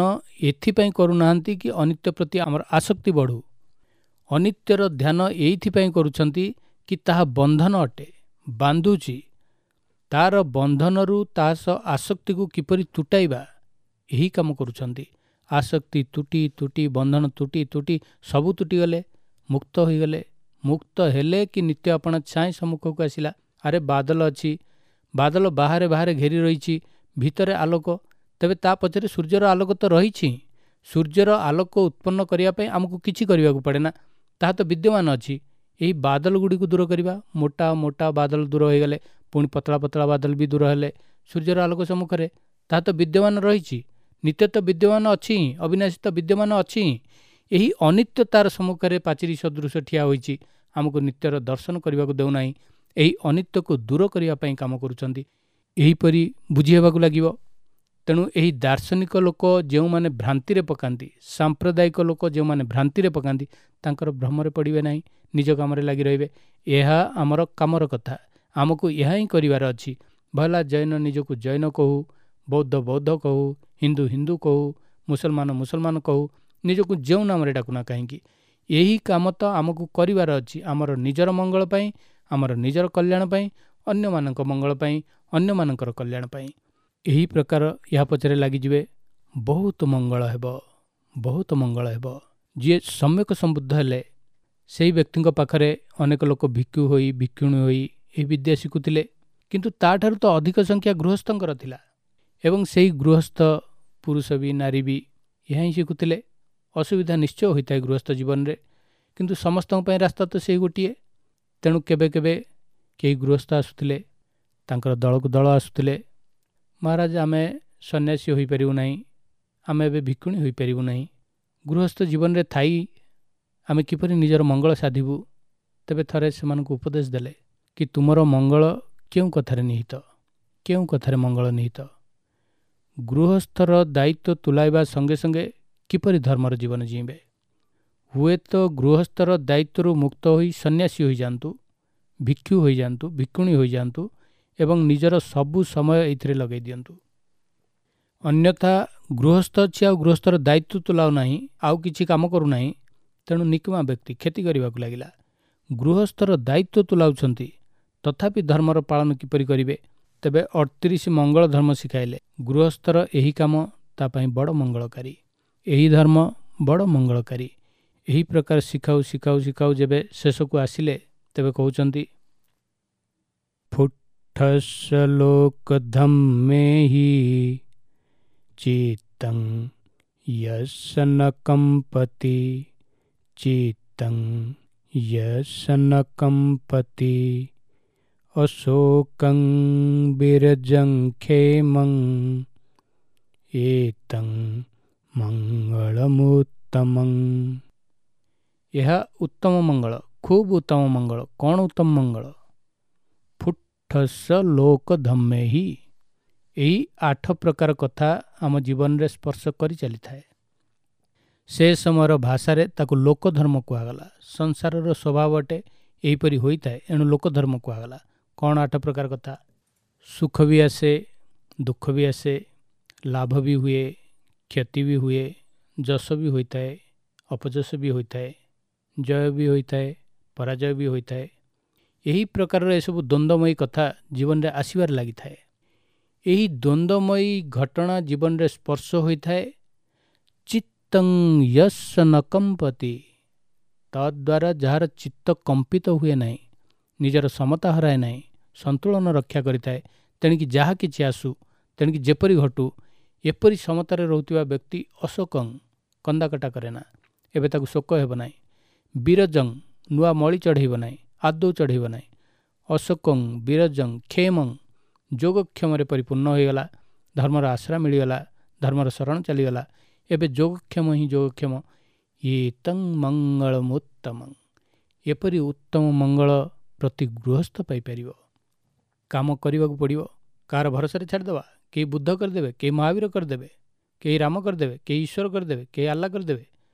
ଏଥିପାଇଁ କରୁନାହାନ୍ତି କି ଅନିତ୍ୟ ପ୍ରତି ଆମର ଆସକ୍ତି ବଢ଼ୁ। ଅନିତ୍ୟର ଧ୍ୟାନ ଏଇଥିପାଇଁ କରୁଛନ୍ତି କି ତାହା ବନ୍ଧନ ଅଟେ, ବାନ୍ଧୁଛି। ତାର ବନ୍ଧନରୁ ତା ସହ ଆସକ୍ତିକୁ କିପରି ତୁଟାଇବା, ଏହି କାମ କରୁଛନ୍ତି। ଆସକ୍ତି ତୁଟି ତୁଟି, ବନ୍ଧନ ତୁଟି ତୁଟି, ସବୁ ତୁଟିଗଲେ, ମୁକ୍ତ ହୋଇଗଲେ। ମୁକ୍ତ ହେଲେ କି ନିତ୍ୟ ଆପଣା ଛାଇ ସମ୍ମୁଖକୁ ଆସିଲା। ଆରେ ବାଦଲ ଅଛି, ବାଦଲ ବାହାରେ ବାହାରେ ଘେରି ରହିଛି, ଭିତରେ ଆଲୋକ, ତେବେ ତା ପଛରେ ସୂର୍ଯ୍ୟର ଆଲୋକ ତ ରହିଛି। ସୂର୍ଯ୍ୟର ଆଲୋକ ଉତ୍ପନ୍ନ କରିବା ପାଇଁ ଆମକୁ କିଛି କରିବାକୁ ପଡ଼େ ନା, ତାହା ତ ବିଦ୍ୟମାନ ଅଛି। ଏହି ବାଦଲ ଗୁଡ଼ିକୁ ଦୂର କରିବା, ମୋଟା ମୋଟା ବାଦଲ ଦୂର ହୋଇଗଲେ, ପୁଣି ପତଳା ପତଳା ବାଦଲ ବି ଦୂର ହେଲେ ସୂର୍ଯ୍ୟର ଆଲୋକ ସମ୍ମୁଖରେ ତାହା ତ ବିଦ୍ୟମାନ ରହିଛି। ନିତ୍ୟ ତ ବିଦ୍ୟମାନ ଅଛି ହିଁ, ଅବିନାଶୀ ତ ବିଦ୍ୟମାନ ଅଛି ହିଁ। ଏହି ଅନିତ୍ୟ ତାର ସମ୍ମୁଖରେ ପାଚେରୀ ସଦୃଶ ଠିଆ ହୋଇଛି, ଆମକୁ ନିତ୍ୟର ଦର୍ଶନ କରିବାକୁ ଦେଉନାହିଁ। ଏହି ଅନିତ୍ୟକୁ ଦୂର କରିବା ପାଇଁ କାମ କରୁଛନ୍ତି। ଏହିପରି ବୁଝି ହେବାକୁ ଲାଗିବ। ତେଣୁ ଏହି ଦାର୍ଶନିକ ଲୋକ ଯେଉଁମାନେ ଭ୍ରାନ୍ତିରେ ପକାନ୍ତି, ସାମ୍ପ୍ରଦାୟିକ ଲୋକ ଯେଉଁମାନେ ଭ୍ରାନ୍ତିରେ ପକାନ୍ତି, ତାଙ୍କର ଭ୍ରମରେ ପଡ଼ିବେ ନାହିଁ, ନିଜ କାମରେ ଲାଗି ରହିବେ। ଏହା ଆମର କାମର କଥା, ଆମକୁ ଏହା ହିଁ କରିବାର ଅଛି। ଭଲା ଜୈନ ନିଜକୁ ଜୈନ କହୁ, ବୌଦ୍ଧ ବୌଦ୍ଧ କହୁ, ହିନ୍ଦୁ ହିନ୍ଦୁ କହୁ, ମୁସଲମାନ ମୁସଲମାନ କହୁ, ନିଜକୁ ଯେଉଁ ନାମରେ ଡାକୁନା କାହିଁକି, ଏହି କାମ ତ ଆମକୁ କରିବାର ଅଛି। ଆମର ନିଜର ମଙ୍ଗଳ ପାଇଁ, ଆମର ନିଜର କଲ୍ୟାଣ ପାଇଁ, ଅନ୍ୟମାନଙ୍କ ମଙ୍ଗଳ ପାଇଁ, ଅନ୍ୟମାନଙ୍କର କଲ୍ୟାଣ ପାଇଁ। ଏହି ପ୍ରକାର ଏହା ପଛରେ ଲାଗିଯିବେ, ବହୁତ ମଙ୍ଗଳ ହେବ, ବହୁତ ମଙ୍ଗଳ ହେବ। ଯିଏ ସମ୍ୟକ ସମ୍ବୁଦ୍ଧ ହେଲେ ସେହି ବ୍ୟକ୍ତିଙ୍କ ପାଖରେ ଅନେକ ଲୋକ ଭିକ୍ଷୁ ହୋଇ ଭିକ୍ଷୁଣୀ ହୋଇ ଏହି ବିଦ୍ୟା ଶିଖୁଥିଲେ, କିନ୍ତୁ ତାଠାରୁ ତ ଅଧିକ ସଂଖ୍ୟା ଗୃହସ୍ଥଙ୍କର ଥିଲା। ଏବଂ ସେହି ଗୃହସ୍ଥ ପୁରୁଷ ବି ନାରୀ ବି ଏହା ହିଁ ଶିଖୁଥିଲେ। ଅସୁବିଧା ନିଶ୍ଚୟ ହୋଇଥାଏ ଗୃହସ୍ଥ ଜୀବନରେ, କିନ୍ତୁ ସମସ୍ତଙ୍କ ପାଇଁ ରାସ୍ତା ତ ସେଇ ଗୋଟିଏ। ତେଣୁ କେବେ କେବେ କେହି ଗୃହସ୍ଥ ଆସୁଥିଲେ, ତାଙ୍କର ଦଳକୁ ଦଳ ଆସୁଥିଲେ। ମହାରାଜ, ଆମେ ସନ୍ନ୍ୟାସୀ ହୋଇପାରିବୁ ନାହିଁ, ଆମେ ଏବେ ଭିକ୍ଷୁଣୀ ହୋଇପାରିବୁ ନାହିଁ, ଗୃହସ୍ଥ ଜୀବନରେ ଥାଇ ଆମେ କିପରି ନିଜର ମଙ୍ଗଳ ସାଧିବୁ? ତେବେ ଥରେ ସେମାନଙ୍କୁ ଉପଦେଶ ଦେଲେ କି ତୁମର ମଙ୍ଗଳ କେଉଁ କଥାରେ ନିହିତ, କେଉଁ କଥାରେ ମଙ୍ଗଳ ନିହିତ? ଗୃହସ୍ଥର ଦାୟିତ୍ୱ ତୁଲାଇବା ସଙ୍ଗେ ସଙ୍ଗେ କିପରି ଧର୍ମର ଜୀବନ ଜୀଇଁବେ? ହୁଏତ ଗୃହସ୍ଥର ଦାୟିତ୍ୱରୁ ମୁକ୍ତ ହୋଇ ସନ୍ନ୍ୟାସୀ ହୋଇଯାଆନ୍ତୁ, ଭିକ୍ଷୁ ହୋଇଯାଆନ୍ତୁ, ଭିକ୍ଷୁଣୀ ହୋଇଯାଆନ୍ତୁ ଏବଂ ନିଜର ସବୁ ସମୟ ଏଇଥିରେ ଲଗାଇ ଦିଅନ୍ତୁ। ଅନ୍ୟଥା ଗୃହସ୍ଥ ଅଛି ଆଉ ଗୃହସ୍ଥର ଦାୟିତ୍ୱ ତୁଲାଉ ନାହିଁ, ଆଉ କିଛି କାମ କରୁନାହିଁ, ତେଣୁ ନିକମା ବ୍ୟକ୍ତି କ୍ଷତି କରିବାକୁ ଲାଗିଲା। ଗୃହସ୍ଥର ଦାୟିତ୍ୱ ତୁଲାଉଛନ୍ତି, ତଥାପି ଧର୍ମର ପାଳନ କିପରି କରିବେ? ତେବେ ଅଠତିରିଶ ମଙ୍ଗଳ ଧର୍ମ ଶିଖାଇଲେ। ଗୃହସ୍ଥର ଏହି କାମ ତା ପାଇଁ ବଡ଼ ମଙ୍ଗଳକାରୀ, ଏହି ଧର୍ମ ବଡ଼ ମଙ୍ଗଳକାରୀ। ଏହି ପ୍ରକାର ଶିଖାଉ ଶିଖାଉ ଶିଖାଉ ଯେବେ ଶେଷକୁ ଆସିଲେ, ତେବେ କହୁଛନ୍ତି, ଫୁଠସ ଲୋକ ଧମ୍ମେହି ଚିତ୍ତଂ ୟସ ନ କମ୍ପତି, ଚିତ୍ତଂ ୟସ ନ କମ୍ପତି, ଅଶୋକଂ ବିରଜଂ କ୍ଷେମଂ ଏତଂ ମଙ୍ଗଳମୁତ୍ତମଂ। ଏହା ଉତ୍ତମ ମଙ୍ଗଳ, ଖୁବ୍ ଉତ୍ତମ ମଙ୍ଗଳ। କ'ଣ ଉତ୍ତମ ମଙ୍ଗଳ? ଫୁଠସ ଲୋକ ଧମ୍ମେହି। ଏହି ଆଠ ପ୍ରକାର କଥା ଆମ ଜୀବନରେ ସ୍ପର୍ଶ କରି ଚାଲିଥାଏ। ସେ ସମୟର ଭାଷାରେ ତାକୁ ଲୋକଧର୍ମ କୁହାଗଲା। ସଂସାରର ସ୍ୱଭାବ ଅଟେ ଏହିପରି ହୋଇଥାଏ, ଏଣୁ ଲୋକଧର୍ମ କୁହାଗଲା। କ'ଣ ଆଠ ପ୍ରକାର କଥା? ସୁଖ ବି ଆସେ, ଦୁଃଖ ବି ଆସେ, ଲାଭ ବି ହୁଏ, କ୍ଷତି ବି ହୁଏ, ଯଶ ବି ହୋଇଥାଏ, ଅପଯଶ ବି ହୋଇଥାଏ, ଜୟ ବି ହୋଇଥାଏ, ପରାଜୟ ବି ହୋଇଥାଏ। ଏହି ପ୍ରକାରର ଏସବୁ ଦ୍ୱନ୍ଦ୍ୱମୟୀ କଥା ଜୀବନରେ ଆସିବାରେ ଲାଗିଥାଏ। ଏହି ଦ୍ୱନ୍ଦ୍ୱମୟୀ ଘଟଣା ଜୀବନରେ ସ୍ପର୍ଶ ହୋଇଥାଏ। ଚିତ୍ତଂ ୟସ୍ୟ ନ କମ୍ପତି, ତଦ୍ୱାରା ଯାହାର ଚିତ୍ତ କମ୍ପିତ ହୁଏ ନାହିଁ, ନିଜର ସମତା ହରାଏ ନାହିଁ, ସନ୍ତୁଳନ ରକ୍ଷା କରିଥାଏ, ତେଣିକି ଯାହା କିଛି ଆସୁ, ତେଣିକି ଯେପରି ଘଟୁ, ଏପରି ସମତାରେ ରହୁଥିବା ବ୍ୟକ୍ତି ଅଶୋକଂ, କନ୍ଦାକଟା କରେ ନା, ଏବେ ତାକୁ ଶୋକ ହେବ ନାହିଁ। ବିରଜଂ, ନୂଆ ମଳି ଚଢ଼େଇବ ନାହିଁ, ଆଦୌ ଚଢ଼େଇବ ନାହିଁ। ଅଶୋକଂ ବିରଜଂ କ୍ଷେମଂ, ଯୋଗକ୍ଷମରେ ପରିପୂର୍ଣ୍ଣ ହୋଇଗଲା, ଧର୍ମର ଆଶ୍ରା ମିଳିଗଲା, ଧର୍ମର ଶରଣ ଚାଲିଗଲା, ଏବେ ଯୋଗକ୍ଷମ ହିଁ ଯୋଗକ୍ଷମ। ଏତଂ ମଙ୍ଗଳମୁତ୍ତମଂ, ଏପରି ଉତ୍ତମ ମଙ୍ଗଳ ପ୍ରତି ଗୃହସ୍ଥ ପାଇପାରିବ। କାମ କରିବାକୁ ପଡ଼ିବ, କାହାର ଭରସାରେ ଛାଡ଼ିଦେବା? କେହି ବୁଦ୍ଧ କରିଦେବେ, କେହି ମହାବୀର କରିଦେବେ, କେହି ରାମ କରିଦେବେ, କେହି ଈଶ୍ୱର କରିଦେବେ, କେହି ଆଲ୍ଲା କରିଦେବେ।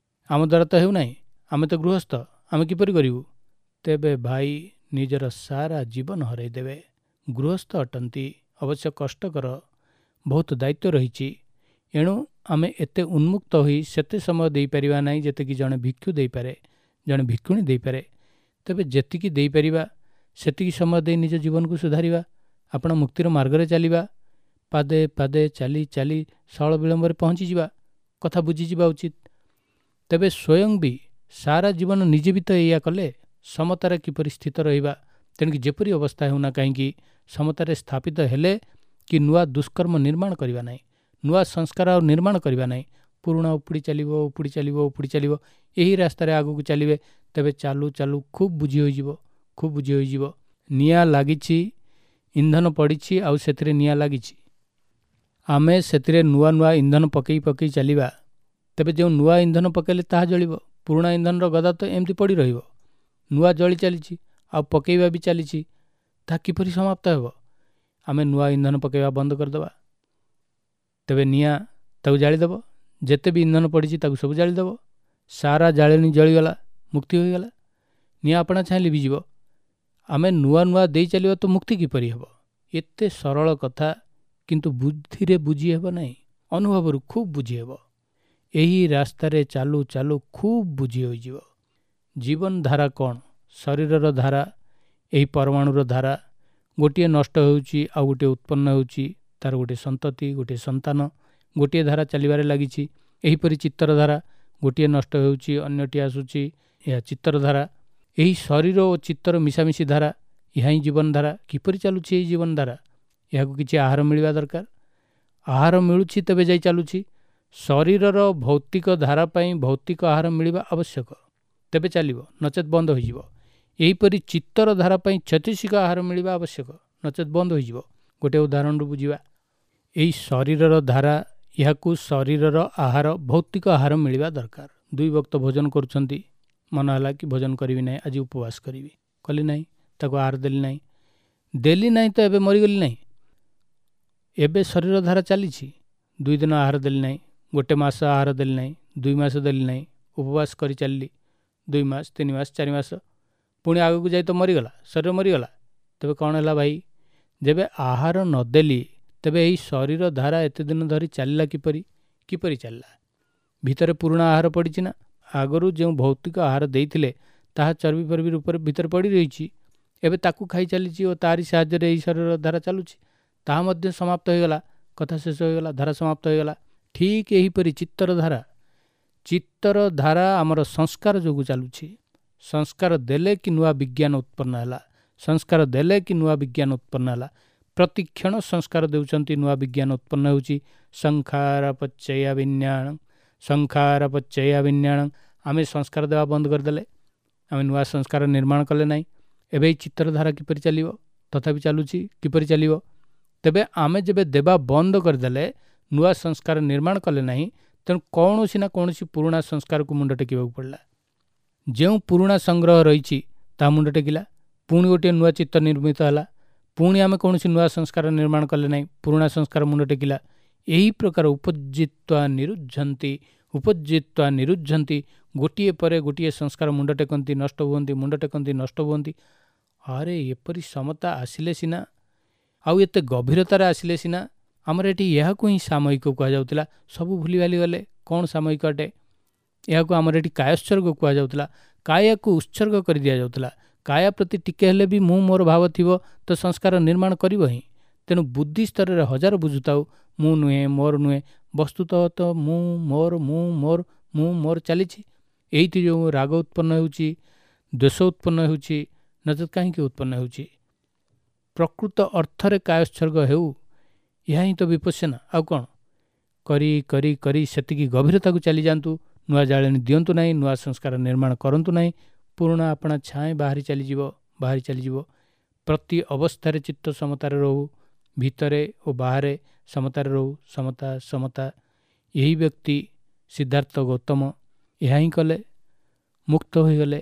ଆମ ଦ୍ୱାରା ତ ହେଉନାହିଁ, ଆମେ ତ ଗୃହସ୍ଥ, ଆମେ କିପରି କରିବୁ? ତେବେ ଭାଇ ନିଜର ସାରା ଜୀବନ ହରାଇ ଦେବେ। ଗୃହସ୍ଥ ଅଟନ୍ତି, ଅବଶ୍ୟ କଷ୍ଟକର, ବହୁତ ଦାୟିତ୍ୱ ରହିଛି। ଏଣୁ ଆମେ ଏତେ ଉନ୍ମୁକ୍ତ ହୋଇ ସେତେ ସମୟ ଦେଇପାରିବା ନାହିଁ ଯେତିକି ଜଣେ ଭିକ୍ଷୁ ଦେଇପାରେ, ଜଣେ ଭିକ୍ଷୁଣୀ ଦେଇପାରେ। ତେବେ ଯେତିକି ଦେଇପାରିବା ସେତିକି ସମୟ ଦେଇ ନିଜ ଜୀବନକୁ ସୁଧାରିବା, ଆପଣ ମୁକ୍ତିର ମାର୍ଗରେ ଚାଲିବା, ପାଦେ ପାଦେ ଚାଲି ଚାଲି ସରଳ ବିଳମ୍ବରେ ପହଞ୍ଚିଯିବା କଥା ବୁଝିଯିବା ଉଚିତ। ତେବେ ସ୍ୱୟଂ ବି ସାରା ଜୀବନ ନିଜେ ବି ତ ଏଇଆ କଲେ, ସମତାରେ କିପରି ସ୍ଥିତ ରହିବା, ତେଣିକି ଯେପରି ଅବସ୍ଥା ହେଉନା କାହିଁକି ସମତାରେ ସ୍ଥାପିତ ହେଲେ କି ନୂଆ ଦୁଷ୍କର୍ମ ନିର୍ମାଣ କରିବା ନାହିଁ, ନୂଆ ସଂସ୍କାର ଆଉ ନିର୍ମାଣ କରିବା ନାହିଁ, ପୁରୁଣା ଉପୁଡ଼ି ଚାଲିବ, ଉପୁଡ଼ି ଚାଲିବ, ଉପୁଡ଼ି ଚାଲିବ, ଏହି ରାସ୍ତାରେ ଆଗକୁ ଚାଲିବେ। ତେବେ ଚାଲୁ ଚାଲୁ ଖୁବ୍ ବୁଝି ହୋଇଯିବ, ଖୁବ୍ ବୁଝି ହୋଇଯିବ। ନିଆଁ ଲାଗିଛି, ଇନ୍ଧନ ପଡ଼ିଛି, ଆଉ ସେଥିରେ ନିଆଁ ଲାଗିଛି। ଆମେ ସେଥିରେ ନୂଆ ନୂଆ ଇନ୍ଧନ ପକାଇ ପକାଇ ଚାଲିବା, ତେବେ ଯେଉଁ ନୂଆ ଇନ୍ଧନ ପକାଇଲେ ତାହା ଜଳିବ, ପୁରୁଣା ଇନ୍ଧନର ଗଦା ତ ଏମିତି ପଡ଼ି ରହିବ। ନୂଆ ଜଳି ଚାଲିଛି ଆଉ ପକାଇବା ବି ଚାଲିଛି, ତାହା କିପରି ସମାପ୍ତ ହେବ? ଆମେ ନୂଆ ଇନ୍ଧନ ପକାଇବା ବନ୍ଦ କରିଦେବା, ତେବେ ନିଆଁ ତାକୁ ଜାଳିଦେବ, ଯେତେ ବି ଇନ୍ଧନ ପଡ଼ିଛି ତାକୁ ସବୁ ଜାଳିଦେବ, ସାରା ଜାଳେଣୀ ଜଳିଗଲା, ମୁକ୍ତି ହୋଇଗଲା। ନିଆଁ ଆପଣା ଛାଏଁ ଲିଭିଯିବ। ଆମେ ନୂଆ ନୂଆ ଦେଇ ଚାଲିବା ତ ମୁକ୍ତି କିପରି ହେବ? ଏତେ ସରଳ କଥା, କିନ୍ତୁ ବୁଦ୍ଧିରେ ବୁଝି ହେବ ନାହିଁ, ଅନୁଭବରୁ ଖୁବ୍ ବୁଝି ହେବ। ଏହି ରାସ୍ତାରେ ଚାଲୁ ଚାଲୁ ଖୁବ୍ ବୁଝି ହୋଇଯିବ। ଜୀବନ ଧାରା କ'ଣ? ଶରୀରର ଧାରା, ଏହି ପରମାଣୁର ଧାରା, ଗୋଟିଏ ନଷ୍ଟ ହେଉଛି ଆଉ ଗୋଟିଏ ଉତ୍ପନ୍ନ ହେଉଛି, ତାର ଗୋଟିଏ ସନ୍ତତି, ଗୋଟିଏ ସନ୍ତାନ, ଗୋଟିଏ ଧାରା ଚାଲିବାରେ ଲାଗିଛି। ଏହିପରି ଚିତ୍ତର ଧାରା, ଗୋଟିଏ ନଷ୍ଟ ହେଉଛି ଅନ୍ୟଟି ଆସୁଛି, ଏହା ଚିତ୍ତର ଧାରା। ଏହି ଶରୀର ଓ ଚିତ୍ତର ମିଶାମିଶି ଧାରା, ଏହା ହିଁ ଜୀବନ ଧାରା। କିପରି ଚାଲୁଛି ଏହି ଜୀବନ ଧାରା? ଏହାକୁ କିଛି ଆହାର ମିଳିବା ଦରକାର। ଆହାର ମିଳୁଛି ତେବେ ଯାଇ ଚାଲୁଛି। ଶରୀରର ଭୌତିକ ଧାରା ପାଇଁ ଭୌତିକ ଆହାର ମିଳିବା ଆବଶ୍ୟକ, ତେବେ ଚାଲିବ, ନଚେତ୍ ବନ୍ଦ ହୋଇଯିବ। ଏହିପରି ଚିତ୍ତର ଧାରା ପାଇଁ ଛତିଶିକ ଆହାର ମିଳିବା ଆବଶ୍ୟକ, ନଚେତ୍ ବନ୍ଦ ହୋଇଯିବ। ଗୋଟିଏ ଉଦାହରଣରୁ ବୁଝିବା। ଏହି ଶରୀରର ଧାରା, ଏହାକୁ ଶରୀରର ଆହାର, ଭୌତିକ ଆହାର ମିଳିବା ଦରକାର। ଦୁଇ ବକ୍ତ ଭୋଜନ କରୁଛନ୍ତି, ମନ ହେଲା କି ଭୋଜନ କରିବି ନାହିଁ, ଆଜି ଉପବାସ କରିବି, କଲି ନାହିଁ, ତାକୁ ଆହାର ଦେଲି ନାହିଁ, ଦେଲି ନାହିଁ ତ ଏବେ ମରିଗଲି ନାହିଁ। ଏବେ ଶରୀର ଧାରା ଚାଲିଛି। ଦୁଇ ଦିନ ଆହାର ଦେଲି ନାହିଁ, ଗୋଟେ ମାସ ଆହାର ଦେଲି ନାହିଁ, ଦୁଇ ମାସ ଦେଲି ନାହିଁ, ଉପବାସ କରି ଚାଲିଲି, ଦୁଇ ମାସ, ତିନି ମାସ, ଚାରି ମାସ, ପୁଣି ଆଗକୁ ଯାଇ ତ ମରିଗଲା, ଶରୀର ମରିଗଲା। ତେବେ କ'ଣ ହେଲା ଭାଇ? ଯେବେ ଆହାର ନଦେଲି ତେବେ ଏହି ଶରୀର ଧାରା ଏତେ ଦିନ ଧରି ଚାଲିଲା କିପରି? କିପରି ଚାଲିଲା? ଭିତରେ ପୁରୁଣା ଆହାର ପଡ଼ିଛି ନା? ଆଗରୁ ଯେଉଁ ଭୌତିକ ଆହାର ଦେଇଥିଲେ ତାହା ଚର୍ବି ଫର୍ବି ରୂପରେ ଭିତରେ ପଡ଼ି ରହିଛି, ଏବେ ତାକୁ ଖାଇ ଚାଲିଛି ଓ ତାରି ସାହାଯ୍ୟରେ ଏହି ଶରୀର ଧାରା ଚାଲୁଛି। ତାହା ମଧ୍ୟ ସମାପ୍ତ ହୋଇଗଲା, କଥା ଶେଷ ହୋଇଗଲା, ଧାରା ସମାପ୍ତ ହୋଇଗଲା। ଠିକ୍ ଏହିପରି ଚିତ୍ତର ଧାରା, ଚିତ୍ତର ଧାରା ଆମର ସଂସ୍କାର ଯୋଗୁଁ ଚାଲୁଛି। ସଂସ୍କାର ଦେଲେ କି ନୂଆ ବିଜ୍ଞାନ ଉତ୍ପନ୍ନ ହେଲା, ସଂସ୍କାର ଦେଲେ କି ନୂଆ ବିଜ୍ଞାନ ଉତ୍ପନ୍ନ ହେଲା। ପ୍ରତିକ୍ଷଣ ସଂସ୍କାର ଦେଉଛନ୍ତି, ନୂଆ ବିଜ୍ଞାନ ଉତ୍ପନ୍ନ ହେଉଛି। ସଂଖାର ପଚ୍ଚୟା ବିଜ୍ଞାନ, ସଂଖାର ପଚ୍ଚୟା ବିଜ୍ଞାନ। ଆମେ ସଂସ୍କାର ଦେବା ବନ୍ଦ କରିଦେଲେ, ଆମେ ନୂଆ ସଂସ୍କାର ନିର୍ମାଣ କଲେ ନାହିଁ। ଏବେ ଏଇ ଚିତ୍ତର ଧାରା କିପରି ଚାଲିବ? ତଥାପି ଚାଲୁଛି, କିପରି ଚାଲିବ? ତେବେ ଆମେ ଯେବେ ଦେବା ବନ୍ଦ କରିଦେଲେ, ନୂଆ ସଂସ୍କାର ନିର୍ମାଣ କଲେ ନାହିଁ, ତେଣୁ କୌଣସି ନା କୌଣସି ପୁରୁଣା ସଂସ୍କାରକୁ ମୁଣ୍ଡ ଟେକିବାକୁ ପଡ଼ିଲା। ଯେଉଁ ପୁରୁଣା ସଂଗ୍ରହ ରହିଛି ତାହା ମୁଣ୍ଡ ଟେକିଲା, ପୁଣି ଗୋଟିଏ ନୂଆ ଚିତ୍ତ ନିର୍ମିତ ହେଲା, ପୁଣି ଆମେ କୌଣସି ନୂଆ ସଂସ୍କାର ନିର୍ମାଣ କଲେ ନାହିଁ, ପୁରୁଣା ସଂସ୍କାର ମୁଣ୍ଡ ଟେକିଲା। ଏହି ପ୍ରକାର ଉପଜିତ୍ୱା ନିରୁଝନ୍ତି, ଉପଜିତ୍ୱା ନିରୁଝନ୍ତି, ଗୋଟିଏ ପରେ ଗୋଟିଏ ସଂସ୍କାର ମୁଣ୍ଡ ଟେକନ୍ତି, ନଷ୍ଟ ହୁଅନ୍ତି, ମୁଣ୍ଡ ଟେକନ୍ତି, ନଷ୍ଟ ହୁଅନ୍ତି। ଆରେ ଏପରି ସମତା ଆସିଲେ ସିନା, ଆଉ ଏତେ ଗଭୀରତାରେ ଆସିଲେ ସିନା। ଆମର ଏଠି ଏହାକୁ ହିଁ ସାମୟିକ କୁହାଯାଉଥିଲା, ସବୁ ଭୁଲିଭାଲି ଗଲେ। କ'ଣ ସାମୟିକ ଅଟେ? ଏହାକୁ ଆମର ଏଠି କାୟୋତ୍ସର୍ଗ କୁହାଯାଉଥିଲା। କାୟାକୁ ଉତ୍ସର୍ଗ କରି ଦିଆଯାଉଥିଲା। କାୟା ପ୍ରତି ଟିକେ ହେଲେ ବି ମୁଁ ମୋର ଭାବ ଥିବ ତ ସଂସ୍କାର ନିର୍ମାଣ କରିବ ହିଁ। ତେଣୁ ବୁଦ୍ଧି ସ୍ତରରେ ହଜାର ବୁଝୁଥାଉ ମୁଁ ନୁହେଁ, ମୋର ନୁହେଁ, ବସ୍ତୁତଃ ତ ମୁଁ ମୋର, ମୁଁ ମୋର, ମୁଁ ମୋର ଚାଲିଛି। ଏଇଠି ଯେଉଁ ରାଗ ଉତ୍ପନ୍ନ ହେଉଛି, ଦ୍ୱେଷ ଉତ୍ପନ୍ନ ହେଉଛି, ନଚେତ୍ କାହିଁକି ଉତ୍ପନ୍ନ ହେଉଛି? ପ୍ରକୃତ ଅର୍ଥରେ କାୟୋତ୍ସର୍ଗ ହେଉ, ଏହା ହିଁ ତ ବିପଶ୍ୟନା, ଆଉ କ'ଣ? କରି କରି କରି ସେତିକି ଗଭୀରତାକୁ ଚାଲିଯାଆନ୍ତୁ। ନୂଆ ଜାଳେଣି ଦିଅନ୍ତୁ ନାହିଁ, ନୂଆ ସଂସ୍କାର ନିର୍ମାଣ କରନ୍ତୁ ନାହିଁ, ପୁରୁଣା ଆପଣା ଛାଏଁ ବାହାରି ଚାଲିଯିବ, ବାହାରି ଚାଲିଯିବ। ପ୍ରତି ଅବସ୍ଥାରେ ଚିତ୍ତ ସମତାରେ ରହୁ, ଭିତରେ ଓ ବାହାରେ ସମତାରେ ରହୁ, ସମତା ସମତା। ଏହି ବ୍ୟକ୍ତି ସିଦ୍ଧାର୍ଥ ଗୌତମ ଏହା ହିଁ କଲେ, ମୁକ୍ତ ହୋଇଗଲେ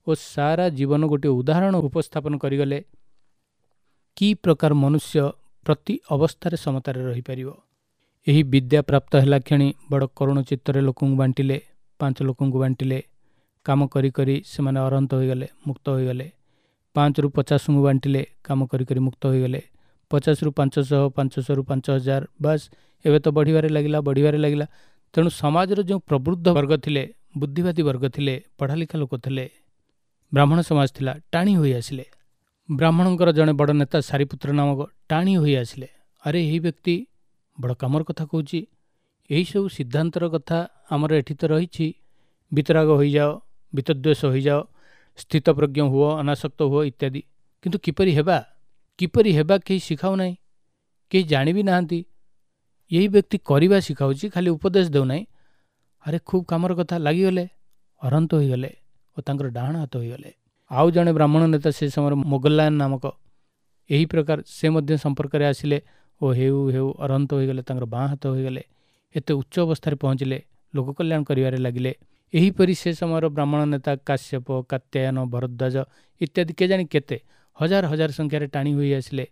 ଓ ସାରା ଜୀବନ ଗୋଟିଏ ଉଦାହରଣ ଉପସ୍ଥାପନ କରିଗଲେ କି ପ୍ରକାର ମନୁଷ୍ୟ ପ୍ରତି ଅବସ୍ଥାରେ ସମତାରେ ରହିପାରିବ। ଏହି ବିଦ୍ୟା ପ୍ରାପ୍ତ ହେଲା କ୍ଷଣି ବଡ଼ କରୁଣ ଚିତ୍ତରେ ଲୋକଙ୍କୁ ବାଣ୍ଟିଲେ, ପାଞ୍ଚ ଲୋକଙ୍କୁ ବାଣ୍ଟିଲେ। କାମ କରି କରି ସେମାନେ ଅରହନ୍ତ ହୋଇଗଲେ, ମୁକ୍ତ ହୋଇଗଲେ। ପାଞ୍ଚରୁ ପଚାଶଙ୍କୁ ବାଣ୍ଟିଲେ, କାମ କରି କରି ମୁକ୍ତ ହୋଇଗଲେ। ପଚାଶରୁ ପାଞ୍ଚଶହ, ପାଞ୍ଚଶହରୁ ପାଞ୍ଚ ହଜାର, ବାସ୍ ଏବେ ତ ବଢ଼ିବାରେ ଲାଗିଲା, ବଢ଼ିବାରେ ଲାଗିଲା। ତେଣୁ ସମାଜର ଯେଉଁ ପ୍ରବୃଦ୍ଧ ବର୍ଗ ଥିଲେ, ବୁଦ୍ଧିବାଦୀ ବର୍ଗ ଥିଲେ, ପଢ଼ାଲିଖା ଲୋକ ଥିଲେ, ବ୍ରାହ୍ମଣ ସମାଜ ଥିଲା, ଟାଣି ହୋଇ ଆସିଲେ। ବ୍ରାହ୍ମଣଙ୍କର ଜଣେ ବଡ଼ ନେତା ସାରିପୁତ୍ର ନାମକ ଟାଣି ହୋଇ ଆସିଲେ। ଆରେ ଏହି ବ୍ୟକ୍ତି ବଡ଼ କାମର କଥା କହୁଛି, ଏହିସବୁ ସିଦ୍ଧାନ୍ତର କଥା ଆମର ଏଠି ତ ରହିଛି। ବିତରାଗ ହୋଇଯାଅ, ବିତଦ୍ୱେଷ ହୋଇଯାଅ, ସ୍ଥିତପ୍ରଜ୍ଞ ହୁଅ, ଅନାସକ୍ତ ହୁଅ ଇତ୍ୟାଦି। କିନ୍ତୁ କିପରି ହେବା, କିପରି ହେବା କେହି ଶିଖାଉ ନାହିଁ, କେହି ଜାଣିବି ନାହାନ୍ତି। ଏହି ବ୍ୟକ୍ତି କରିବା ଶିଖାଉଛି, ଖାଲି ଉପଦେଶ ଦେଉନାହିଁ। ଆରେ ଖୁବ୍ କାମର କଥା, ଲାଗିଗଲେ, ଅରହନ୍ତ ହୋଇଗଲେ ଓ ତାଙ୍କର ଡାହାଣ ହାତ ହୋଇଗଲେ। ଆଉ ଜଣେ ବ୍ରାହ୍ମଣ ନେତା ସେ ସମୟରେ ମୋଗଲାୟନ ନାମକ, ଏହି ପ୍ରକାର ସେ ମଧ୍ୟ ସମ୍ପର୍କରେ ଆସିଲେ ଓ ହେଉ ହେଉ ଅରହନ୍ତ ହୋଇଗଲେ, ତାଙ୍କର ବାଁ ହାତ ହୋଇଗଲେ। ଏତେ ଉଚ୍ଚ ଅବସ୍ଥାରେ ପହଞ୍ଚିଲେ, ଲୋକ କଲ୍ୟାଣ କରିବାରେ ଲାଗିଲେ। ଏହିପରି ସେ ସମୟର ବ୍ରାହ୍ମଣ ନେତା କାଶ୍ୟପ, କାତ୍ୟାୟନ, ଭରଦ୍ୱାଜ ଇତ୍ୟାଦି କେଜାଣି କେତେ ହଜାର ହଜାର ସଂଖ୍ୟାରେ ଟାଣି ହୋଇ ଆସିଲେ।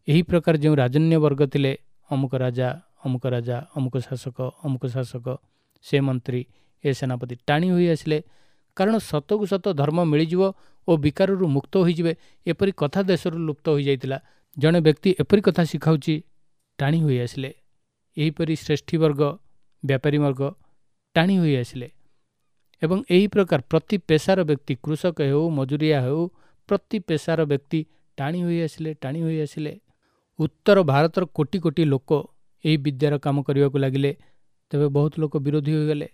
ଏହି ପ୍ରକାର ଯେଉଁ ରାଜନ୍ୟ ବର୍ଗ ଥିଲେ, ଅମୁକ ରାଜା, ଅମୁକ ରାଜା, ଅମୁକ ଶାସକ, ଅମୁକ ଶାସକ, ସେ ମନ୍ତ୍ରୀ, ଏ ସେନାପତି ଟାଣି ହୋଇ ଆସିଲେ। କାରଣ ସତକୁ ସତ ଧର୍ମ ମିଳିଯିବ ଓ ବିକାରରୁ ମୁକ୍ତ ହୋଇଯିବେ, ଏପରି କଥା ଦେଶରୁ ଲୁପ୍ତ ହୋଇଯାଇଥିଲା। ଜଣେ ବ୍ୟକ୍ତି ଏପରି କଥା ଶିଖାଉଛି, ଟାଣି ହୋଇ ଆସିଲେ। ଏହିପରି ଶ୍ରେଷ୍ଠୀ ବର୍ଗ, ବ୍ୟାପାରୀ ବର୍ଗ ଟାଣି ହୋଇ ଆସିଲେ। ଏବଂ ଏହି ପ୍ରକାର ପ୍ରତି ପେଶାର ବ୍ୟକ୍ତି, କୃଷକ ହେଉ, ମଜୁରିଆ ହେଉ, ପ୍ରତି ପେଶାର ବ୍ୟକ୍ତି ଟାଣି ହୋଇ ଆସିଲେ, ଟାଣି ହୋଇ ଆସିଲେ। ଉତ୍ତର ଭାରତର କୋଟି କୋଟି ଲୋକ ଏହି ବିଦ୍ୟାର କାମ କରିବାକୁ ଲାଗିଲେ। ତେବେ ବହୁତ ଲୋକ ବିରୋଧୀ ହୋଇଗଲେ,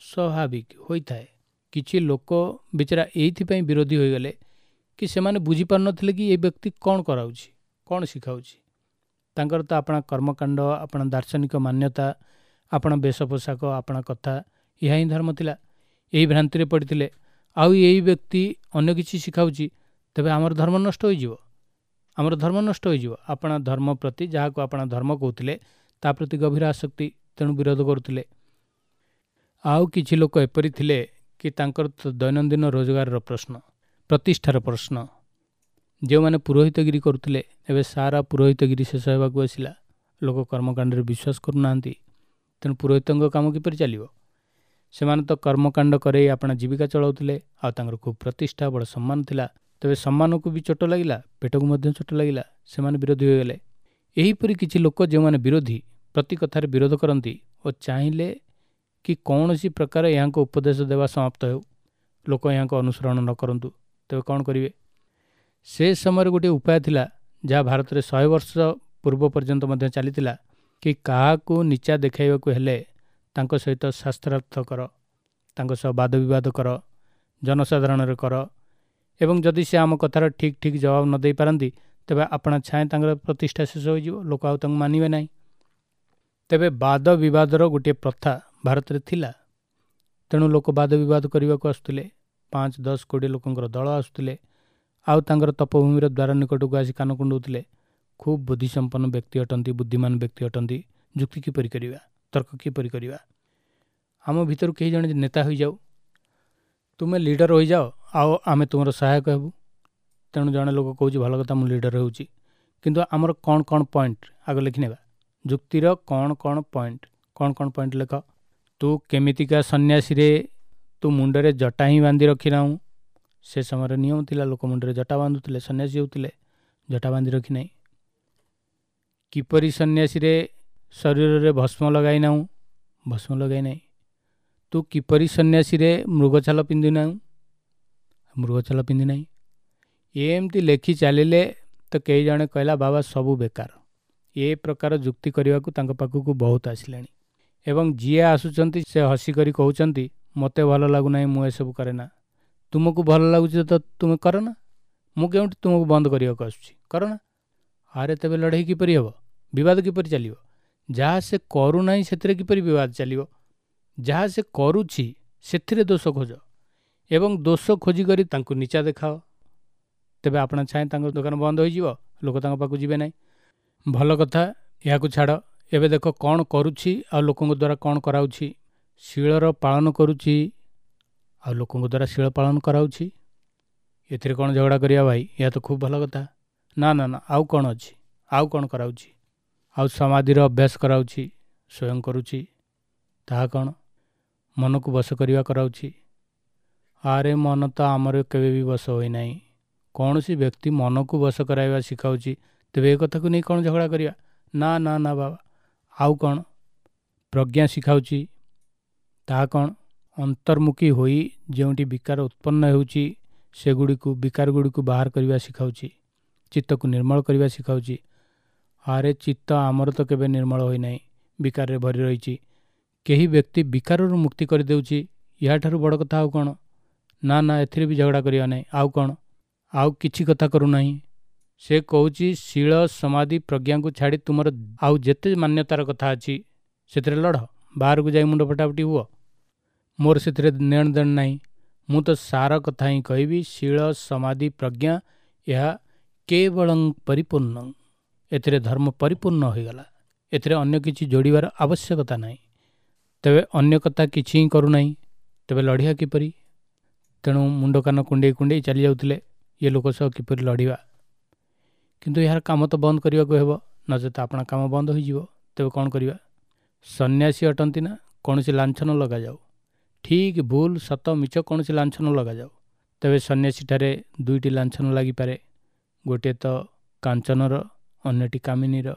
ସ୍ୱାଭାବିକ ହୋଇଥାଏ। କିଛି ଲୋକ ବିଚାରା ଏଇଥିପାଇଁ ବିରୋଧୀ ହୋଇଗଲେ କି ସେମାନେ ବୁଝିପାରୁନଥିଲେ କି ଏ ବ୍ୟକ୍ତି କ'ଣ କରାଉଛି, କ'ଣ ଶିଖାଉଛି। ତାଙ୍କର ତ ଆପଣା କର୍ମକାଣ୍ଡ, ଆପଣା ଦାର୍ଶନିକ ମାନ୍ୟତା, ଆପଣା ବେଶ ପୋଷାକ, ଆପଣା କଥା, ଏହା ହିଁ ଧର୍ମ ଥିଲା। ଏହି ଭ୍ରାନ୍ତିରେ ପଡ଼ିଥିଲେ। ଆଉ ଏଇ ବ୍ୟକ୍ତି ଅନ୍ୟ କିଛି ଶିଖାଉଛି, ତେବେ ଆମର ଧର୍ମ ନଷ୍ଟ ହୋଇଯିବ, ଆମର ଧର୍ମ ନଷ୍ଟ ହୋଇଯିବ। ଆପଣା ଧର୍ମ ପ୍ରତି, ଯାହାକୁ ଆପଣା ଧର୍ମ କହୁଥିଲେ, ତା ପ୍ରତି ଗଭୀର ଆସକ୍ତି, ତେଣୁ ବିରୋଧ କରୁଥିଲେ। ଆଉ କିଛି ଲୋକ ଏପରି ଥିଲେ କି ତାଙ୍କର ଦୈନନ୍ଦିନ ରୋଜଗାରର ପ୍ରଶ୍ନ, ପ୍ରତିଷ୍ଠାର ପ୍ରଶ୍ନ। ଯେଉଁମାନେ ପୁରୋହିତଗିରି କରୁଥିଲେ, ଏବେ ସାରା ପୁରୋହିତଗିରି ଶେଷ ହେବାକୁ ଆସିଲା। ଲୋକ କର୍ମକାଣ୍ଡରେ ବିଶ୍ୱାସ କରୁନାହାନ୍ତି, ତେଣୁ ପୁରୋହିତଙ୍କ କାମ କିପରି ଚାଲିବ? ସେମାନେ ତ କର୍ମକାଣ୍ଡ କରେଇ ଆପଣା ଜୀବିକା ଚଳାଉଥିଲେ, ଆଉ ତାଙ୍କର ଖୁବ୍ ପ୍ରତିଷ୍ଠା, ବଡ଼ ସମ୍ମାନ ଥିଲା। ତେବେ ସମ୍ମାନକୁ ବି ଚୋଟ ଲାଗିଲା, ପେଟକୁ ମଧ୍ୟ ଚୋଟ ଲାଗିଲା, ସେମାନେ ବିରୋଧୀ ହୋଇଗଲେ। ଏହିପରି କିଛି ଲୋକ ଯେଉଁମାନେ ବିରୋଧୀ, ପ୍ରତି କଥାରେ ବିରୋଧ କରନ୍ତି ଓ ଚାହିଁଲେ କି କୌଣସି ପ୍ରକାର ଏହାଙ୍କ ଉପଦେଶ ଦେବା ସମାପ୍ତ ହେଉ, ଲୋକ ଏହାଙ୍କ ଅନୁସରଣ ନ କରନ୍ତୁ, ତେବେ କ'ଣ କରିବେ? ସେ ସମୟରେ ଗୋଟିଏ ଉପାୟ ଥିଲା, ଯାହା ଭାରତରେ ଶହେ ବର୍ଷ ପୂର୍ବ ପର୍ଯ୍ୟନ୍ତ ମଧ୍ୟ ଚାଲିଥିଲା, କି କାହାକୁ ନିଚା ଦେଖାଇବାକୁ ହେଲେ ତାଙ୍କ ସହିତ ଶାସ୍ତ୍ରାର୍ଥ କର, ତାଙ୍କ ସହ ବାଦ ବିବାଦ କର, ଜନସାଧାରଣରେ କର, ଏବଂ ଯଦି ସେ ଆମ କଥାର ଠିକ୍ ଠିକ୍ ଜବାବ ନ ଦେଇପାରନ୍ତି, ତେବେ ଆପଣା ଛାଏଁ ତାଙ୍କର ପ୍ରତିଷ୍ଠା ଶେଷ ହୋଇଯିବ, ଲୋକ ଆଉ ତାଙ୍କୁ ମାନିବେ ନାହିଁ। ତେବେ ବାଦ ବିବାଦର ଗୋଟିଏ ପ୍ରଥା ଭାରତରେ ଥିଲା, ତେଣୁ ଲୋକ ବାଦ ବିବାଦ କରିବାକୁ ଆସୁଥିଲେ। ପାଞ୍ଚ ଦଶ କୋଡ଼ିଏ ଲୋକଙ୍କର ଦଳ ଆସୁଥିଲେ, ଆଉ ତାଙ୍କର ତପଭୂମିର ଦ୍ୱାର ନିକଟକୁ ଆସି କାନ କୁଣ୍ଡଉଥିଲେ। ଖୁବ୍ ବୁଦ୍ଧିସମ୍ପନ୍ନ ବ୍ୟକ୍ତି ଅଟନ୍ତି, ବୁଦ୍ଧିମାନ ବ୍ୟକ୍ତି ଅଟନ୍ତି, ଯୁକ୍ତି କିପରି କରିବା, ତର୍କ କିପରି କରିବା? ଆମ ଭିତରୁ କେହି ଜଣେ ନେତା ହୋଇଯାଉ, ତୁମେ ଲିଡର ହୋଇଯାଅ, ଆଉ ଆମେ ତୁମର ସହାୟକ ହେବୁ। ତେଣୁ ଜଣେ ଲୋକ କହୁଛି, ଭଲ କଥା, ମୁଁ ଲିଡର ହେଉଛି, କିନ୍ତୁ ଆମର କ'ଣ କ'ଣ ପଏଣ୍ଟ ଆଗ ଲେଖିନେବା, ଯୁକ୍ତିର କ'ଣ କ'ଣ ପଏଣ୍ଟ, କ'ଣ କ'ଣ ପଏଣ୍ଟ ଲେଖ। ତୁ କେମିତିକା ସନ୍ନ୍ୟାସୀରେ, ତୁ ମୁଣ୍ଡରେ ଜଟା ହିଁ ବାନ୍ଧି ରଖିନାହୁଁ। ସେ ସମୟରେ ନିୟମ ଥିଲା, ଲୋକ ମୁଣ୍ଡରେ ଜଟା ବାନ୍ଧୁଥିଲେ, ସନ୍ନ୍ୟାସୀ ହେଉଥିଲେ, ଜଟା ବାନ୍ଧି ରଖିନାହିଁ। କିପରି ସନ୍ନ୍ୟାସୀରେ, ଶରୀରରେ ଭସ୍ମ ଲଗାଇନାହୁଁ, ଭସ୍ମ ଲଗାଇନାହିଁ। ତୁ କିପରି ସନ୍ନ୍ୟାସୀରେ, ମୃଗଛାଲ ପିନ୍ଧିନାହୁଁ, ମୃଗଛାଲ ପିନ୍ଧିନାହିଁ। ଏମିତି ଲେଖି ଚାଲିଲେ ତ କେହି ଜଣେ କହିଲା, ବାବା ସବୁ ବେକାର। ଏ ପ୍ରକାର ଯୁକ୍ତି କରିବାକୁ ତାଙ୍କ ପାଖକୁ ବହୁତ ଆସିଲେଣି ଏବଂ ଯିଏ ଆସୁଛନ୍ତି ସେ ହସିକରି କହୁଛନ୍ତି, ମୋତେ ଭଲ ଲାଗୁନାହିଁ, ମୁଁ ଏସବୁ କରେ ନା। ତୁମକୁ ଭଲ ଲାଗୁଛି ତ ତୁମେ କର ନା, ମୁଁ କେଉଁଠି ତୁମକୁ ବନ୍ଦ କରିବାକୁ ଆସୁଛି, କର ନା। ଆରେ ତେବେ ଲଢ଼େଇ କିପରି ହେବ? ବିବାଦ କିପରି ଚାଲିବ? ଯାହା ସେ କରୁନାହିଁ ସେଥିରେ କିପରି ବିବାଦ ଚାଲିବ? ଯାହା ସେ କରୁଛି ସେଥିରେ ଦୋଷ ଖୋଜ ଏବଂ ଦୋଷ ଖୋଜିକରି ତାଙ୍କୁ ନିଚା ଦେଖାଅ। ତେବେ ଆପଣ ଚାହେଁ ତାଙ୍କ ଦୋକାନ ବନ୍ଦ ହୋଇଯିବ, ଲୋକ ତାଙ୍କ ପାଖକୁ ଯିବେ ନାହିଁ। ଭଲ କଥା, ଏହାକୁ ଛାଡ଼। ଏବେ ଦେଖ କ'ଣ କରୁଛି ଆଉ ଲୋକଙ୍କ ଦ୍ୱାରା କ'ଣ କରାଉଛି। ଶୀଳର ପାଳନ କରୁଛି ଆଉ ଲୋକଙ୍କ ଦ୍ୱାରା ଶୀଳ ପାଳନ କରାଉଛି। ଏଥିରେ କ'ଣ ଝଗଡ଼ା କରିବା ଭାଇ? ଏହା ତ ଖୁବ୍ ଭଲ କଥା। ନା ନା ନା, ଆଉ କ'ଣ ଅଛି? ଆଉ କ'ଣ କରାଉଛି? ଆଉ ସମାଧିର ଅଭ୍ୟାସ କରାଉଛି, ସ୍ୱୟଂ କରୁଛି। ତାହା କ'ଣ? ମନକୁ ବଶ କରିବା କରାଉଛି। ଆରେ ମନ ତ ଆମର କେବେ ବି ବଶ ହୋଇନାହିଁ। କୌଣସି ବ୍ୟକ୍ତି ମନକୁ ବଶ କରାଇବା ଶିଖାଉଛି, ତେବେ ଏ କଥାକୁ ନେଇ କ'ଣ ଝଗଡ଼ା କରିବା? ନା ନା ନା ବାବା, ଆଉ କ'ଣ? ପ୍ରଜ୍ଞା ଶିଖାଉଛି, ତାହା କ'ଣ? ଅନ୍ତର୍ମୁଖୀ ହୋଇ ଯେଉଁଠି ବିକାର ଉତ୍ପନ୍ନ ହେଉଛି ସେଗୁଡ଼ିକୁ, ବିକାର ଗୁଡ଼ିକୁ ବାହାର କରିବା ଶିଖାଉଛି, ଚିତ୍ତକୁ ନିର୍ମଳ କରିବା ଶିଖାଉଛି। ଆରେ ଚିତ୍ତ ଆମର ତ କେବେ ନିର୍ମଳ ହୋଇନାହିଁ, ବିକାରରେ ଭରି ରହିଛି। କେହି ବ୍ୟକ୍ତି ବିକାରରୁ ମୁକ୍ତି କରିଦେଉଛି, ଏହାଠାରୁ ବଡ଼ କଥା ଆଉ କ'ଣ? ନା ନା, ଏଥିରେ ବି ଝଗଡ଼ା କରିବା ନାହିଁ। ଆଉ କ'ଣ? ଆଉ କିଛି କଥା କରୁନାହିଁ। ସେ କହୁଛି ଶୀଳ, ସମାଧି, ପ୍ରଜ୍ଞାକୁ ଛାଡ଼ି ତୁମର ଆଉ ଯେତେ ମାନ୍ୟତାର କଥା ଅଛି ସେଥିରେ ଲଢ଼, ବାହାରକୁ ଯାଇ ମୁଣ୍ଡ ଫଟାଫଟି ହୁଅ, ମୋର ସେଥିରେ ନେଣ ଦେଣ ନାହିଁ। ମୁଁ ତ ସାର କଥା ହିଁ କହିବି, ଶୀଳ, ସମାଧି, ପ୍ରଜ୍ଞା ଏହା କେବଳଂ ପରିପୂର୍ଣ୍ଣ। ଏଥିରେ ଧର୍ମ ପରିପୂର୍ଣ୍ଣ ହୋଇଗଲା, ଏଥିରେ ଅନ୍ୟ କିଛି ଯୋଡ଼ିବାର ଆବଶ୍ୟକତା ନାହିଁ। ତେବେ ଅନ୍ୟ କଥା କିଛି ହିଁ କରୁନାହିଁ, ତେବେ ଲଢ଼ିବା କିପରି? ତେଣୁ ମୁଣ୍ଡ କାନ କୁଣ୍ଡେଇ କୁଣ୍ଡେଇ ଚାଲି ଯାଉଥିଲେ, ଇଏ ଲୋକ ସହ କିପରି ଲଢ଼ିବା। କିନ୍ତୁ ଏହାର କାମ ତ ବନ୍ଦ କରିବାକୁ ହେବ, ନଚେତ ଆପଣା କାମ ବନ୍ଦ ହୋଇଯିବ। ତେବେ କ'ଣ କରିବା? ସନ୍ନ୍ୟାସୀ ଅଟନ୍ତି ନା, କୌଣସି ଲାଞ୍ଛନ ଲଗାଯାଉ, ଠିକ୍ ଭୁଲ ସତ ମିଛ କୌଣସି ଲାଞ୍ଛନ ଲଗାଯାଉ। ତେବେ ସନ୍ନ୍ୟାସୀଠାରେ ଦୁଇଟି ଲାଞ୍ଛନ ଲାଗିପାରେ, ଗୋଟିଏ ତ କାଞ୍ଚନର, ଅନ୍ୟଟି କାମିନୀର।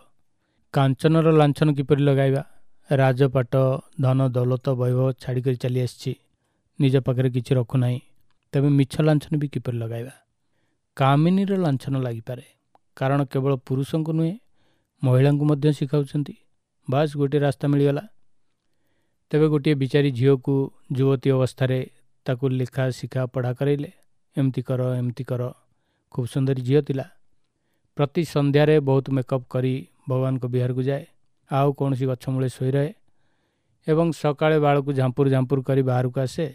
କାଞ୍ଚନର ଲାଞ୍ଛନ କିପରି ଲଗାଇବା? ରାଜପାଟ, ଧନ, ଦୌଲତ, ବୈଭବ ଛାଡ଼ିକରି ଚାଲି ଆସିଛି, ନିଜ ପାଖରେ କିଛି ରଖୁନାହିଁ, ତେବେ ମିଛ ଲାଞ୍ଛନ ବି କିପରି ଲଗାଇବା? କାମିନୀର ଲାଞ୍ଛନ ଲାଗିପାରେ, କାରଣ କେବଳ ପୁରୁଷଙ୍କୁ ନୁହେଁ ମହିଳାଙ୍କୁ ମଧ୍ୟ ଶିଖାଉଛନ୍ତି। ବାସ୍ ଗୋଟିଏ ରାସ୍ତା ମିଳିଗଲା। ତେବେ ଗୋଟିଏ ବିଚାରୀ ଝିଅକୁ ଯୁବତୀ ଅବସ୍ଥାରେ ତାକୁ ଲେଖା ଶିଖା ପଢ଼ା କରାଇଲେ, ଏମିତି କର ଏମିତି କର। ଖୁବ୍ ସୁନ୍ଦରୀ ଝିଅ ଥିଲା। ପ୍ରତି ସନ୍ଧ୍ୟାରେ ବହୁତ ମେକଅପ୍ କରି ଭଗବାନଙ୍କ ବିହାରକୁ ଯାଏ, ଆଉ କୌଣସି ଗଛ ମୂଳେ ଶୋଇ ରହେ ଏବଂ ସକାଳେ ବାଳକୁ ଝାମ୍ପୁର ଝାମ୍ପୁର କରି ବାହାରକୁ ଆସେ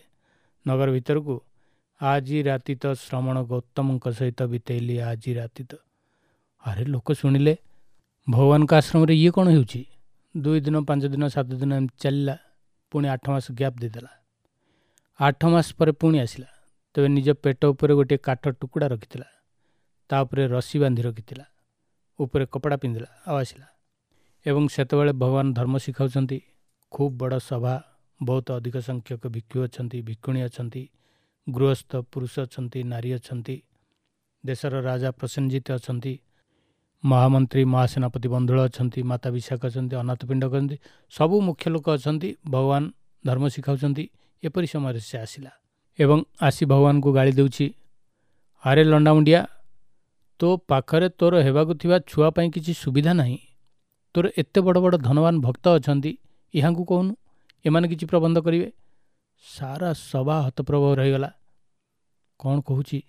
ନଗର ଭିତରକୁ। ଆଜି ରାତି ତ ଶ୍ରମଣ ଗୌତମଙ୍କ ସହିତ ବିତେଇଲି, ଆଜି ରାତି ତ। ଆରେ ଲୋକ ଶୁଣିଲେ ଭଗବାନଙ୍କ ଆଶ୍ରମରେ ଇଏ କ'ଣ ହେଉଛି? ଦୁଇ ଦିନ, ପାଞ୍ଚ ଦିନ, ସାତ ଦିନ ଏମିତି ଚାଲିଲା। ପୁଣି ଆଠ ମାସ ଗ୍ୟାପ୍ ଦେଇଦେଲା। ଆଠ ମାସ ପରେ ପୁଣି ଆସିଲା। ତେବେ ନିଜ ପେଟ ଉପରେ ଗୋଟିଏ କାଠ ଟୁକୁଡ଼ା ରଖିଥିଲା, ତା ଉପରେ ରସି ବାନ୍ଧି ରଖିଥିଲା, ଉପରେ କପଡ଼ା ପିନ୍ଧିଲା ଆଉ ଆସିଲା। ଏବଂ ସେତେବେଳେ ଭଗବାନ ଧର୍ମ ଶିଖାଉଛନ୍ତି। ଖୁବ୍ ବଡ଼ ସଭା, ବହୁତ ଅଧିକ ସଂଖ୍ୟକ ଭିକ୍ଷୁ ଅଛନ୍ତି, ଭିକ୍ଷୁଣୀ ଅଛନ୍ତି, ଗୃହସ୍ଥ ପୁରୁଷ ଅଛନ୍ତି, ନାରୀ ଅଛନ୍ତି, ଦେଶର ରାଜା ପ୍ରସେନଜିତ ଅଛନ୍ତି, ମହାମନ୍ତ୍ରୀ ମହାସେନାପତି ବନ୍ଧୁଳ ଅଛନ୍ତି, ମାତା ବିଶାଖ ଅଛନ୍ତି, ଅନାଥ ପିଣ୍ଡ ଅଛନ୍ତି, ସବୁ ମୁଖ୍ୟ ଲୋକ ଅଛନ୍ତି। ଭଗବାନ ଧର୍ମ ଶିଖାଉଛନ୍ତି। ଏପରି ସମୟରେ ସେ ଆସିଲା ଏବଂ ଆସି ଭଗବାନଙ୍କୁ ଗାଳି ଦେଉଛି, ଆରେ ଲଣ୍ଡାମୁଣ୍ଡିଆ, ତୋ ପାଖରେ ତୋର ହେବାକୁ ଥିବା ଛୁଆ ପାଇଁ କିଛି ସୁବିଧା ନାହିଁ। ତୋର ଏତେ ବଡ଼ ବଡ଼ ଧନବାନ ଭକ୍ତ ଅଛନ୍ତି, ଏହାଙ୍କୁ କହୁନୁ, ଏମାନେ କିଛି ପ୍ରବନ୍ଧ କରିବେ। ସାରା ସଭା ହତପ୍ରଭ ରହିଗଲା। କ'ଣ କହୁଛି?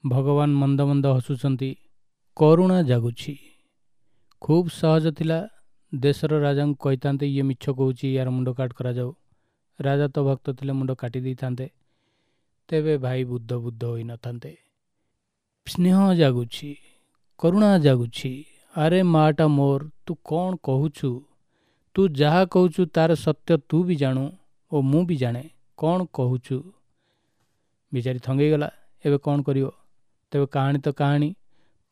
ଭଗବାନ ମନ୍ଦ ମନ୍ଦ ହସୁଛନ୍ତି, କରୁଣା ଜାଗୁଛି। ଖୁବ୍ ସହଜ ଥିଲା, ଦେଶର ରାଜାଙ୍କୁ କହିଥାନ୍ତେ ଇଏ ମିଛ କହୁଛି, ୟାର ମୁଣ୍ଡ କାଟ କରାଯାଉ। ରାଜା ତ ଭକ୍ତ ଥିଲେ, ମୁଣ୍ଡ କାଟି ଦେଇଥାନ୍ତେ। ତେବେ ଭାଇ ବୁଦ୍ଧ ବୁଦ୍ଧ ହୋଇନଥାନ୍ତେ। ସ୍ନେହ ଜାଗୁଛି, କରୁଣା ଜାଗୁଛି। ଆରେ ମାଟା ମୋର, ତୁ କ'ଣ କହୁଛୁ? ତୁ ଯାହା କହୁଛୁ ତାର ସତ୍ୟ ତୁ ବି ଜାଣୁ ଓ ମୁଁ ବି ଜାଣେ। କ'ଣ କହୁଛୁ? ବିଚାରି ଥଙ୍ଗେଇଗଲା, ଏବେ କ'ଣ କରିବ? ତେବେ କାହାଣୀ ତ କାହାଣୀ।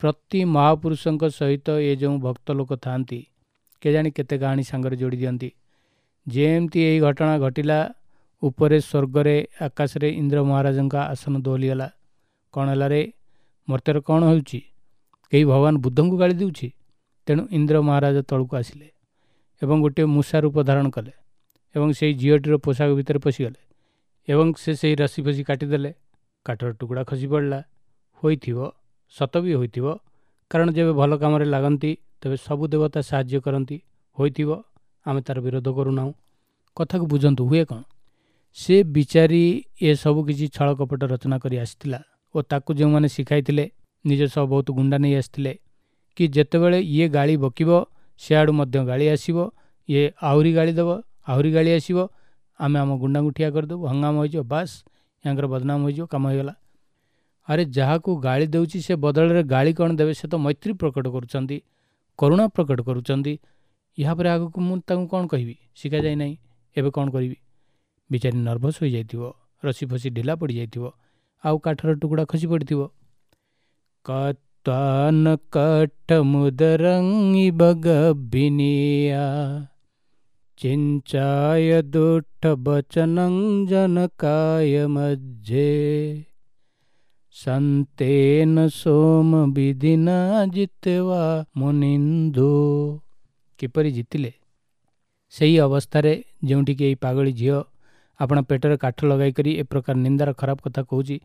ପ୍ରତି ମହାପୁରୁଷଙ୍କ ସହିତ ଏ ଯେଉଁ ଭକ୍ତ ଲୋକ ଥାଆନ୍ତି, କେଜାଣି କେତେ କାହାଣୀ ସାଙ୍ଗରେ ଯୋଡ଼ି ଦିଅନ୍ତି। ଯେମିତି ଏହି ଘଟଣା ଘଟିଲା, ଉପରେ ସ୍ୱର୍ଗରେ ଆକାଶରେ ଇନ୍ଦ୍ର ମହାରାଜଙ୍କ ଆସନ ଦୋହଲିଗଲା। କ'ଣ ହେଲା ରେ? ମର୍ତ୍ତ୍ୟରେ କ'ଣ ହେଉଛି? କେହି ଭଗବାନ ବୁଦ୍ଧଙ୍କୁ ଗାଳି ଦେଉଛି? ତେଣୁ ଇନ୍ଦ୍ର ମହାରାଜ ତଳକୁ ଆସିଲେ ଏବଂ ଗୋଟିଏ ମୂଷା ରୂପ ଧାରଣ କଲେ ଏବଂ ସେଇ ଝିଅଟିର ପୋଷାକ ଭିତରେ ପଶିଗଲେ ଏବଂ ସେ ସେଇ ରସି ଫସି କାଟିଦେଲେ। କାଠର ଟୁକୁଡ଼ା ଖସି ପଡ଼ିଲା ହୋଇଥିବ, ସତ ବି ହୋଇଥିବ, କାରଣ ଯେବେ ଭଲ କାମରେ ଲାଗନ୍ତି ତେବେ ସବୁ ଦେବତା ସାହାଯ୍ୟ କରନ୍ତି, ହୋଇଥିବ, ଆମେ ତା'ର ବିରୋଧ କରୁନାହୁଁ। କଥାକୁ ବୁଝନ୍ତୁ, ହୁଏ କ'ଣ? ସେ ବିଚାରୀ ଏସବୁ କିଛି ଛଳ କପଟ ରଚନା କରି ଆସିଥିଲା ଓ ତାକୁ ଯେଉଁମାନେ ଶିଖାଇଥିଲେ ନିଜ ସହ ବହୁତ ଗୁଣ୍ଡା ନେଇ ଆସିଥିଲେ କି ଯେତେବେଳେ ଇଏ ଗାଳି ବକିବ ସିଆଡ଼ୁ ମଧ୍ୟ ଗାଳି ଆସିବ, ଇଏ ଆହୁରି ଗାଳି ଦେବ, ଆହୁରି ଗାଳି ଆସିବ, ଆମେ ଆମ ଗୁଣ୍ଡାଙ୍କୁ ଠିଆ କରିଦେବୁ, ହଙ୍ଗାମ ହୋଇଯିବ, ବାସ୍ ୟାଙ୍କର ବଦନାମ ହୋଇଯିବ, କାମ ହୋଇଗଲା। ଆରେ ଯାହାକୁ ଗାଳି ଦେଉଛି ସେ ବଦଳରେ ଗାଳି କ'ଣ ଦେବେ? ସେ ତ ମୈତ୍ରୀ ପ୍ରକଟ କରୁଛନ୍ତି, କରୁଣା ପ୍ରକଟ କରୁଛନ୍ତି। ଏହାପରେ ଆଗକୁ ମୁଁ ତାଙ୍କୁ କ'ଣ କହିବି? ଶିଖାଯାଇ ନାହିଁ, ଏବେ କ'ଣ କରିବି? ବିଚାରୀ ନର୍ଭସ୍ ହୋଇଯାଇଥିବ, ରସି ଫସି ଢିଲା ପଡ଼ିଯାଇଥିବ, ଆଉ କାଠର ଟୁକୁଡ଼ା ଖସି ପଡ଼ିଥିବ। କତ୍ୱାନ କାଠ ମୁଦରଙ୍ଗି ବଗବିନିଆ ଚିଞ୍ଚାୟ ଦୁଠ ବଚନଂ ଜନକାୟ ମଧ୍ୟେ ସନ୍ତେନ ସୋମ ବିଧିନା ଜିତବା ମୁନିନ୍ଦୁ। କିପରି ଜିତିଲେ? ସେହି ଅବସ୍ଥାରେ ଯେଉଁଠିକି ଏଇ ପାଗଳୀ ଝିଅ ଆପଣ ପେଟରେ କାଠ ଲଗାଇକରି ଏ ପ୍ରକାର ନିନ୍ଦାର ଖରାପ କଥା କହୁଛି,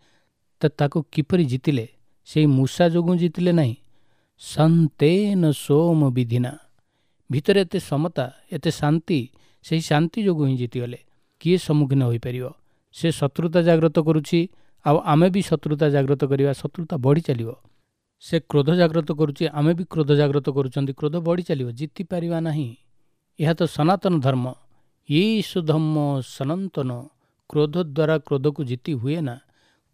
ତ ତାକୁ କିପରି ଜିତିଲେ? ସେଇ ମୂଷା ଯୋଗୁଁ ଜିତିଲେ ନାହିଁ। ସନ୍ତେନ ସୋମ ବିଧିନା, ଭିତରେ ଏତେ ସମତା, ଏତେ ଶାନ୍ତି, ସେହି ଶାନ୍ତି ଯୋଗୁଁ ହିଁ ଜିତିଗଲେ। କିଏ ସମ୍ମୁଖୀନ ହୋଇପାରିବ? ସେ ଶତ୍ରୁତା ଜାଗ୍ରତ କରୁଛି, ଆଉ ଆମେ ବି ଶତ୍ରୁତା ଜାଗ୍ରତ କରିବା, ଶତ୍ରୁତା ବଢ଼ି ଚାଲିବ। ସେ କ୍ରୋଧ ଜାଗ୍ରତ କରୁଛି, ଆମେ ବି କ୍ରୋଧ ଜାଗ୍ରତ କରୁଛନ୍ତି, କ୍ରୋଧ ବଢ଼ି ଚାଲିବ, ଜିତିପାରିବା ନାହିଁ। ଏହା ତ ସନାତନ ଧର୍ମ। ଈଶ ଧର୍ମ ସନାତନ। କ୍ରୋଧ ଦ୍ୱାରା କ୍ରୋଧକୁ ଜିତି ହୁଏ ନା,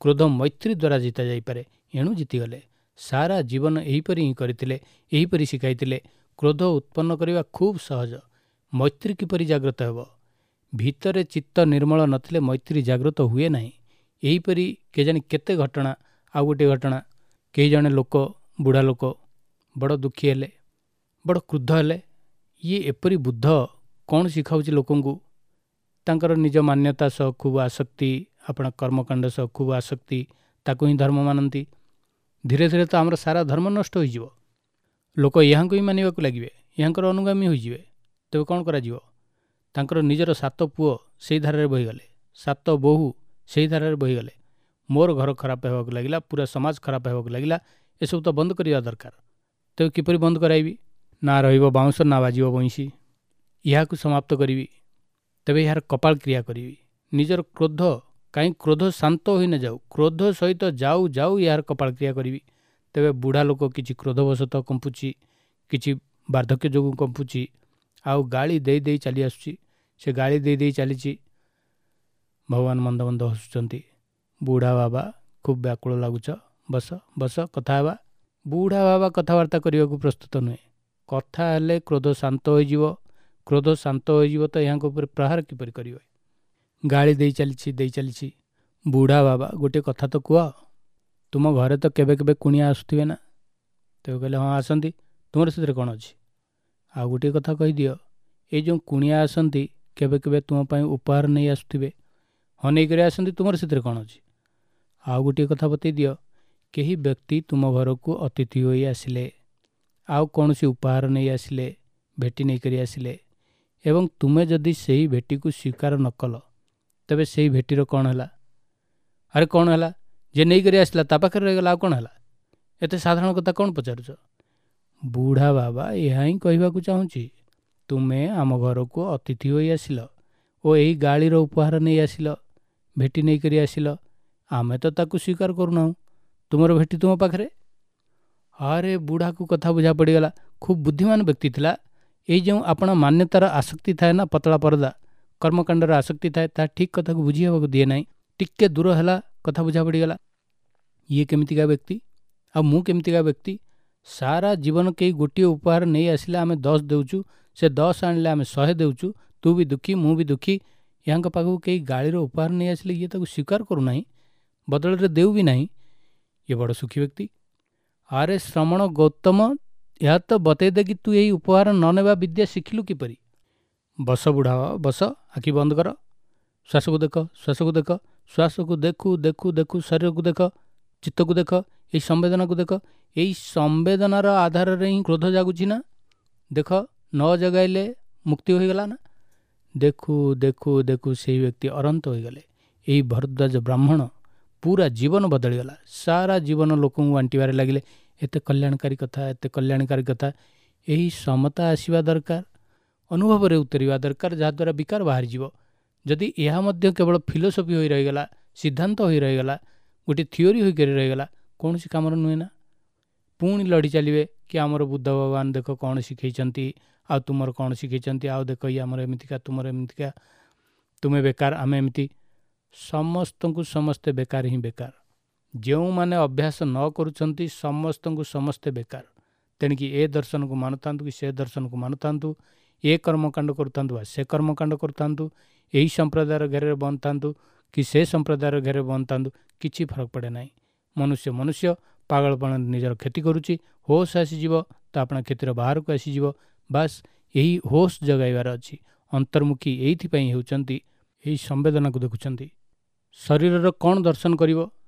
କ୍ରୋଧ ମୈତ୍ରୀ ଦ୍ୱାରା ଜିତା ଯାଇପାରେ। ଏଣୁ ଜିତିଗଲେ। ସାରା ଜୀବନ ଏହିପରି ହିଁ କରିଥିଲେ, ଏହିପରି ଶିଖାଇଥିଲେ। କ୍ରୋଧ ଉତ୍ପନ୍ନ କରିବା ଖୁବ୍ ସହଜ, ମୈତ୍ରୀ କିପରି ଜାଗ୍ରତ ହେବ? ଭିତରେ ଚିତ୍ତ ନିର୍ମଳ ନଥିଲେ ମୈତ୍ରୀ ଜାଗ୍ରତ ହୁଏ ନାହିଁ। ଏହିପରି କେଜାଣି କେତେ ଘଟଣା। ଆଉ ଗୋଟିଏ ଘଟଣା, କେହି ଜଣେ ଲୋକ, ବୁଢ଼ା ଲୋକ, ବଡ଼ ଦୁଃଖୀ ହେଲେ, ବଡ଼ କ୍ରୁଦ୍ଧ ହେଲେ। ଇଏ ଏପରି ବୁଦ୍ଧ କ'ଣ ଶିଖାଉଛି ଲୋକଙ୍କୁ? ତାଙ୍କର ନିଜ ମାନ୍ୟତା ସହ ଖୁବ୍ ଆସକ୍ତି, ଆପଣା କର୍ମକାଣ୍ଡ ସହ ଖୁବ୍ ଆସକ୍ତି, ତାକୁ ହିଁ ଧର୍ମ ମାନନ୍ତି। ଧୀରେ ଧୀରେ ତ ଆମର ସାରା ଧର୍ମ ନଷ୍ଟ ହୋଇଯିବ। ଲୋକ ଏହାଙ୍କୁ ହିଁ ମାନିବାକୁ ଲାଗିବେ, ଏହାଙ୍କର ଅନୁଗାମୀ ହୋଇଯିବେ। ତେବେ କ'ଣ କରାଯିବ? ତାଙ୍କର ନିଜର ସାତ ପୁଅ ସେଇ ଧାରାରେ ବହିଗଲେ, ସାତ ବୋହୂ ସେଇ ଧାରାରେ ବହିଗଲେ। ମୋର ଘର ଖରାପ ହେବାକୁ ଲାଗିଲା, ପୁରା ସମାଜ ଖରାପ ହେବାକୁ ଲାଗିଲା। ଏସବୁ ତ ବନ୍ଦ କରିବା ଦରକାର। ତେବେ କିପରି ବନ୍ଦ କରାଇବି? ନା ରହିବ ବାଉଁଶ, ନା ବାଜିବ ବଇଁଶୀ। ଏହାକୁ ସମାପ୍ତ କରିବି, ତେବେ ଏହାର କପାଳ କ୍ରିୟା କରିବି। ନିଜର କ୍ରୋଧ, କାହିଁ କ୍ରୋଧ ଶାନ୍ତ ହୋଇ ନ ଯାଉ, କ୍ରୋଧ ସହିତ ଯାଉ ଯାଉ ଏହାର କପାଳ କ୍ରିୟା କରିବି। ତେବେ ବୁଢ଼ା ଲୋକ କିଛି କ୍ରୋଧବଶତଃ କମ୍ପୁଛି, କିଛି ବାର୍ଦ୍ଧକ୍ୟ ଯୋଗୁଁ କମ୍ପୁଛି, ଆଉ ଗାଳି ଦେଇ ଦେଇ ଚାଲି ଆସୁଛି। ସେ ଗାଳି ଦେଇ ଦେଇ ଚାଲିଛି। ଭଗବାନ ମନ୍ଦ ମନ୍ଦ ହସୁଛନ୍ତି। ବୁଢ଼ା ବାବା, ଖୁବ୍ ବ୍ୟାକୁଳ ଲାଗୁଛ, ବସ ବସ, କଥା ହେବା। ବୁଢ଼ା ବାବା କଥାବାର୍ତ୍ତା କରିବାକୁ ପ୍ରସ୍ତୁତ ନୁହେଁ। କଥା ହେଲେ କ୍ରୋଧ ଶାନ୍ତ ହୋଇଯିବ, କ୍ରୋଧ ଶାନ୍ତ ହୋଇଯିବ ତ ଏହାଙ୍କ ଉପରେ ପ୍ରହାର କିପରି କରିବେ? ଗାଳି ଦେଇ ଚାଲିଛି, ଦେଇ ଚାଲିଛି। ବୁଢ଼ା ବାବା, ଗୋଟିଏ କଥା ତ କୁହ, ତୁମ ଘରେ ତ କେବେ କେବେ କୁଣିଆ ଆସୁଥିବେ ନା? ତେବେ କହିଲେ ହଁ ଆସନ୍ତି। ତୁମର ସେଥିରେ କ'ଣ ଅଛି? ଆଉ ଗୋଟିଏ କଥା କହିଦିଅ, ଏଇ ଯେଉଁ କୁଣିଆ ଆସନ୍ତି କେବେ କେବେ ତୁମ ପାଇଁ ଉପହାର ନେଇ ଆସୁଥିବେ। ହଁ ନେଇକରି ଆସନ୍ତି, ତୁମର ସେଥିରେ କ'ଣ ଅଛି? ଆଉ ଗୋଟିଏ କଥା ବତେଇ ଦିଅ, କେହି ବ୍ୟକ୍ତି ତୁମ ଘରକୁ ଅତିଥି ହୋଇ ଆସିଲେ, ଆଉ କୌଣସି ଉପହାର ନେଇ ଆସିଲେ, ଭେଟି ନେଇକରି ଆସିଲେ, ଏବଂ ତୁମେ ଯଦି ସେହି ଭେଟିକୁ ସ୍ୱୀକାର ନ କଲ, ତେବେ ସେଇ ଭେଟିର କ'ଣ ହେଲା? ଆରେ କ'ଣ ହେଲା? ଯିଏ ନେଇକରି ଆସିଲା ତା ପାଖରେ ରହିଗଲା, ଆଉ କ'ଣ ହେଲା? ଏତେ ସାଧାରଣ କଥା କ'ଣ ପଚାରୁଛ? ବୁଢ଼ା ବାବା ଏହା ହିଁ କହିବାକୁ ଚାହୁଁଛି, ତୁମେ ଆମ ଘରକୁ ଅତିଥି ହୋଇ ଆସିଲ ଓ ଏହି ଗାଳିର ଉପହାର ନେଇ ଆସିଲ, ଭେଟି ନେଇକରି ଆସିଲ, ଆମେ ତ ତାକୁ ସ୍ୱୀକାର କରୁନାହୁଁ, ତୁମର ଭେଟି ତୁମ ପାଖରେ। ଆରେ ବୁଢ଼ାକୁ କଥା ବୁଝା ପଡ଼ିଗଲା। ଖୁବ୍ ବୁଦ୍ଧିମାନ ବ୍ୟକ୍ତି ଥିଲା। ଏଇ ଯେଉଁ ଆପଣା ମାନ୍ୟତାର ଆସକ୍ତି ଥାଏ ନା, ପତଳା ପରଦା, କର୍ମକାଣ୍ଡର ଆସକ୍ତି ଥାଏ, ତାହା ଠିକ୍ କଥାକୁ ବୁଝି ହେବାକୁ ଦିଏ ନାହିଁ। ଟିକେ ଦୂର ହେଲା, କଥା ବୁଝା ପଡ଼ିଗଲା। ଇଏ କେମିତିକା ବ୍ୟକ୍ତି ଆଉ ମୁଁ କେମିତିକା ବ୍ୟକ୍ତି? ସାରା ଜୀବନ କେହି ଗୋଟିଏ ଉପହାର ନେଇ ଆସିଲେ ଆମେ ଦଶ ଦେଉଛୁ, ସେ ଦଶ ଆଣିଲେ ଆମେ ଶହେ ଦେଉଛୁ, ତୁ ବି ଦୁଃଖୀ ମୁଁ ବି ଦୁଃଖୀ। ଏହାଙ୍କ ପାଖକୁ କେହି ଗାଳିର ଉପହାର ନେଇ ଆସିଲେ ଇଏ ତାକୁ ସ୍ୱୀକାର କରୁନାହିଁ, ବଦଳରେ ଦେଉ ବି ନାହିଁ। ଇଏ ବଡ଼ ସୁଖୀ ବ୍ୟକ୍ତି। ଆରେ ଶ୍ରମଣ ଗୌତମ, ଏହା ତ ବତେଇ ଦେ କି ତୁ ଏହି ଉପହାର ନ ନେବା ବିଦ୍ୟା ଶିଖିଲୁ କିପରି? ବସ ବୁଢ଼ା ବସ, ଆଖି ବନ୍ଦ କର, ଶ୍ୱାସକୁ ଦେଖ, ଶ୍ୱାସକୁ ଦେଖ, ଶ୍ୱାସକୁ ଦେଖୁ ଦେଖୁ ଦେଖୁ ଶରୀରକୁ ଦେଖ, ଚିତ୍ତକୁ ଦେଖ, ଏଇ ସମ୍ବେଦନାକୁ ଦେଖ। ଏଇ ସମ୍ବେଦନାର ଆଧାରରେ ହିଁ କ୍ରୋଧ ଜାଗୁଛି ନା? ଦେଖ, ନ ଜଗାଇଲେ ମୁକ୍ତି ହୋଇଗଲା ନା? ଦେଖୁ ଦେଖୁ ଦେଖୁ ସେଇ ବ୍ୟକ୍ତି ଅରନ୍ତ ହୋଇଗଲେ। ଏହି ଭରଦ୍ୱାଜ ବ୍ରାହ୍ମଣ ପୁରା ଜୀବନ ବଦଳିଗଲା। ସାରା ଜୀବନ ଲୋକଙ୍କୁ ବାଣ୍ଟିବାରେ ଲାଗିଲେ, ଏତେ କଲ୍ୟାଣକାରୀ କଥା, ଏତେ କଲ୍ୟାଣକାରୀ କଥା। ଏହି ସମତା ଆସିବା ଦରକାର, ଅନୁଭବରେ ଉତରିବା ଦରକାର, ଯାହାଦ୍ୱାରା ବିକାର ବାହାରିଯିବ। ଯଦି ଏହା ମଧ୍ୟ କେବଳ ଫିଲୋସଫି ହୋଇ ରହିଗଲା, ସିଦ୍ଧାନ୍ତ ହୋଇ ରହିଗଲା, ଗୋଟିଏ ଥିଓରି ହୋଇକରି ରହିଗଲା, କୌଣସି କାମର ନୁହେଁ ନା। ପୁଣି ଲଢ଼ି ଚାଲିବେ କି ଆମର ବୁଦ୍ଧ ଭଗବାନ ଦେଖ କ'ଣ ଶିଖେଇଛନ୍ତି, ଆଉ ତୁମର କ'ଣ ଶିଖେଇଛନ୍ତି, ଆଉ ଦେଖ ଇଏ ଆମର ଏମିତିକା, ତୁମର ଏମିତିକା, ତୁମେ ବେକାର, ଆମେ ଏମିତି। ସମସ୍ତଙ୍କୁ ସମସ୍ତେ ବେକାର ହିଁ ବେକାର। ଯେଉଁମାନେ ଅଭ୍ୟାସ ନ କରୁଛନ୍ତି ସମସ୍ତଙ୍କୁ ସମସ୍ତେ ବେକାର। ତେଣିକି ଏ ଦର୍ଶନକୁ ମାନୁଥାନ୍ତୁ କି ସେ ଦର୍ଶନକୁ ମାନୁଥାନ୍ତୁ, ଏ କର୍ମକାଣ୍ଡ କରୁଥାନ୍ତୁ ବା ସେ କର୍ମକାଣ୍ଡ କରୁଥାନ୍ତୁ, ଏହି ସମ୍ପ୍ରଦାୟର ଘେରରେ ବନ୍ଦ କି ସେ ସମ୍ପ୍ରଦାୟର ଘେରରେ ବନ୍ଦ ଥାନ୍ତୁ, କିଛି ଫରକ ପଡ଼େ ନାହିଁ। ମନୁଷ୍ୟ ମନୁଷ୍ୟ ପାଗଳପଣ ନିଜର କ୍ଷତି କରୁଛି। ହୋସ୍ ଆସିଯିବ ତ ଆପଣା କ୍ଷତିର ବାହାରକୁ ଆସିଯିବ। ବାସ୍ ଏହି ହୋସ୍ ଜଗାଇବାର ଅଛି। ଅନ୍ତର୍ମୁଖୀ ଏଇଥିପାଇଁ ହେଉଛନ୍ତି, ଏହି ସମ୍ବେଦନାକୁ ଦେଖୁଛନ୍ତି। ଶରୀରର କ'ଣ ଦର୍ଶନ କରିବ,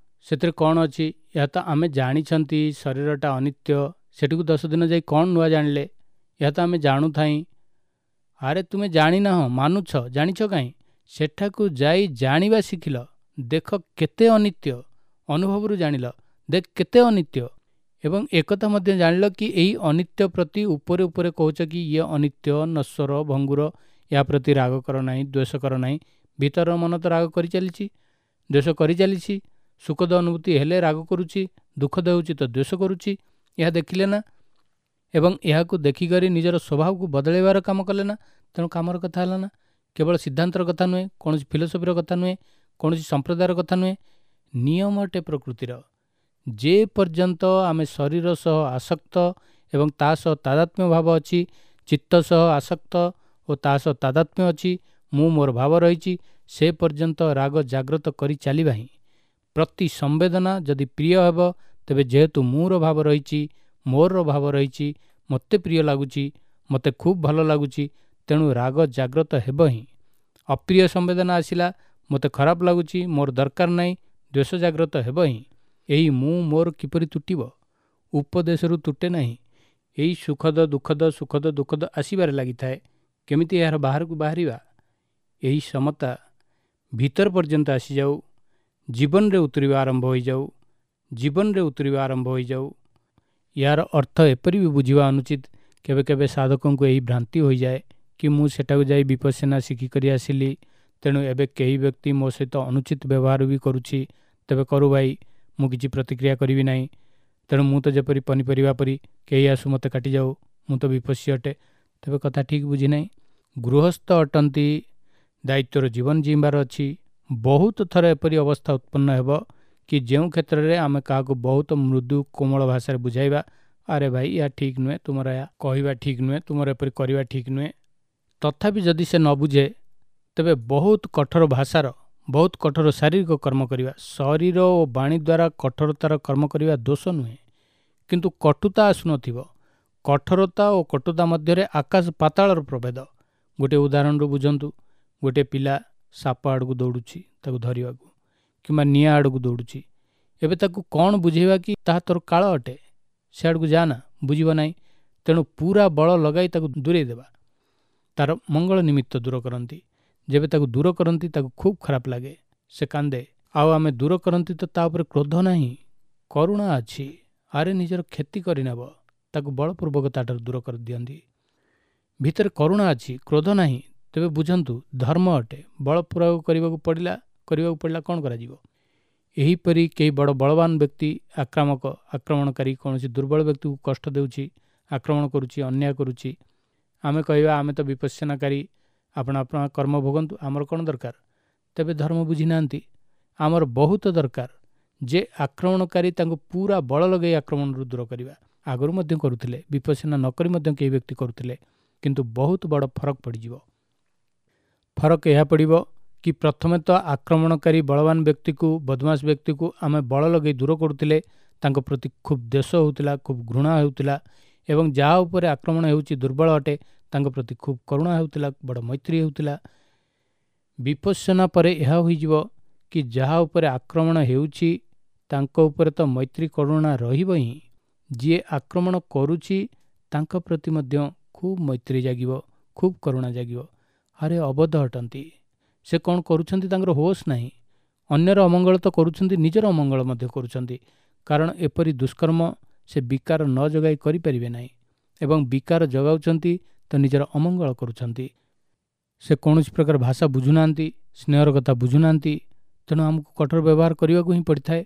ସେଥିରେ କ'ଣ ଅଛି, ଏହା ତ ଆମେ ଜାଣିଛନ୍ତି। ଶରୀରଟା ଅନିତ୍ୟ, ସେଠିକୁ ଦଶ ଦିନ ଯାଇ କ'ଣ ନୂଆ ଜାଣିଲେ? ଏହା ତ ଆମେ ଜାଣୁଥାଇଁ। ଆରେ ତୁମେ ଜାଣିନାହ, ମାନୁଛ, ଜାଣିଛ କାହିଁ? ସେଠାକୁ ଯାଇ ଜାଣିବା ଶିଖିଲ। ଦେଖ କେତେ ଅନିତ୍ୟ, ଅନୁଭବରୁ ଜାଣିଲ, ଦେଖ କେତେ ଅନିତ୍ୟ। ଏବଂ ଏକଥା ମଧ୍ୟ ଜାଣିଲ କି ଏହି ଅନିତ୍ୟ ପ୍ରତି ଉପରେ ଉପରେ କହୁଛ କି ଇଏ ଅନିତ୍ୟ, ନଶ୍ୱର, ଭଙ୍ଗୁର, ଏହା ପ୍ରତି ରାଗ କର ନାହିଁ, ଦ୍ୱେଷ କର ନାହିଁ। ଭିତରର ମନ ତ ରାଗ କରିଚାଲିଛି, ଦ୍ୱେଷ କରିଚାଲିଛି। ସୁଖଦ ଅନୁଭୂତି ହେଲେ ରାଗ କରୁଛି, ଦୁଃଖଦ ହେଉଛି ତ ଦ୍ୱେଷ କରୁଛି। ଏହା ଦେଖିଲେ ନା, ଏବଂ ଏହାକୁ ଦେଖିକରି ନିଜର ସ୍ୱଭାବକୁ ବଦଳାଇବାର କାମ କଲେ ନା। ତେଣୁ କାମର କଥା ହେଲା ନା, କେବଳ ସିଦ୍ଧାନ୍ତର କଥା ନୁହେଁ, କୌଣସି ଫିଲୋସଫିର କଥା ନୁହେଁ, କୌଣସି ସମ୍ପ୍ରଦାୟର କଥା ନୁହେଁ, ନିୟମ ଅଟେ ପ୍ରକୃତିର। ଯେ ପର୍ଯ୍ୟନ୍ତ ଆମେ ଶରୀର ସହ ଆସକ୍ତ ଏବଂ ତା ସହ ତାଦାତ୍ମ୍ୟ ଭାବ ଅଛି, ଚିତ୍ତ ସହ ଆସକ୍ତ ଓ ତା ସହ ତାଦାତ୍ମ୍ୟ ଅଛି, ମୁଁ ମୋର ଭାବ ରହିଛି, ସେ ପର୍ଯ୍ୟନ୍ତ ରାଗ ଜାଗ୍ରତ କରି ଚାଲିବା ହିଁ। ପ୍ରତି ସମ୍ବେଦନା ଯଦି ପ୍ରିୟ ହେବ, ତେବେ ଯେହେତୁ ମୁଁର ଭାବ ରହିଛି, ମୋର ଭାବ ରହିଛି, ମୋତେ ପ୍ରିୟ ଲାଗୁଛି, ମୋତେ ଖୁବ୍ ଭଲ ଲାଗୁଛି, ତେଣୁ ରାଗ ଜାଗ୍ରତ ହେବ ହିଁ। ଅପ୍ରିୟ ସମ୍ବେଦନା ଆସିଲା, ମୋତେ ଖରାପ ଲାଗୁଛି, ମୋର ଦରକାର ନାହିଁ, ଦ୍ୱେଷ ଜାଗ୍ରତ ହେବ ହିଁ। ଏହି ମୁଁ ମୋର କିପରି ତୁଟିବ? ଉପଦେଶରୁ ତୁଟେ ନାହିଁ। ଏହି ସୁଖଦ ଦୁଃଖଦ ସୁଖଦ ଦୁଃଖଦ ଆସିବାରେ ଲାଗିଥାଏ। କେମିତି ଏହାର ବାହାରକୁ ବାହାରିବା? ଏହି ସମତା ଭିତର ପର୍ଯ୍ୟନ୍ତ ଆସିଯାଉ, ଜୀବନରେ ଉତୁରିବା ଆରମ୍ଭ ହୋଇଯାଉ, ଜୀବନରେ ଉତୁରିବା ଆରମ୍ଭ ହୋଇଯାଉ। ଏହାର ଅର୍ଥ ଏପରି ବି ବୁଝିବା ଅନୁଚିତ। କେବେ କେବେ ସାଧକଙ୍କୁ ଏହି ଭ୍ରାନ୍ତି ହୋଇଯାଏ କି ମୁଁ ସେଠାକୁ ଯାଇ ବିପස්සନା ଶିଖିକରି ଆସିଲି, ତେଣୁ ଏବେ କେହି ବ୍ୟକ୍ତି ମୋ ସହିତ ଅନୁଚିତ ବ୍ୟବହାର ବି କରୁଛି, ତେବେ କରୁ ଭାଇ, ମୁଁ କିଛି ପ୍ରତିକ୍ରିୟା କରିବି ନାହିଁ। ତେଣୁ ମୁଁ ତ ଯେପରି ପନିପରିବା ପରି, କେହି ଆସୁ ମୋତେ କାଟିଯାଉ, ମୁଁ ତ ବିପස්සୀ ଅଟେ। ତେବେ କଥା ଠିକ୍ ବୁଝିନାହିଁ। ଗୃହସ୍ଥ ଅଟନ୍ତି, ଦାୟିତ୍ୱର ଜୀବନ ଜୀଇଁବାର ଅଛି। ବହୁତ ଥର ଏପରି ଅବସ୍ଥା ଉତ୍ପନ୍ନ ହେବ କି ଯେଉଁ କ୍ଷେତ୍ରରେ ଆମେ କାହାକୁ ବହୁତ ମୃଦୁ କୋମଳ ଭାଷାରେ ବୁଝାଇବା, ଆରେ ଭାଇ ଏହା ଠିକ୍ ନୁହେଁ, ତୁମର ଏହା କହିବା ଠିକ୍ ନୁହେଁ, ତୁମର ଏପରି କରିବା ଠିକ୍ ନୁହେଁ। ତଥାପି ଯଦି ସେ ନ ବୁଝେ, ତେବେ ବହୁତ କଠୋର ଭାଷାର, ବହୁତ କଠୋର ଶାରୀରିକ କର୍ମ କରିବା। ଶରୀର ଓ ବାଣୀ ଦ୍ୱାରା କଠୋରତାର କର୍ମ କରିବା ଦୋଷ ନୁହେଁ, କିନ୍ତୁ କଟୁତା ଆସୁନଥିବ। କଠୋରତା ଓ କଟୁତା ମଧ୍ୟରେ ଆକାଶ ପାତାଳର ପ୍ରଭେଦ। ଗୋଟିଏ ଉଦାହରଣରୁ ବୁଝନ୍ତୁ। ଗୋଟିଏ ପିଲା ସାପ ଆଡ଼କୁ ଦୌଡ଼ୁଛି ତାକୁ ଧରିବାକୁ, କିମ୍ବା ନିଆଁ ଆଡ଼କୁ ଦୌଡ଼ୁଛି। ଏବେ ତାକୁ କ'ଣ ବୁଝେଇବା କି ତାହା ତୋର କାଳ ଅଟେ, ସେ ଆଡ଼କୁ ଯାଆନା? ବୁଝିବ ନାହିଁ। ତେଣୁ ପୁରା ବଳ ଲଗାଇ ତାକୁ ଦୂରେଇ ଦେବା, ତାର ମଙ୍ଗଳ ନିମିତ୍ତ ଦୂର କରନ୍ତି। ଯେବେ ତାକୁ ଦୂର କରନ୍ତି ତାକୁ ଖୁବ୍ ଖରାପ ଲାଗେ, ସେ କାନ୍ଦେ। ଆଉ ଆମେ ଦୂର କରନ୍ତି ତ ତା ଉପରେ କ୍ରୋଧ ନାହିଁ, କରୁଣା ଅଛି। ଆରେ ନିଜର କ୍ଷତି କରିନେବ, ତାକୁ ବଳପୂର୍ବକ ତାଠାରୁ ଦୂର କରିଦିଅନ୍ତି। ଭିତରେ କରୁଣା ଅଛି, କ୍ରୋଧ ନାହିଁ। ତେବେ ବୁଝନ୍ତୁ ଧର୍ମ ଅଟେ। ବଳ ପ୍ରୟୋଗ କରିବାକୁ ପଡ଼ିଲା, କରିବାକୁ ପଡ଼ିଲା, କ'ଣ କରାଯିବ? ଏହିପରି କେହି ବଡ଼ ବଳବାନ ବ୍ୟକ୍ତି ଆକ୍ରାମକ, ଆକ୍ରମଣକାରୀ କୌଣସି ଦୁର୍ବଳ ବ୍ୟକ୍ତିକୁ କଷ୍ଟ ଦେଉଛି, ଆକ୍ରମଣ କରୁଛି, ଅନ୍ୟାୟ କରୁଛି, ଆମେ କହିବା ଆମେ ତ ବିପස්සନାକାରୀ, ଆପଣ ଆପଣ କର୍ମ ଭୋଗନ୍ତୁ, ଆମର କ'ଣ ଦରକାର? ତେବେ ଧର୍ମ ବୁଝିନାହାନ୍ତି। ଆମର ବହୁତ ଦରକାର ଯେ ଆକ୍ରମଣକାରୀ ତାଙ୍କୁ ପୁରା ବଳ ଲଗାଇ ଆକ୍ରମଣରୁ ଦୂର କରିବା। ଆଗରୁ ମଧ୍ୟ କରୁଥିଲେ, ବିପස්සନା ନ କରି ମଧ୍ୟ କେହି ବ୍ୟକ୍ତି କରୁଥିଲେ, କିନ୍ତୁ ବହୁତ ବଡ଼ ଫରକ ପଡ଼ିଯିବ। ଫରକ ଏହା ପଡ଼ିବ କି ପ୍ରଥମେ ତ ଆକ୍ରମଣକାରୀ ବଳବାନ ବ୍ୟକ୍ତିକୁ, ବଦମାସ ବ୍ୟକ୍ତିକୁ ଆମେ ବଳ ଲଗାଇ ଦୂର କରୁଥିଲେ, ତାଙ୍କ ପ୍ରତି ଖୁବ୍ ଦ୍ୱେଷ ହେଉଥିଲା, ଖୁବ୍ ଘୃଣା ହେଉଥିଲା, ଏବଂ ଯାହା ଉପରେ ଆକ୍ରମଣ ହେଉଛି ଦୁର୍ବଳ ଅଟେ, ତାଙ୍କ ପ୍ରତି ଖୁବ୍ କରୁଣା ହେଉଥିଲା, ବଡ଼ ମୈତ୍ରୀ ହେଉଥିଲା। ବିପස්සନା ପରେ ଏହା ହୋଇଯିବ କି ଯାହା ଉପରେ ଆକ୍ରମଣ ହେଉଛି ତାଙ୍କ ଉପରେ ତ ମୈତ୍ରୀ କରୁଣା ରହିବ ହିଁ, ଯିଏ ଆକ୍ରମଣ କରୁଛି ତାଙ୍କ ପ୍ରତି ମଧ୍ୟ ଖୁବ୍ ମୈତ୍ରୀ ଜାଗିବ, ଖୁବ୍ କରୁଣା ଜାଗିବ। ଆରେ ଅବୋଧ ଅଟନ୍ତି, ସେ କ'ଣ କରୁଛନ୍ତି ତାଙ୍କର ହୋସ୍ ନାହିଁ, ଅନ୍ୟର ଅମଙ୍ଗଳ ତ କରୁଛନ୍ତି, ନିଜର ଅମଙ୍ଗଳ ମଧ୍ୟ କରୁଛନ୍ତି। କାରଣ ଏପରି ଦୁଷ୍କର୍ମ ସେ ବିକାର ନ ଜଗାଇ କରିପାରିବେ ନାହିଁ ଏବଂ ବିକାର ଜଗାଉଛନ୍ତି ତ ନିଜର ଅମଙ୍ଗଳ କରୁଛନ୍ତି। ସେ କୌଣସି ପ୍ରକାର ଭାଷା ବୁଝୁନାହାନ୍ତି, ସ୍ନେହର କଥା ବୁଝୁନାହାନ୍ତି। ତେଣୁ ଆମକୁ କଠୋର ବ୍ୟବହାର କରିବାକୁ ହିଁ ପଡ଼ିଥାଏ।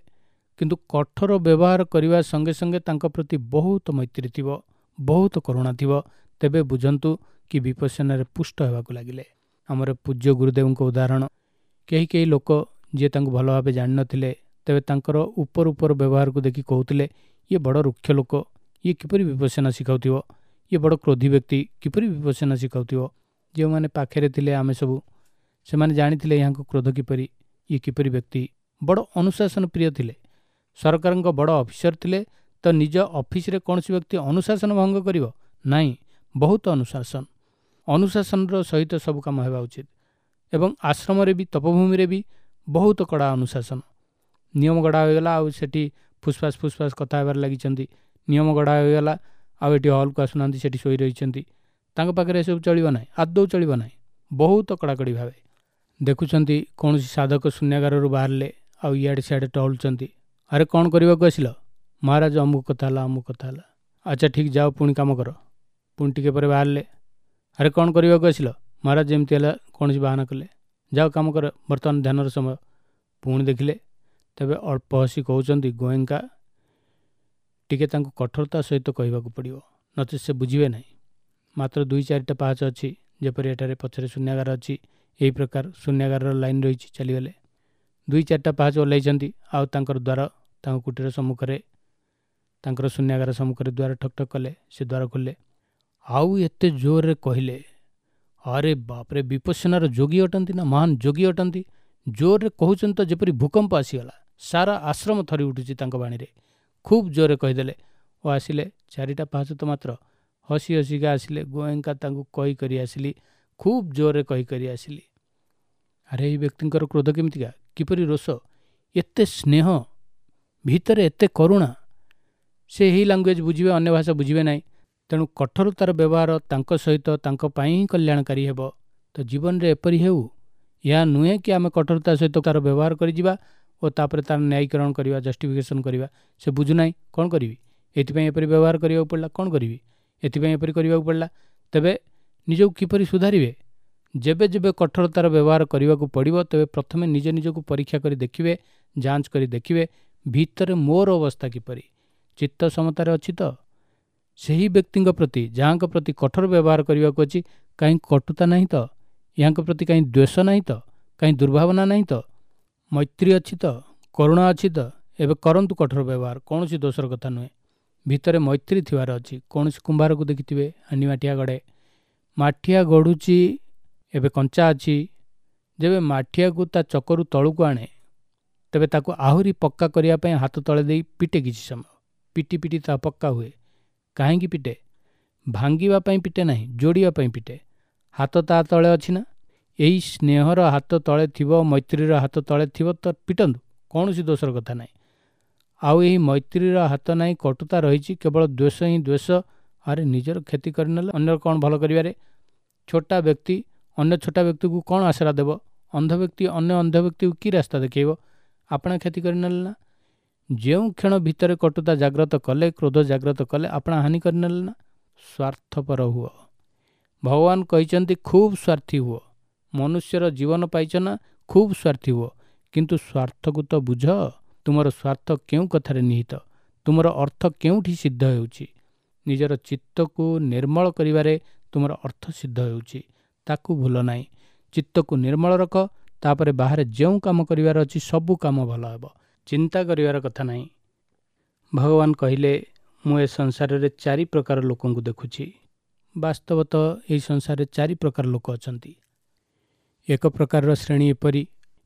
କିନ୍ତୁ କଠୋର ବ୍ୟବହାର କରିବା ସଙ୍ଗେ ସଙ୍ଗେ ତାଙ୍କ ପ୍ରତି ବହୁତ ମୈତ୍ରୀ ଥିବ, ବହୁତ କରୁଣା ଥିବ, ତେବେ ବୁଝନ୍ତୁ କି ବିପස්සନାରେ ପୁଷ୍ଟ ହେବାକୁ ଲାଗିଲେ। ଆମର ପୂଜ୍ୟ ଗୁରୁଦେବଙ୍କ ଉଦାହରଣ, କେହି କେହି ଲୋକ ଯିଏ ତାଙ୍କୁ ଭଲ ଭାବେ ଜାଣିନଥିଲେ, ତେବେ ତାଙ୍କର ଉପର ଉପର ବ୍ୟବହାରକୁ ଦେଖି କହୁଥିଲେ, ଇଏ ବଡ଼ ରୁକ୍ଷ ଲୋକ, ଇଏ କିପରି ବିପස්සନା ଶିଖାଉଥିବ, ଇଏ ବଡ଼ କ୍ରୋଧୀ ବ୍ୟକ୍ତି, କିପରି ବିପස්සନା ଶିଖାଉଥିବ। ଯେଉଁମାନେ ପାଖରେ ଥିଲେ ଆମେ ସବୁ, ସେମାନେ ଜାଣିଥିଲେ ଏହାଙ୍କ କ୍ରୋଧ କିପରି, ଇଏ କିପରି ବ୍ୟକ୍ତି। ବଡ଼ ଅନୁଶାସନ ପ୍ରିୟ ଥିଲେ, ସରକାରଙ୍କ ବଡ଼ ଅଫିସର ଥିଲେ। ତ ନିଜ ଅଫିସରେ କୌଣସି ବ୍ୟକ୍ତି ଅନୁଶାସନ ଭଙ୍ଗ କରିବ ନାହିଁ, ବହୁତ ଅନୁଶାସନ, ଅନୁଶାସନର ସହିତ ସବୁ କାମ ହେବା ଉଚିତ। ଏବଂ ଆଶ୍ରମରେ ବି, ତପଭୂମିରେ ବି ବହୁତ କଡ଼ା ଅନୁଶାସନ। ନିୟମ ଗଢ଼ା ହୋଇଗଲା, ଆଉ ସେଠି ଫୁସଫାସ ଫୁସଫାସ କଥା ହେବାରେ ଲାଗିଛନ୍ତି। ନିୟମ ଗଢ଼ା ହୋଇଗଲା, ଆଉ ଏଠି ହଲ୍କୁ ଆସୁନାହାନ୍ତି, ସେଠି ଶୋଇ ରହିଛନ୍ତି। ତାଙ୍କ ପାଖରେ ଏସବୁ ଚଳିବ ନାହିଁ, ଆଦୌ ଚଳିବ ନାହିଁ। ବହୁତ କଡ଼ାକଡ଼ି ଭାବେ ଦେଖୁଛନ୍ତି। କୌଣସି ସାଧକ ଶୂନ୍ୟାଗାରରୁ ବାହାରିଲେ ଆଉ ଇଆଡ଼େ ସିଆଡ଼େ ଟହଲୁଛନ୍ତି। ଆରେ କ'ଣ କରିବାକୁ ଆସିଲ? ମହାରାଜ ଅମୁକ କଥା ହେଲା, ଅମୁକ କଥା ହେଲା। ଆଚ୍ଛା ଠିକ୍, ଯାଅ ପୁଣି କାମ କର। ପୁଣି ଟିକେ ପରେ ବାହାରିଲେ, ଆରେ କ'ଣ କରିବାକୁ ଆସିଲ? ମହାରାଜ ଯେମିତି ହେଲା କୌଣସି ବାହାନା କଲେ, ଯାଅ କାମ କର, ବର୍ତ୍ତମାନ ଧ୍ୟାନର ସମୟ। ପୁଣି ଦେଖିଲେ, ତେବେ ଅଳ୍ପ ହସି କହୁଛନ୍ତି, ଗୋଏଙ୍କା, ଟିକେ ତାଙ୍କୁ କଠୋରତା ସହିତ କହିବାକୁ ପଡ଼ିବ, ନଚେତ୍ ସେ ବୁଝିବେ ନାହିଁ। ମାତ୍ର ଦୁଇ ଚାରିଟା ପାହାଚ ଅଛି, ଯେପରି ଏଠାରେ ପଛରେ ଶୂନ୍ୟାଗାର ଅଛି, ଏହି ପ୍ରକାର ଶୂନ୍ୟାଗାରର ଲାଇନ୍ ରହିଛି। ଚାଲିଗଲେ, ଦୁଇ ଚାରିଟା ପାହାଚ ଓହ୍ଲାଇଛନ୍ତି, ଆଉ ତାଙ୍କର ଦ୍ୱାର ତାଙ୍କ କୁଟୀର ସମ୍ମୁଖରେ, ତାଙ୍କର ଶୂନ୍ୟାଗାର ସମ୍ମୁଖରେ ଦ୍ୱାର ଠକ୍ ଠକ୍ କଲେ। ସେ ଦ୍ୱାର ଖୋଲିଲେ, ଆଉ ଏତେ ଜୋରରେ କହିଲେ, ଆରେ ବାପରେ, ବିପස්සନାର ଯୋଗୀ ଅଟନ୍ତି ନା, ମହାନ ଯୋଗୀ ଅଟନ୍ତି। ଜୋରରେ କହୁଛନ୍ତି ତ ଯେପରି ଭୂକମ୍ପ ଆସିଗଲା, ସାରା ଆଶ୍ରମ ଥରି ଉଠୁଛି ତାଙ୍କ ବାଣୀରେ। ଖୁବ୍ ଜୋରରେ କହିଦେଲେ ଓ ଆସିଲେ, ଚାରିଟା ପାହାଚ ତ ମାତ୍ର, ହସି ହସିକା ଆସିଲେ। ଗୋଏଙ୍କା ତାଙ୍କୁ କହି କରି ଆସିଲି, ଖୁବ୍ ଜୋରରେ କହି କରି ଆସିଲି। ଆରେ ଏହି ବ୍ୟକ୍ତିଙ୍କର କ୍ରୋଧ କେମିତିକା, କିପରି ରୋଷ, ଏତେ ସ୍ନେହ ଭିତରେ ଏତେ କରୁଣା। ସେ ଏହି ଲାଙ୍ଗୁଏଜ୍ ବୁଝିବେ, ଅନ୍ୟ ଭାଷା ବୁଝିବେ ନାହିଁ। ତେଣୁ କଠୋରତାର ବ୍ୟବହାର ତାଙ୍କ ସହିତ ତାଙ୍କ ପାଇଁ ହିଁ କଲ୍ୟାଣକାରୀ ହେବ। ତ ଜୀବନରେ ଏପରି ହେଉ, ଏହା ନୁହେଁ କି ଆମେ କଠୋରତା ସହିତ ତା'ର ବ୍ୟବହାର କରିଯିବା ଓ ତାପରେ ତା'ର ନ୍ୟାୟୀକରଣ କରିବା, ଜଷ୍ଟିଫିକେସନ୍ କରିବା। ସେ ବୁଝୁନାହିଁ, କ'ଣ କରିବି, ଏଥିପାଇଁ ଏପରି ବ୍ୟବହାର କରିବାକୁ ପଡ଼ିଲା, କ'ଣ କରିବି, ଏଥିପାଇଁ ଏପରି କରିବାକୁ ପଡ଼ିଲା। ତେବେ ନିଜକୁ କିପରି ସୁଧାରିବେ? ଯେବେ ଯେବେ କଠୋରତାର ବ୍ୟବହାର କରିବାକୁ ପଡ଼ିବ, ତେବେ ପ୍ରଥମେ ନିଜ ନିଜକୁ ପରୀକ୍ଷା କରି ଦେଖିବେ, ଯାଞ୍ଚ କରି ଦେଖିବେ ଭିତରେ ମୋର ଅବସ୍ଥା କିପରି, ଚିତ୍ତ ସମତାରେ ଅଛି ତ? ସେହି ବ୍ୟକ୍ତିଙ୍କ ପ୍ରତି ଯାହାଙ୍କ ପ୍ରତି କଠୋର ବ୍ୟବହାର କରିବାକୁ ଅଛି, କାହିଁ କଟୁତା ନାହିଁ ତ? ଏହାଙ୍କ ପ୍ରତି କାହିଁ ଦ୍ୱେଷ ନାହିଁ ତ? କାହିଁ ଦୁର୍ଭାବନା ନାହିଁ ତ? ମୈତ୍ରୀ ଅଛି ତ? କରୁଣା ଅଛି ତ? ଏବେ କରନ୍ତୁ କଠୋର ବ୍ୟବହାର, କୌଣସି ଦୋଷର କଥା ନୁହେଁ। ଭିତରେ ମୈତ୍ରୀ ଥିବାର ଅଛି। କୌଣସି କୁମ୍ଭାରକୁ ଦେଖିଥିବେ, ହାଣ୍ଡି ମାଠିଆ ଗଢ଼େ, ମାଠିଆ ଗଢ଼ୁଛି, ଏବେ କଞ୍ଚା ଅଛି। ଯେବେ ମାଠିଆକୁ ତା ଚକରୁ ତଳକୁ ଆଣେ, ତେବେ ତାକୁ ଆହୁରି ପକ୍କା କରିବା ପାଇଁ ହାତ ତଳେ ଦେଇ ପିଟେ କିଛି ସମୟ, ପିଟି ପିଟି ତା ପକ୍କା ହୁଏ। କାହିଁକି ପିଟେ? ଭାଙ୍ଗିବା ପାଇଁ ପିଟେ ନାହିଁ, ଯୋଡ଼ିବା ପାଇଁ ପିଟେ। ହାତ ତା ତଳେ ଅଛି ନା? ଏହି ସ୍ନେହର ହାତ ତଳେ ଥିବ, ମୈତ୍ରୀର ହାତ ତଳେ ଥିବ ତ ପିଟନ୍ତୁ, କୌଣସି ଦୋଷର କଥା ନାହିଁ। ଆଉ ଏହି ମୈତ୍ରୀର ହାତ ନାହିଁ, କଟୁତା ରହିଛି, କେବଳ ଦ୍ୱେଷ ହିଁ ଦ୍ୱେଷ। ଆରେ ନିଜର କ୍ଷତି କରିନେଲେ ଅନ୍ୟର କ'ଣ ଭଲ କରିବାରେ? ଛୋଟା ବ୍ୟକ୍ତି ଅନ୍ୟ ଛୋଟା ବ୍ୟକ୍ତିକୁ କ'ଣ ଆଶ୍ରା ଦେବ? ଅନ୍ଧ ବ୍ୟକ୍ତି ଅନ୍ୟ ଅନ୍ଧ ବ୍ୟକ୍ତିକୁ କି ରାସ୍ତା ଦେଖାଇବ? ଆପଣା କ୍ଷତି କରିନେଲେ ନା? ଯେଉଁ କ୍ଷଣ ଭିତରେ କଟୁତା ଜାଗ୍ରତ କଲେ, କ୍ରୋଧ ଜାଗ୍ରତ କଲେ, ଆପଣା ହାନି କରିନେଲେ ନା? ସ୍ୱାର୍ଥପର ହୁଅ। ଭଗବାନ କହିଛନ୍ତି ଖୁବ୍ ସ୍ୱାର୍ଥୀ ହୁଅ। ମନୁଷ୍ୟର ଜୀବନ ପାଇଛ ନା, ଖୁବ୍ ସ୍ୱାର୍ଥୀ ହୁଅ, କିନ୍ତୁ ସ୍ୱାର୍ଥକୁ ତ ବୁଝ। ତୁମର ସ୍ୱାର୍ଥ କେଉଁ କଥାରେ ନିହିତ, ତୁମର ଅର୍ଥ କେଉଁଠି ସିଦ୍ଧ ହେଉଛି? ନିଜର ଚିତ୍ତକୁ ନିର୍ମଳ କରିବାରେ ତୁମର ଅର୍ଥ ସିଦ୍ଧ ହେଉଛି, ତାକୁ ଭୁଲ ନାହିଁ। ଚିତ୍ତକୁ ନିର୍ମଳ ରଖ, ତାପରେ ବାହାରେ ଯେଉଁ କାମ କରିବାର ଅଛି ସବୁ କାମ ଭଲ ହେବ, ଚିନ୍ତା କରିବାର କଥା ନାହିଁ। ଭଗବାନ କହିଲେ, ମୁଁ ଏ ସଂସାରରେ ଚାରି ପ୍ରକାର ଲୋକଙ୍କୁ ଦେଖୁଛି। ବାସ୍ତବତଃ ଏହି ସଂସାରରେ ଚାରି ପ୍ରକାର ଲୋକ ଅଛନ୍ତି। ଏକ ପ୍ରକାରର ଶ୍ରେଣୀ ଏପରି,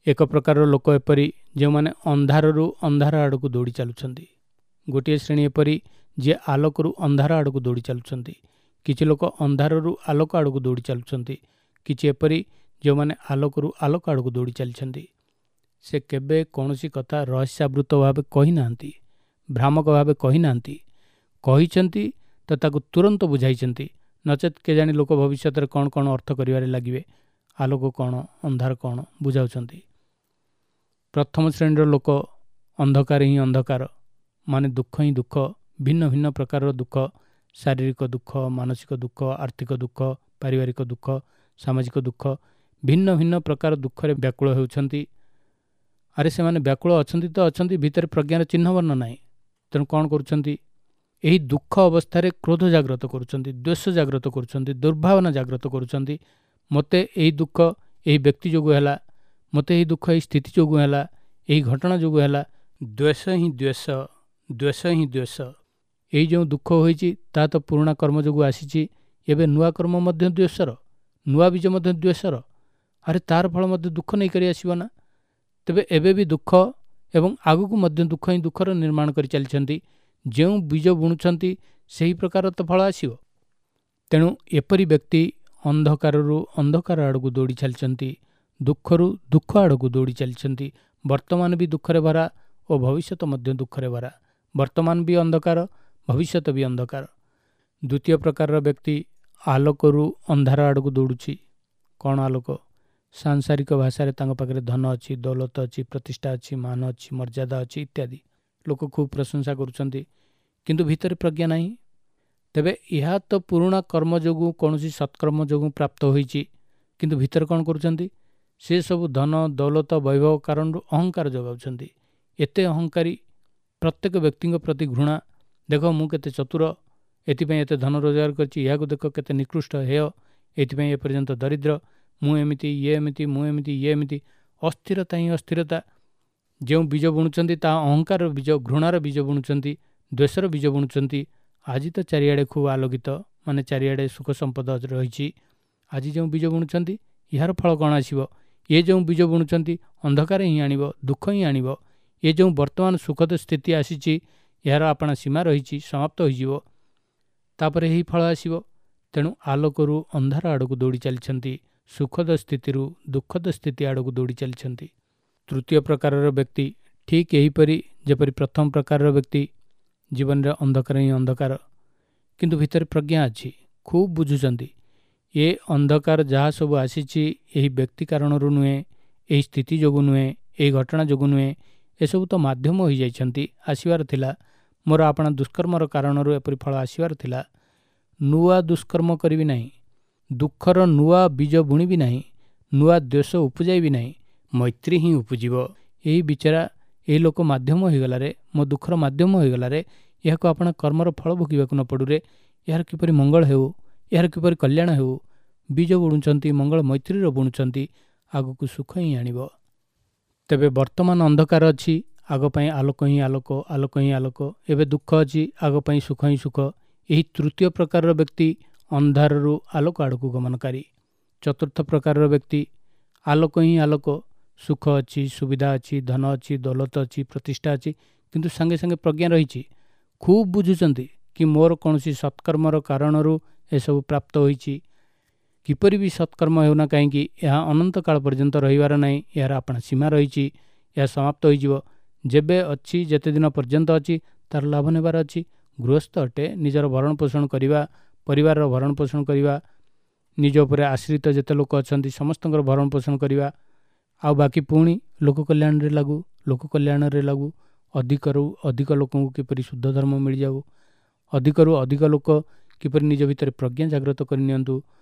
ଏକ ପ୍ରକାରର ଲୋକ ଏପରି ଯେଉଁମାନେ ଅନ୍ଧାରରୁ ଅନ୍ଧାର ଆଡ଼କୁ ଦୌଡ଼ି ଚାଲୁଛନ୍ତି। ଗୋଟିଏ ଶ୍ରେଣୀ ଏପରି ଯିଏ ଆଲୋକରୁ ଅନ୍ଧାର ଆଡ଼କୁ ଦୌଡ଼ି ଚାଲୁଛନ୍ତି। କିଛି ଲୋକ ଅନ୍ଧାରରୁ ଆଲୋକ ଆଡ଼କୁ ଦୌଡ଼ି ଚାଲୁଛନ୍ତି। କିଛି ଏପରି ଯେଉଁମାନେ ଆଲୋକରୁ ଆଲୋକ ଆଡ଼କୁ ଦୌଡ଼ି ଚାଲିଛନ୍ତି। ସେ କେବେ କୌଣସି କଥା ରହସ୍ୟାବୃତ ଭାବେ କହିନାହାନ୍ତି, ଭ୍ରାମକ ଭାବେ କହିନାହାନ୍ତି। କହିଛନ୍ତି ତ ତାକୁ ତୁରନ୍ତ ବୁଝାଇଛନ୍ତି, ନଚେତ୍ କେଜାଣି ଲୋକ ଭବିଷ୍ୟତରେ କ'ଣ କ'ଣ ଅର୍ଥ କରିବାରେ ଲାଗିବେ। ଆଲୋକ କ'ଣ, ଅନ୍ଧାର କ'ଣ ବୁଝାଉଛନ୍ତି। ପ୍ରଥମ ଶ୍ରେଣୀର ଲୋକ ଅନ୍ଧକାର ହିଁ ଅନ୍ଧକାର, ମାନେ ଦୁଃଖ ହିଁ ଦୁଃଖ, ଭିନ୍ନ ଭିନ୍ନ ପ୍ରକାରର ଦୁଃଖ, ଶାରୀରିକ ଦୁଃଖ, ମାନସିକ ଦୁଃଖ, ଆର୍ଥିକ ଦୁଃଖ, ପାରିବାରିକ ଦୁଃଖ, ସାମାଜିକ ଦୁଃଖ, ଭିନ୍ନ ଭିନ୍ନ ପ୍ରକାର ଦୁଃଖରେ ବ୍ୟାକୁଳ ହେଉଛନ୍ତି। ଆରେ ସେମାନେ ବ୍ୟାକୁଳ ଅଛନ୍ତି ତ ଅଛନ୍ତି, ଭିତରେ ପ୍ରଜ୍ଞାର ଚିହ୍ନବର୍ଣ୍ଣ ନାହିଁ। ତେଣୁ କ'ଣ କରୁଛନ୍ତି? ଏହି ଦୁଃଖ ଅବସ୍ଥାରେ କ୍ରୋଧ ଜାଗ୍ରତ କରୁଛନ୍ତି, ଦ୍ୱେଷ ଜାଗ୍ରତ କରୁଛନ୍ତି, ଦୁର୍ଭାବନା ଜାଗ୍ରତ କରୁଛନ୍ତି। ମୋତେ ଏହି ଦୁଃଖ ଏହି ବ୍ୟକ୍ତି ଯୋଗୁଁ ହେଲା, ମୋତେ ଏହି ଦୁଃଖ ଏହି ସ୍ଥିତି ଯୋଗୁଁ ହେଲା, ଏହି ଘଟଣା ଯୋଗୁଁ ହେଲା। ଦ୍ୱେଷ ହିଁ ଦ୍ୱେଷ, ଦ୍ୱେଷ ହିଁ ଦ୍ୱେଷ। ଏଇ ଯେଉଁ ଦୁଃଖ ହୋଇଛି ତାହା ତ ପୁରୁଣା କର୍ମ ଯୋଗୁଁ ଆସିଛି, ଏବେ ନୂଆ କର୍ମ ମଧ୍ୟ ଦ୍ୱେଷର, ନୂଆ ବୀଜ ମଧ୍ୟ ଦ୍ୱେଷର। ଆରେ ତାର ଫଳ ମଧ୍ୟ ଦୁଃଖ ନେଇକରି ଆସିବ ନା। ତେବେ ଏବେ ବି ଦୁଃଖ ଏବଂ ଆଗକୁ ମଧ୍ୟ ଦୁଃଖ ହିଁ ଦୁଃଖର ନିର୍ମାଣ କରି ଚାଲିଛନ୍ତି। ଯେଉଁ ବୀଜ ବୁଣୁଛନ୍ତି ସେହି ପ୍ରକାର ତ ଫଳ ଆସିବ। ତେଣୁ ଏପରି ବ୍ୟକ୍ତି ଅନ୍ଧକାରରୁ ଅନ୍ଧକାର ଆଡ଼କୁ ଦୌଡ଼ି ଚାଲିଛନ୍ତି, ଦୁଃଖରୁ ଦୁଃଖ ଆଡ଼କୁ ଦୌଡ଼ି ଚାଲିଛନ୍ତି। ବର୍ତ୍ତମାନ ବି ଦୁଃଖରେ ଭରା ଓ ଭବିଷ୍ୟତ ମଧ୍ୟ ଦୁଃଖରେ ଭରା। ବର୍ତ୍ତମାନ ବି ଅନ୍ଧକାର, ଭବିଷ୍ୟତ ବି ଅନ୍ଧକାର। ଦ୍ୱିତୀୟ ପ୍ରକାରର ବ୍ୟକ୍ତି ଆଲୋକରୁ ଅନ୍ଧାର ଆଡ଼କୁ ଦୌଡ଼ୁଛି। କ'ଣ ଆଲୋକ? ସାଂସାରିକ ଭାଷାରେ ତାଙ୍କ ପାଖରେ ଧନ ଅଛି, ଦୌଲତ ଅଛି, ପ୍ରତିଷ୍ଠା ଅଛି, ମାନ ଅଛି, ମର୍ଯ୍ୟାଦା ଅଛି ଇତ୍ୟାଦି। ଲୋକ ଖୁବ୍ ପ୍ରଶଂସା କରୁଛନ୍ତି, କିନ୍ତୁ ଭିତରେ ପ୍ରଜ୍ଞା ନାହିଁ। ତେବେ ଏହା ତ ପୁରୁଣା କର୍ମ ଯୋଗୁଁ, କୌଣସି ସତ୍କର୍ମ ଯୋଗୁଁ ପ୍ରାପ୍ତ ହୋଇଛି, କିନ୍ତୁ ଭିତରେ କ'ଣ କରୁଛନ୍ତି? ସେ ସବୁ ଧନ ଦୌଲତ ବୈଭବ କାରଣରୁ ଅହଙ୍କାର ଯୋଗାଉଛନ୍ତି। ଏତେ ଅହଙ୍କାରୀ, ପ୍ରତ୍ୟେକ ବ୍ୟକ୍ତିଙ୍କ ପ୍ରତି ଘୃଣା। ଦେଖ ମୁଁ କେତେ ଚତୁର, ଏଥିପାଇଁ ଏତେ ଧନ ରୋଜଗାର କରିଛି, ଏହାକୁ ଦେଖ କେତେ ନିକୃଷ୍ଟ ହେୟ, ଏଥିପାଇଁ ଏପର୍ଯ୍ୟନ୍ତ ଦରିଦ୍ର, ମୁଁ ଏମିତି, ଇଏ ଏମିତି, ମୁଁ ଏମିତି, ଇଏ ଏମିତି। ଅସ୍ଥିରତା ହିଁ ଅସ୍ଥିରତା। ଯେଉଁ ବୀଜ ବୁଣୁଛନ୍ତି ତାହା ଅହଙ୍କାରର ବୀଜ, ଘୃଣାର ବୀଜ ବୁଣୁଛନ୍ତି, ଦ୍ୱେଷର ବୀଜ ବୁଣୁଛନ୍ତି। ଆଜି ତ ଚାରିଆଡ଼େ ଖୁବ୍ ଆଲୋକିତ, ମାନେ ଚାରିଆଡ଼େ ସୁଖ ସମ୍ପଦ ରହିଛି। ଆଜି ଯେଉଁ ବୀଜ ବୁଣୁଛନ୍ତି ଏହାର ଫଳ କ'ଣ ଆସିବ? ଏ ଯେଉଁ ବୀଜ ବୁଣୁଛନ୍ତି ଅନ୍ଧକାର ହିଁ ଆଣିବ, ଦୁଃଖ ହିଁ ଆଣିବ। ଏ ଯେଉଁ ବର୍ତ୍ତମାନ ସୁଖଦ ସ୍ଥିତି ଆସିଛି ଏହାର ଆପଣା ସୀମା ରହିଛି, ସମାପ୍ତ ହୋଇଯିବ, ତାପରେ ଏହି ଫଳ ଆସିବ। ତେଣୁ ଆଲୋକରୁ ଅନ୍ଧାର ଆଡ଼କୁ ଦୌଡ଼ି ଚାଲିଛନ୍ତି, ସୁଖଦ ସ୍ଥିତିରୁ ଦୁଃଖଦ ସ୍ଥିତି ଆଡ଼କୁ ଦୌଡ଼ି ଚାଲିଛନ୍ତି। ତୃତୀୟ ପ୍ରକାରର ବ୍ୟକ୍ତି ଠିକ୍ ଏହିପରି ଯେପରି ପ୍ରଥମ ପ୍ରକାରର ବ୍ୟକ୍ତି, ଜୀବନରେ ଅନ୍ଧକାର ହିଁ ଅନ୍ଧକାର, କିନ୍ତୁ ଭିତରେ ପ୍ରଜ୍ଞା ଅଛି, ଖୁବ୍ ବୁଝୁଛନ୍ତି। ଏ ଅନ୍ଧକାର ଯାହା ସବୁ ଆସିଛି ଏହି ବ୍ୟକ୍ତି କାରଣରୁ ନୁହେଁ, ଏହି ସ୍ଥିତି ଯୋଗୁଁ ନୁହେଁ, ଏହି ଘଟଣା ଯୋଗୁଁ ନୁହେଁ, ଏସବୁ ତ ମାଧ୍ୟମ ହୋଇଯାଇଛନ୍ତି, ଆସିବାର ଥିଲା, ମୋର ଆପଣା ଦୁଷ୍କର୍ମର କାରଣରୁ ଏପରି ଫଳ ଆସିବାର ଥିଲା। ନୂଆ ଦୁଷ୍କର୍ମ କରିବି ନାହିଁ, ଦୁଃଖର ନୂଆ ବୀଜ ବୁଣିବି ନାହିଁ, ନୂଆ ଦ୍ୱେଷ ଉପୁଜାଇବି ନାହିଁ, ମୈତ୍ରୀ ହିଁ ଉପୁଜିବ। ଏହି ବିଚାରା, ଏହି ଲୋକ ମାଧ୍ୟମ ହୋଇଗଲାରେ, ମୋ ଦୁଃଖର ମାଧ୍ୟମ ହୋଇଗଲାରେ, ଏହାକୁ ଆପଣା କର୍ମର ଫଳ ଭୋଗିବାକୁ ନ ପଡ଼ୁରେ, ଏହାର କିପରି ମଙ୍ଗଳ ହେଉ, ଏହାର କିପରି କଲ୍ୟାଣ ହେଉ। ବୀଜ ବୁଣୁଛନ୍ତି, ମଙ୍ଗଳ ମୈତ୍ରୀର ବୁଣୁଛନ୍ତି, ଆଗକୁ ସୁଖ ହିଁ ଆଣିବ। ତେବେ ବର୍ତ୍ତମାନ ଅନ୍ଧକାର ଅଛି, ଆଗ ପାଇଁ ଆଲୋକ ହିଁ ଆଲୋକ, ଆଲୋକ ହିଁ ଆଲୋକ। ଏବେ ଦୁଃଖ ଅଛି, ଆଗ ପାଇଁ ସୁଖ ହିଁ ସୁଖ। ଏହି ତୃତୀୟ ପ୍ରକାରର ବ୍ୟକ୍ତି ଅନ୍ଧାରରୁ ଆଲୋକ ଆଡ଼କୁ ଗମନକାରୀ। ଚତୁର୍ଥ ପ୍ରକାରର ବ୍ୟକ୍ତି ଆଲୋକ ହିଁ ଆଲୋକ, ସୁଖ ଅଛି, ସୁବିଧା ଅଛି, ଧନ ଅଛି, ଦୌଲତ ଅଛି, ପ୍ରତିଷ୍ଠା ଅଛି, କିନ୍ତୁ ସାଙ୍ଗେ ସାଙ୍ଗେ ପ୍ରଜ୍ଞା ରହିଛି। ଖୁବ୍ ବୁଝୁଛନ୍ତି କି ମୋର କୌଣସି ସତ୍କର୍ମର କାରଣରୁ ଏସବୁ ପ୍ରାପ୍ତ ହୋଇଛି। କିପରି ବି ସତ୍କର୍ମ ହେଉନା କାହିଁକି, ଏହା ଅନନ୍ତ କାଳ ପର୍ଯ୍ୟନ୍ତ ରହିବାର ନାହିଁ, ଏହାର ଆପଣା ସୀମା ରହିଛି, ଏହା ସମାପ୍ତ ହୋଇଯିବ। ଯେବେ ଅଛି, ଯେତେ ଦିନ ପର୍ଯ୍ୟନ୍ତ ଅଛି, ତାର ଲାଭ ନେବାର ଅଛି। ଗୃହସ୍ଥ ଅଟେ, ନିଜର ଭରଣ ପୋଷଣ କରିବା, ପରିବାରର ଭରଣ ପୋଷଣ କରିବା, ନିଜ ଉପରେ ଆଶ୍ରିତ ଯେତେ ଲୋକ ଅଛନ୍ତି ସମସ୍ତଙ୍କର ଭରଣ ପୋଷଣ କରିବା, ଆଉ ବାକି ପୁଣି ଲୋକ କଲ୍ୟାଣରେ ଲାଗୁ, ଲୋକ କଲ୍ୟାଣରେ ଲାଗୁ। ଅଧିକରୁ ଅଧିକ ଲୋକଙ୍କୁ କିପରି ଶୁଦ୍ଧ ଧର୍ମ ମିଳିଯାଉ, ଅଧିକରୁ ଅଧିକ ଲୋକ କିପରି ନିଜ ଭିତରେ ପ୍ରଜ୍ଞା ଜାଗ୍ରତ କରିନିଅନ୍ତୁ,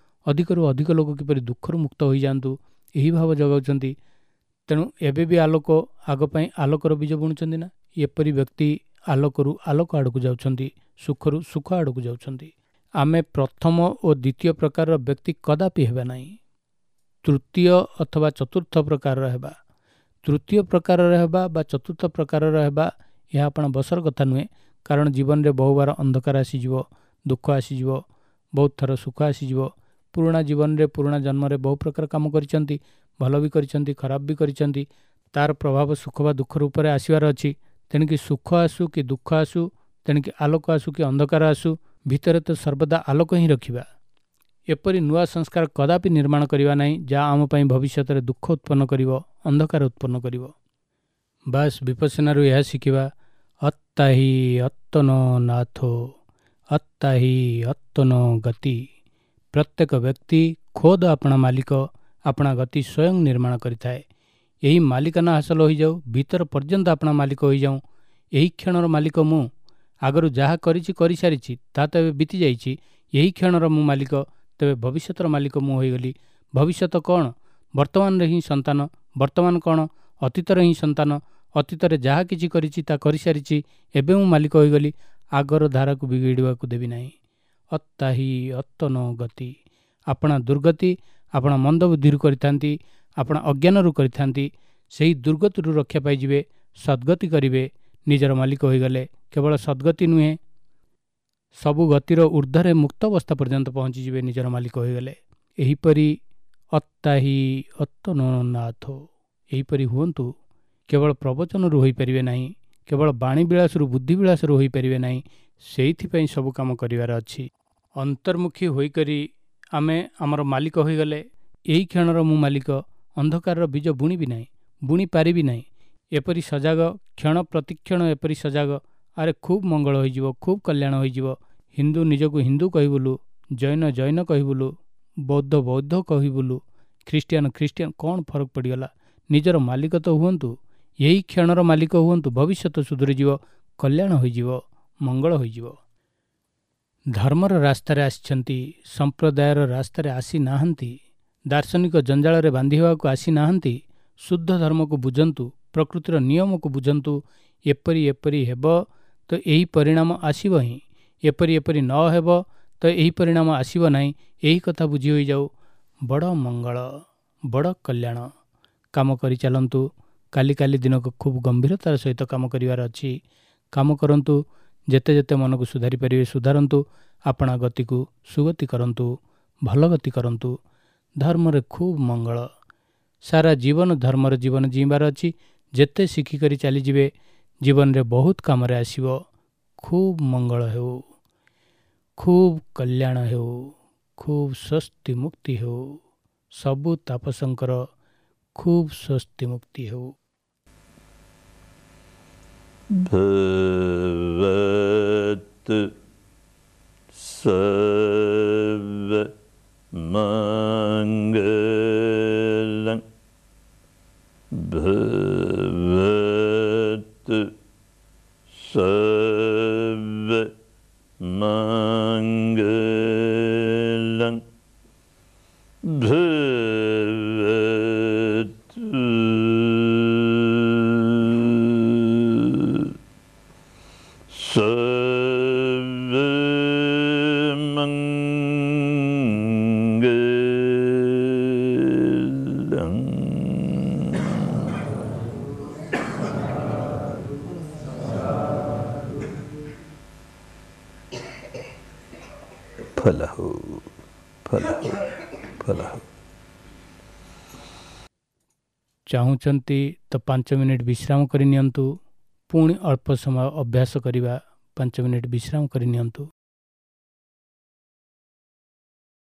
ଅଧିକରୁ ଅଧିକ ଲୋକ କିପରି ଦୁଃଖରୁ ମୁକ୍ତ ହୋଇଯାଆନ୍ତୁ, ଏହି ଭାବ ଜଗାଉଛନ୍ତି। ତେଣୁ ଏବେ ବି ଆଲୋକ, ଆଗ ପାଇଁ ଆଲୋକର ବୀଜ ବୁଣୁଛନ୍ତି ନା। ଏପରି ବ୍ୟକ୍ତି ଆଲୋକରୁ ଆଲୋକ ଆଡ଼କୁ ଯାଉଛନ୍ତି, ସୁଖରୁ ସୁଖ ଆଡ଼କୁ ଯାଉଛନ୍ତି। ଆମେ ପ୍ରଥମ ଓ ଦ୍ୱିତୀୟ ପ୍ରକାରର ବ୍ୟକ୍ତି କଦାପି ହେବା ନାହିଁ, ତୃତୀୟ ଅଥବା ଚତୁର୍ଥ ପ୍ରକାରର ହେବା। ତୃତୀୟ ପ୍ରକାରର ହେବା ବା ଚତୁର୍ଥ ପ୍ରକାରର ହେବା ଏହା ଆପଣ ବସର କଥା ନୁହେଁ, କାରଣ ଜୀବନରେ ବହୁବାର ଅନ୍ଧକାର ଆସିଯିବ, ଦୁଃଖ ଆସିଯିବ, ବହୁତ ଥର ସୁଖ ଆସିଯିବ। ପୁରୁଣା ଜୀବନରେ, ପୁରୁଣା ଜନ୍ମରେ ବହୁ ପ୍ରକାର କାମ କରିଛନ୍ତି, ଭଲ ବି କରିଛନ୍ତି, ଖରାପ ବି କରିଛନ୍ତି, ତାର ପ୍ରଭାବ ସୁଖ ବା ଦୁଃଖ ରୂପରେ ଆସିବାର ଅଛି। ତେଣିକି ସୁଖ ଆସୁ କି ଦୁଃଖ ଆସୁ, ତେଣିକି ଆଲୋକ ଆସୁ କି ଅନ୍ଧକାର ଆସୁ, ଭିତରେ ତ ସର୍ବଦା ଆଲୋକ ହିଁ ରଖିବା। ଏପରି ନୂଆ ସଂସ୍କାର କଦାପି ନିର୍ମାଣ କରିବା ନାହିଁ ଯାହା ଆମ ପାଇଁ ଭବିଷ୍ୟତରେ ଦୁଃଖ ଉତ୍ପନ୍ନ କରିବ, ଅନ୍ଧକାର ଉତ୍ପନ୍ନ କରିବ। ବାସ୍ ବିପස්සନାରୁ ଏହା ଶିଖିବା, ଅତ୍ତା ହି ଅତ୍ତନୋ ନାଥୋ, ଅତ୍ତା ହି ଅତ୍ତନୋ ଗତି। ପ୍ରତ୍ୟେକ ବ୍ୟକ୍ତି ଖୋଦ ଆପଣା ମାଲିକ, ଆପଣା ଗତି ସ୍ୱୟଂ ନିର୍ମାଣ କରିଥାଏ। ଏହି ମାଲିକାନା ହାସଲ ହୋଇଯାଉ, ଭିତର ପର୍ଯ୍ୟନ୍ତ ଆପଣା ମାଲିକ ହୋଇଯାଉଁ। ଏହି କ୍ଷଣର ମାଲିକ ମୁଁ। ଆଗରୁ ଯାହା କରିଛି କରିସାରିଛି, ତାହା ତ ଏବେ ବିତିଯାଇଛି। ଏହି କ୍ଷଣର ମୁଁ ମାଲିକ, ତେବେ ଭବିଷ୍ୟତର ମାଲିକ ମୁଁ ହୋଇଗଲି। ଭବିଷ୍ୟତ କ'ଣ? ବର୍ତ୍ତମାନରେ ହିଁ ସନ୍ତାନ। ବର୍ତ୍ତମାନ କ'ଣ? ଅତୀତରେ ହିଁ ସନ୍ତାନ। ଅତୀତରେ ଯାହା କିଛି କରିଛି ତା କରିସାରିଛି, ଏବେ ମୁଁ ମାଲିକ ହୋଇଗଲି। ଆଗର ଧାରାକୁ ବିଗିଡ଼ିବାକୁ ଦେବି ନାହିଁ। ଅତ୍ତାହି ଅତ୍ତନ ଗତି। ଆପଣା ଦୁର୍ଗତି ଆପଣା ମନ୍ଦବୁଦ୍ଧିରୁ କରିଥାନ୍ତି, ଆପଣା ଅଜ୍ଞାନରୁ କରିଥାନ୍ତି। ସେହି ଦୁର୍ଗତିରୁ ରକ୍ଷା ପାଇଯିବେ, ସଦ୍ଗତି କରିବେ। ନିଜର ମାଲିକ ହୋଇଗଲେ କେବଳ ସଦ୍ଗତି ନୁହେଁ, ସବୁ ଗତିର ଉର୍ଦ୍ଧ୍ୱରେ ମୁକ୍ତ ଅବସ୍ଥା ପର୍ଯ୍ୟନ୍ତ ପହଞ୍ଚିଯିବେ ନିଜର ମାଲିକ ହୋଇଗଲେ। ଏହିପରି ଅତ୍ତାହି ଅତ୍ତନୋନାଥ, ଏହିପରି ହୁଅନ୍ତୁ। କେବଳ ପ୍ରବଚନରୁ ହୋଇପାରିବେ ନାହିଁ, କେବଳ ବାଣୀ ବିଳାସରୁ ବୁଦ୍ଧି ବିଳାସରୁ ହୋଇପାରିବେ ନାହିଁ। ସେଇଥିପାଇଁ ସବୁ କାମ କରିବାର ଅଛି। ଅନ୍ତର୍ମୁଖୀ ହୋଇକରି ଆମେ ଆମର ମାଲିକ ହୋଇଗଲେ, ଏହି କ୍ଷଣର ମୁଁ ମାଲିକ। ଅନ୍ଧକାରର ବୀଜ ବୁଣିବି ନାହିଁ, ବୁଣି ପାରିବି ନାହିଁ। ଏପରି ସଜାଗ, କ୍ଷଣ ପ୍ରତିକ୍ଷଣ ଏପରି ସଜାଗ, ଆରେ ଖୁବ୍ ମଙ୍ଗଳ ହୋଇଯିବ, ଖୁବ୍ କଲ୍ୟାଣ ହୋଇଯିବ। ହିନ୍ଦୁ ନିଜକୁ ହିନ୍ଦୁ କହିବୁଲୁ, ଜୈନ ଜୈନ କହିବୁଲୁ, ବୌଦ୍ଧ ବୌଦ୍ଧ କହିବୁଲୁ, ଖ୍ରୀଷ୍ଟିଆନ ଖ୍ରୀଷ୍ଟିଆନ, କ'ଣ ଫରକ ପଡ଼ିଗଲା? ନିଜର ମାଲିକ ତ ହୁଅନ୍ତୁ, ଏହି କ୍ଷଣର ମାଲିକ ହୁଅନ୍ତୁ। ଭବିଷ୍ୟତ ସୁଧୁରିଯିବ, କଲ୍ୟାଣ ହୋଇଯିବ, ମଙ୍ଗଳ ହୋଇଯିବ। ଧର୍ମର ରାସ୍ତାରେ ଆସିଛନ୍ତି, ସମ୍ପ୍ରଦାୟର ରାସ୍ତାରେ ଆସିନାହାନ୍ତି, ଦାର୍ଶନିକ ଜଞ୍ଜାଳରେ ବାନ୍ଧି ହେବାକୁ ଆସିନାହାନ୍ତି। ଶୁଦ୍ଧ ଧର୍ମକୁ ବୁଝନ୍ତୁ, ପ୍ରକୃତିର ନିୟମକୁ ବୁଝନ୍ତୁ। ଏପରି ଏପରି ହେବ ତ ଏହି ପରିଣାମ ଆସିବ ହିଁ, ଏପରି ଏପରି ନ ହେବ ତ ଏହି ପରିଣାମ ଆସିବ ନାହିଁ। ଏହି କଥା ବୁଝି ହୋଇଯାଉ। ବଡ଼ ମଙ୍ଗଳ, ବଡ଼ କଲ୍ୟାଣ। କାମ କରି ଚାଲନ୍ତୁ। କାଲି କାଲି ଦିନକୁ ଖୁବ୍ ଗମ୍ଭୀରତାର ସହିତ କାମ କରିବାର ଅଛି। କାମ କରନ୍ତୁ, ଯେତେ ଯେତେ ମନକୁ ସୁଧାରି ପାରିବେ ସୁଧାରନ୍ତୁ। ଆପଣା ଗତିକୁ ସୁଗତି କରନ୍ତୁ, ଭଲ ଗତି କରନ୍ତୁ। ଧର୍ମରେ ଖୁବ୍ ମଙ୍ଗଳ। ସାରା ଜୀବନ ଧର୍ମର ଜୀବନ ଜୀଇଁବାର ଅଛି। ଯେତେ ଶିଖିକରି ଚାଲିଯିବେ ଜୀବନରେ ବହୁତ କାମରେ ଆସିବ। ଖୁବ୍ ମଙ୍ଗଳ ହେଉ, ଖୁବ୍ କଲ୍ୟାଣ ହେଉ, ଖୁବ୍ ସ୍ୱସ୍ତି ମୁକ୍ତି ହେଉ। ସବୁ ତାପସଙ୍କର ଖୁବ୍ ସ୍ୱସ୍ତି ମୁକ୍ତି ହେଉ। ଭବତୁ ସର୍ବ ମଙ୍ଗଳଂ, ଭବତୁ ସର୍ବ ମଙ୍ଗଳଂ, ଭବତୁ ସର୍ବ ମଙ୍ଗଳଂ। ଫଲ ହଉ, ଫଲ ହଉ, ଫଲ ହଉ। ଚାହୁଁଛନ୍ତି ତ ପାଞ୍ଚ ମିନିଟ୍ ବିଶ୍ରାମ କରି ନିଅନ୍ତୁ, ପୁଣି ଅଳ୍ପ ସମୟ ଅଭ୍ୟାସ କରିବା। ପାଞ୍ଚ ମିନିଟ୍ ବିଶ୍ରାମ କରି ନିଅନ୍ତୁ।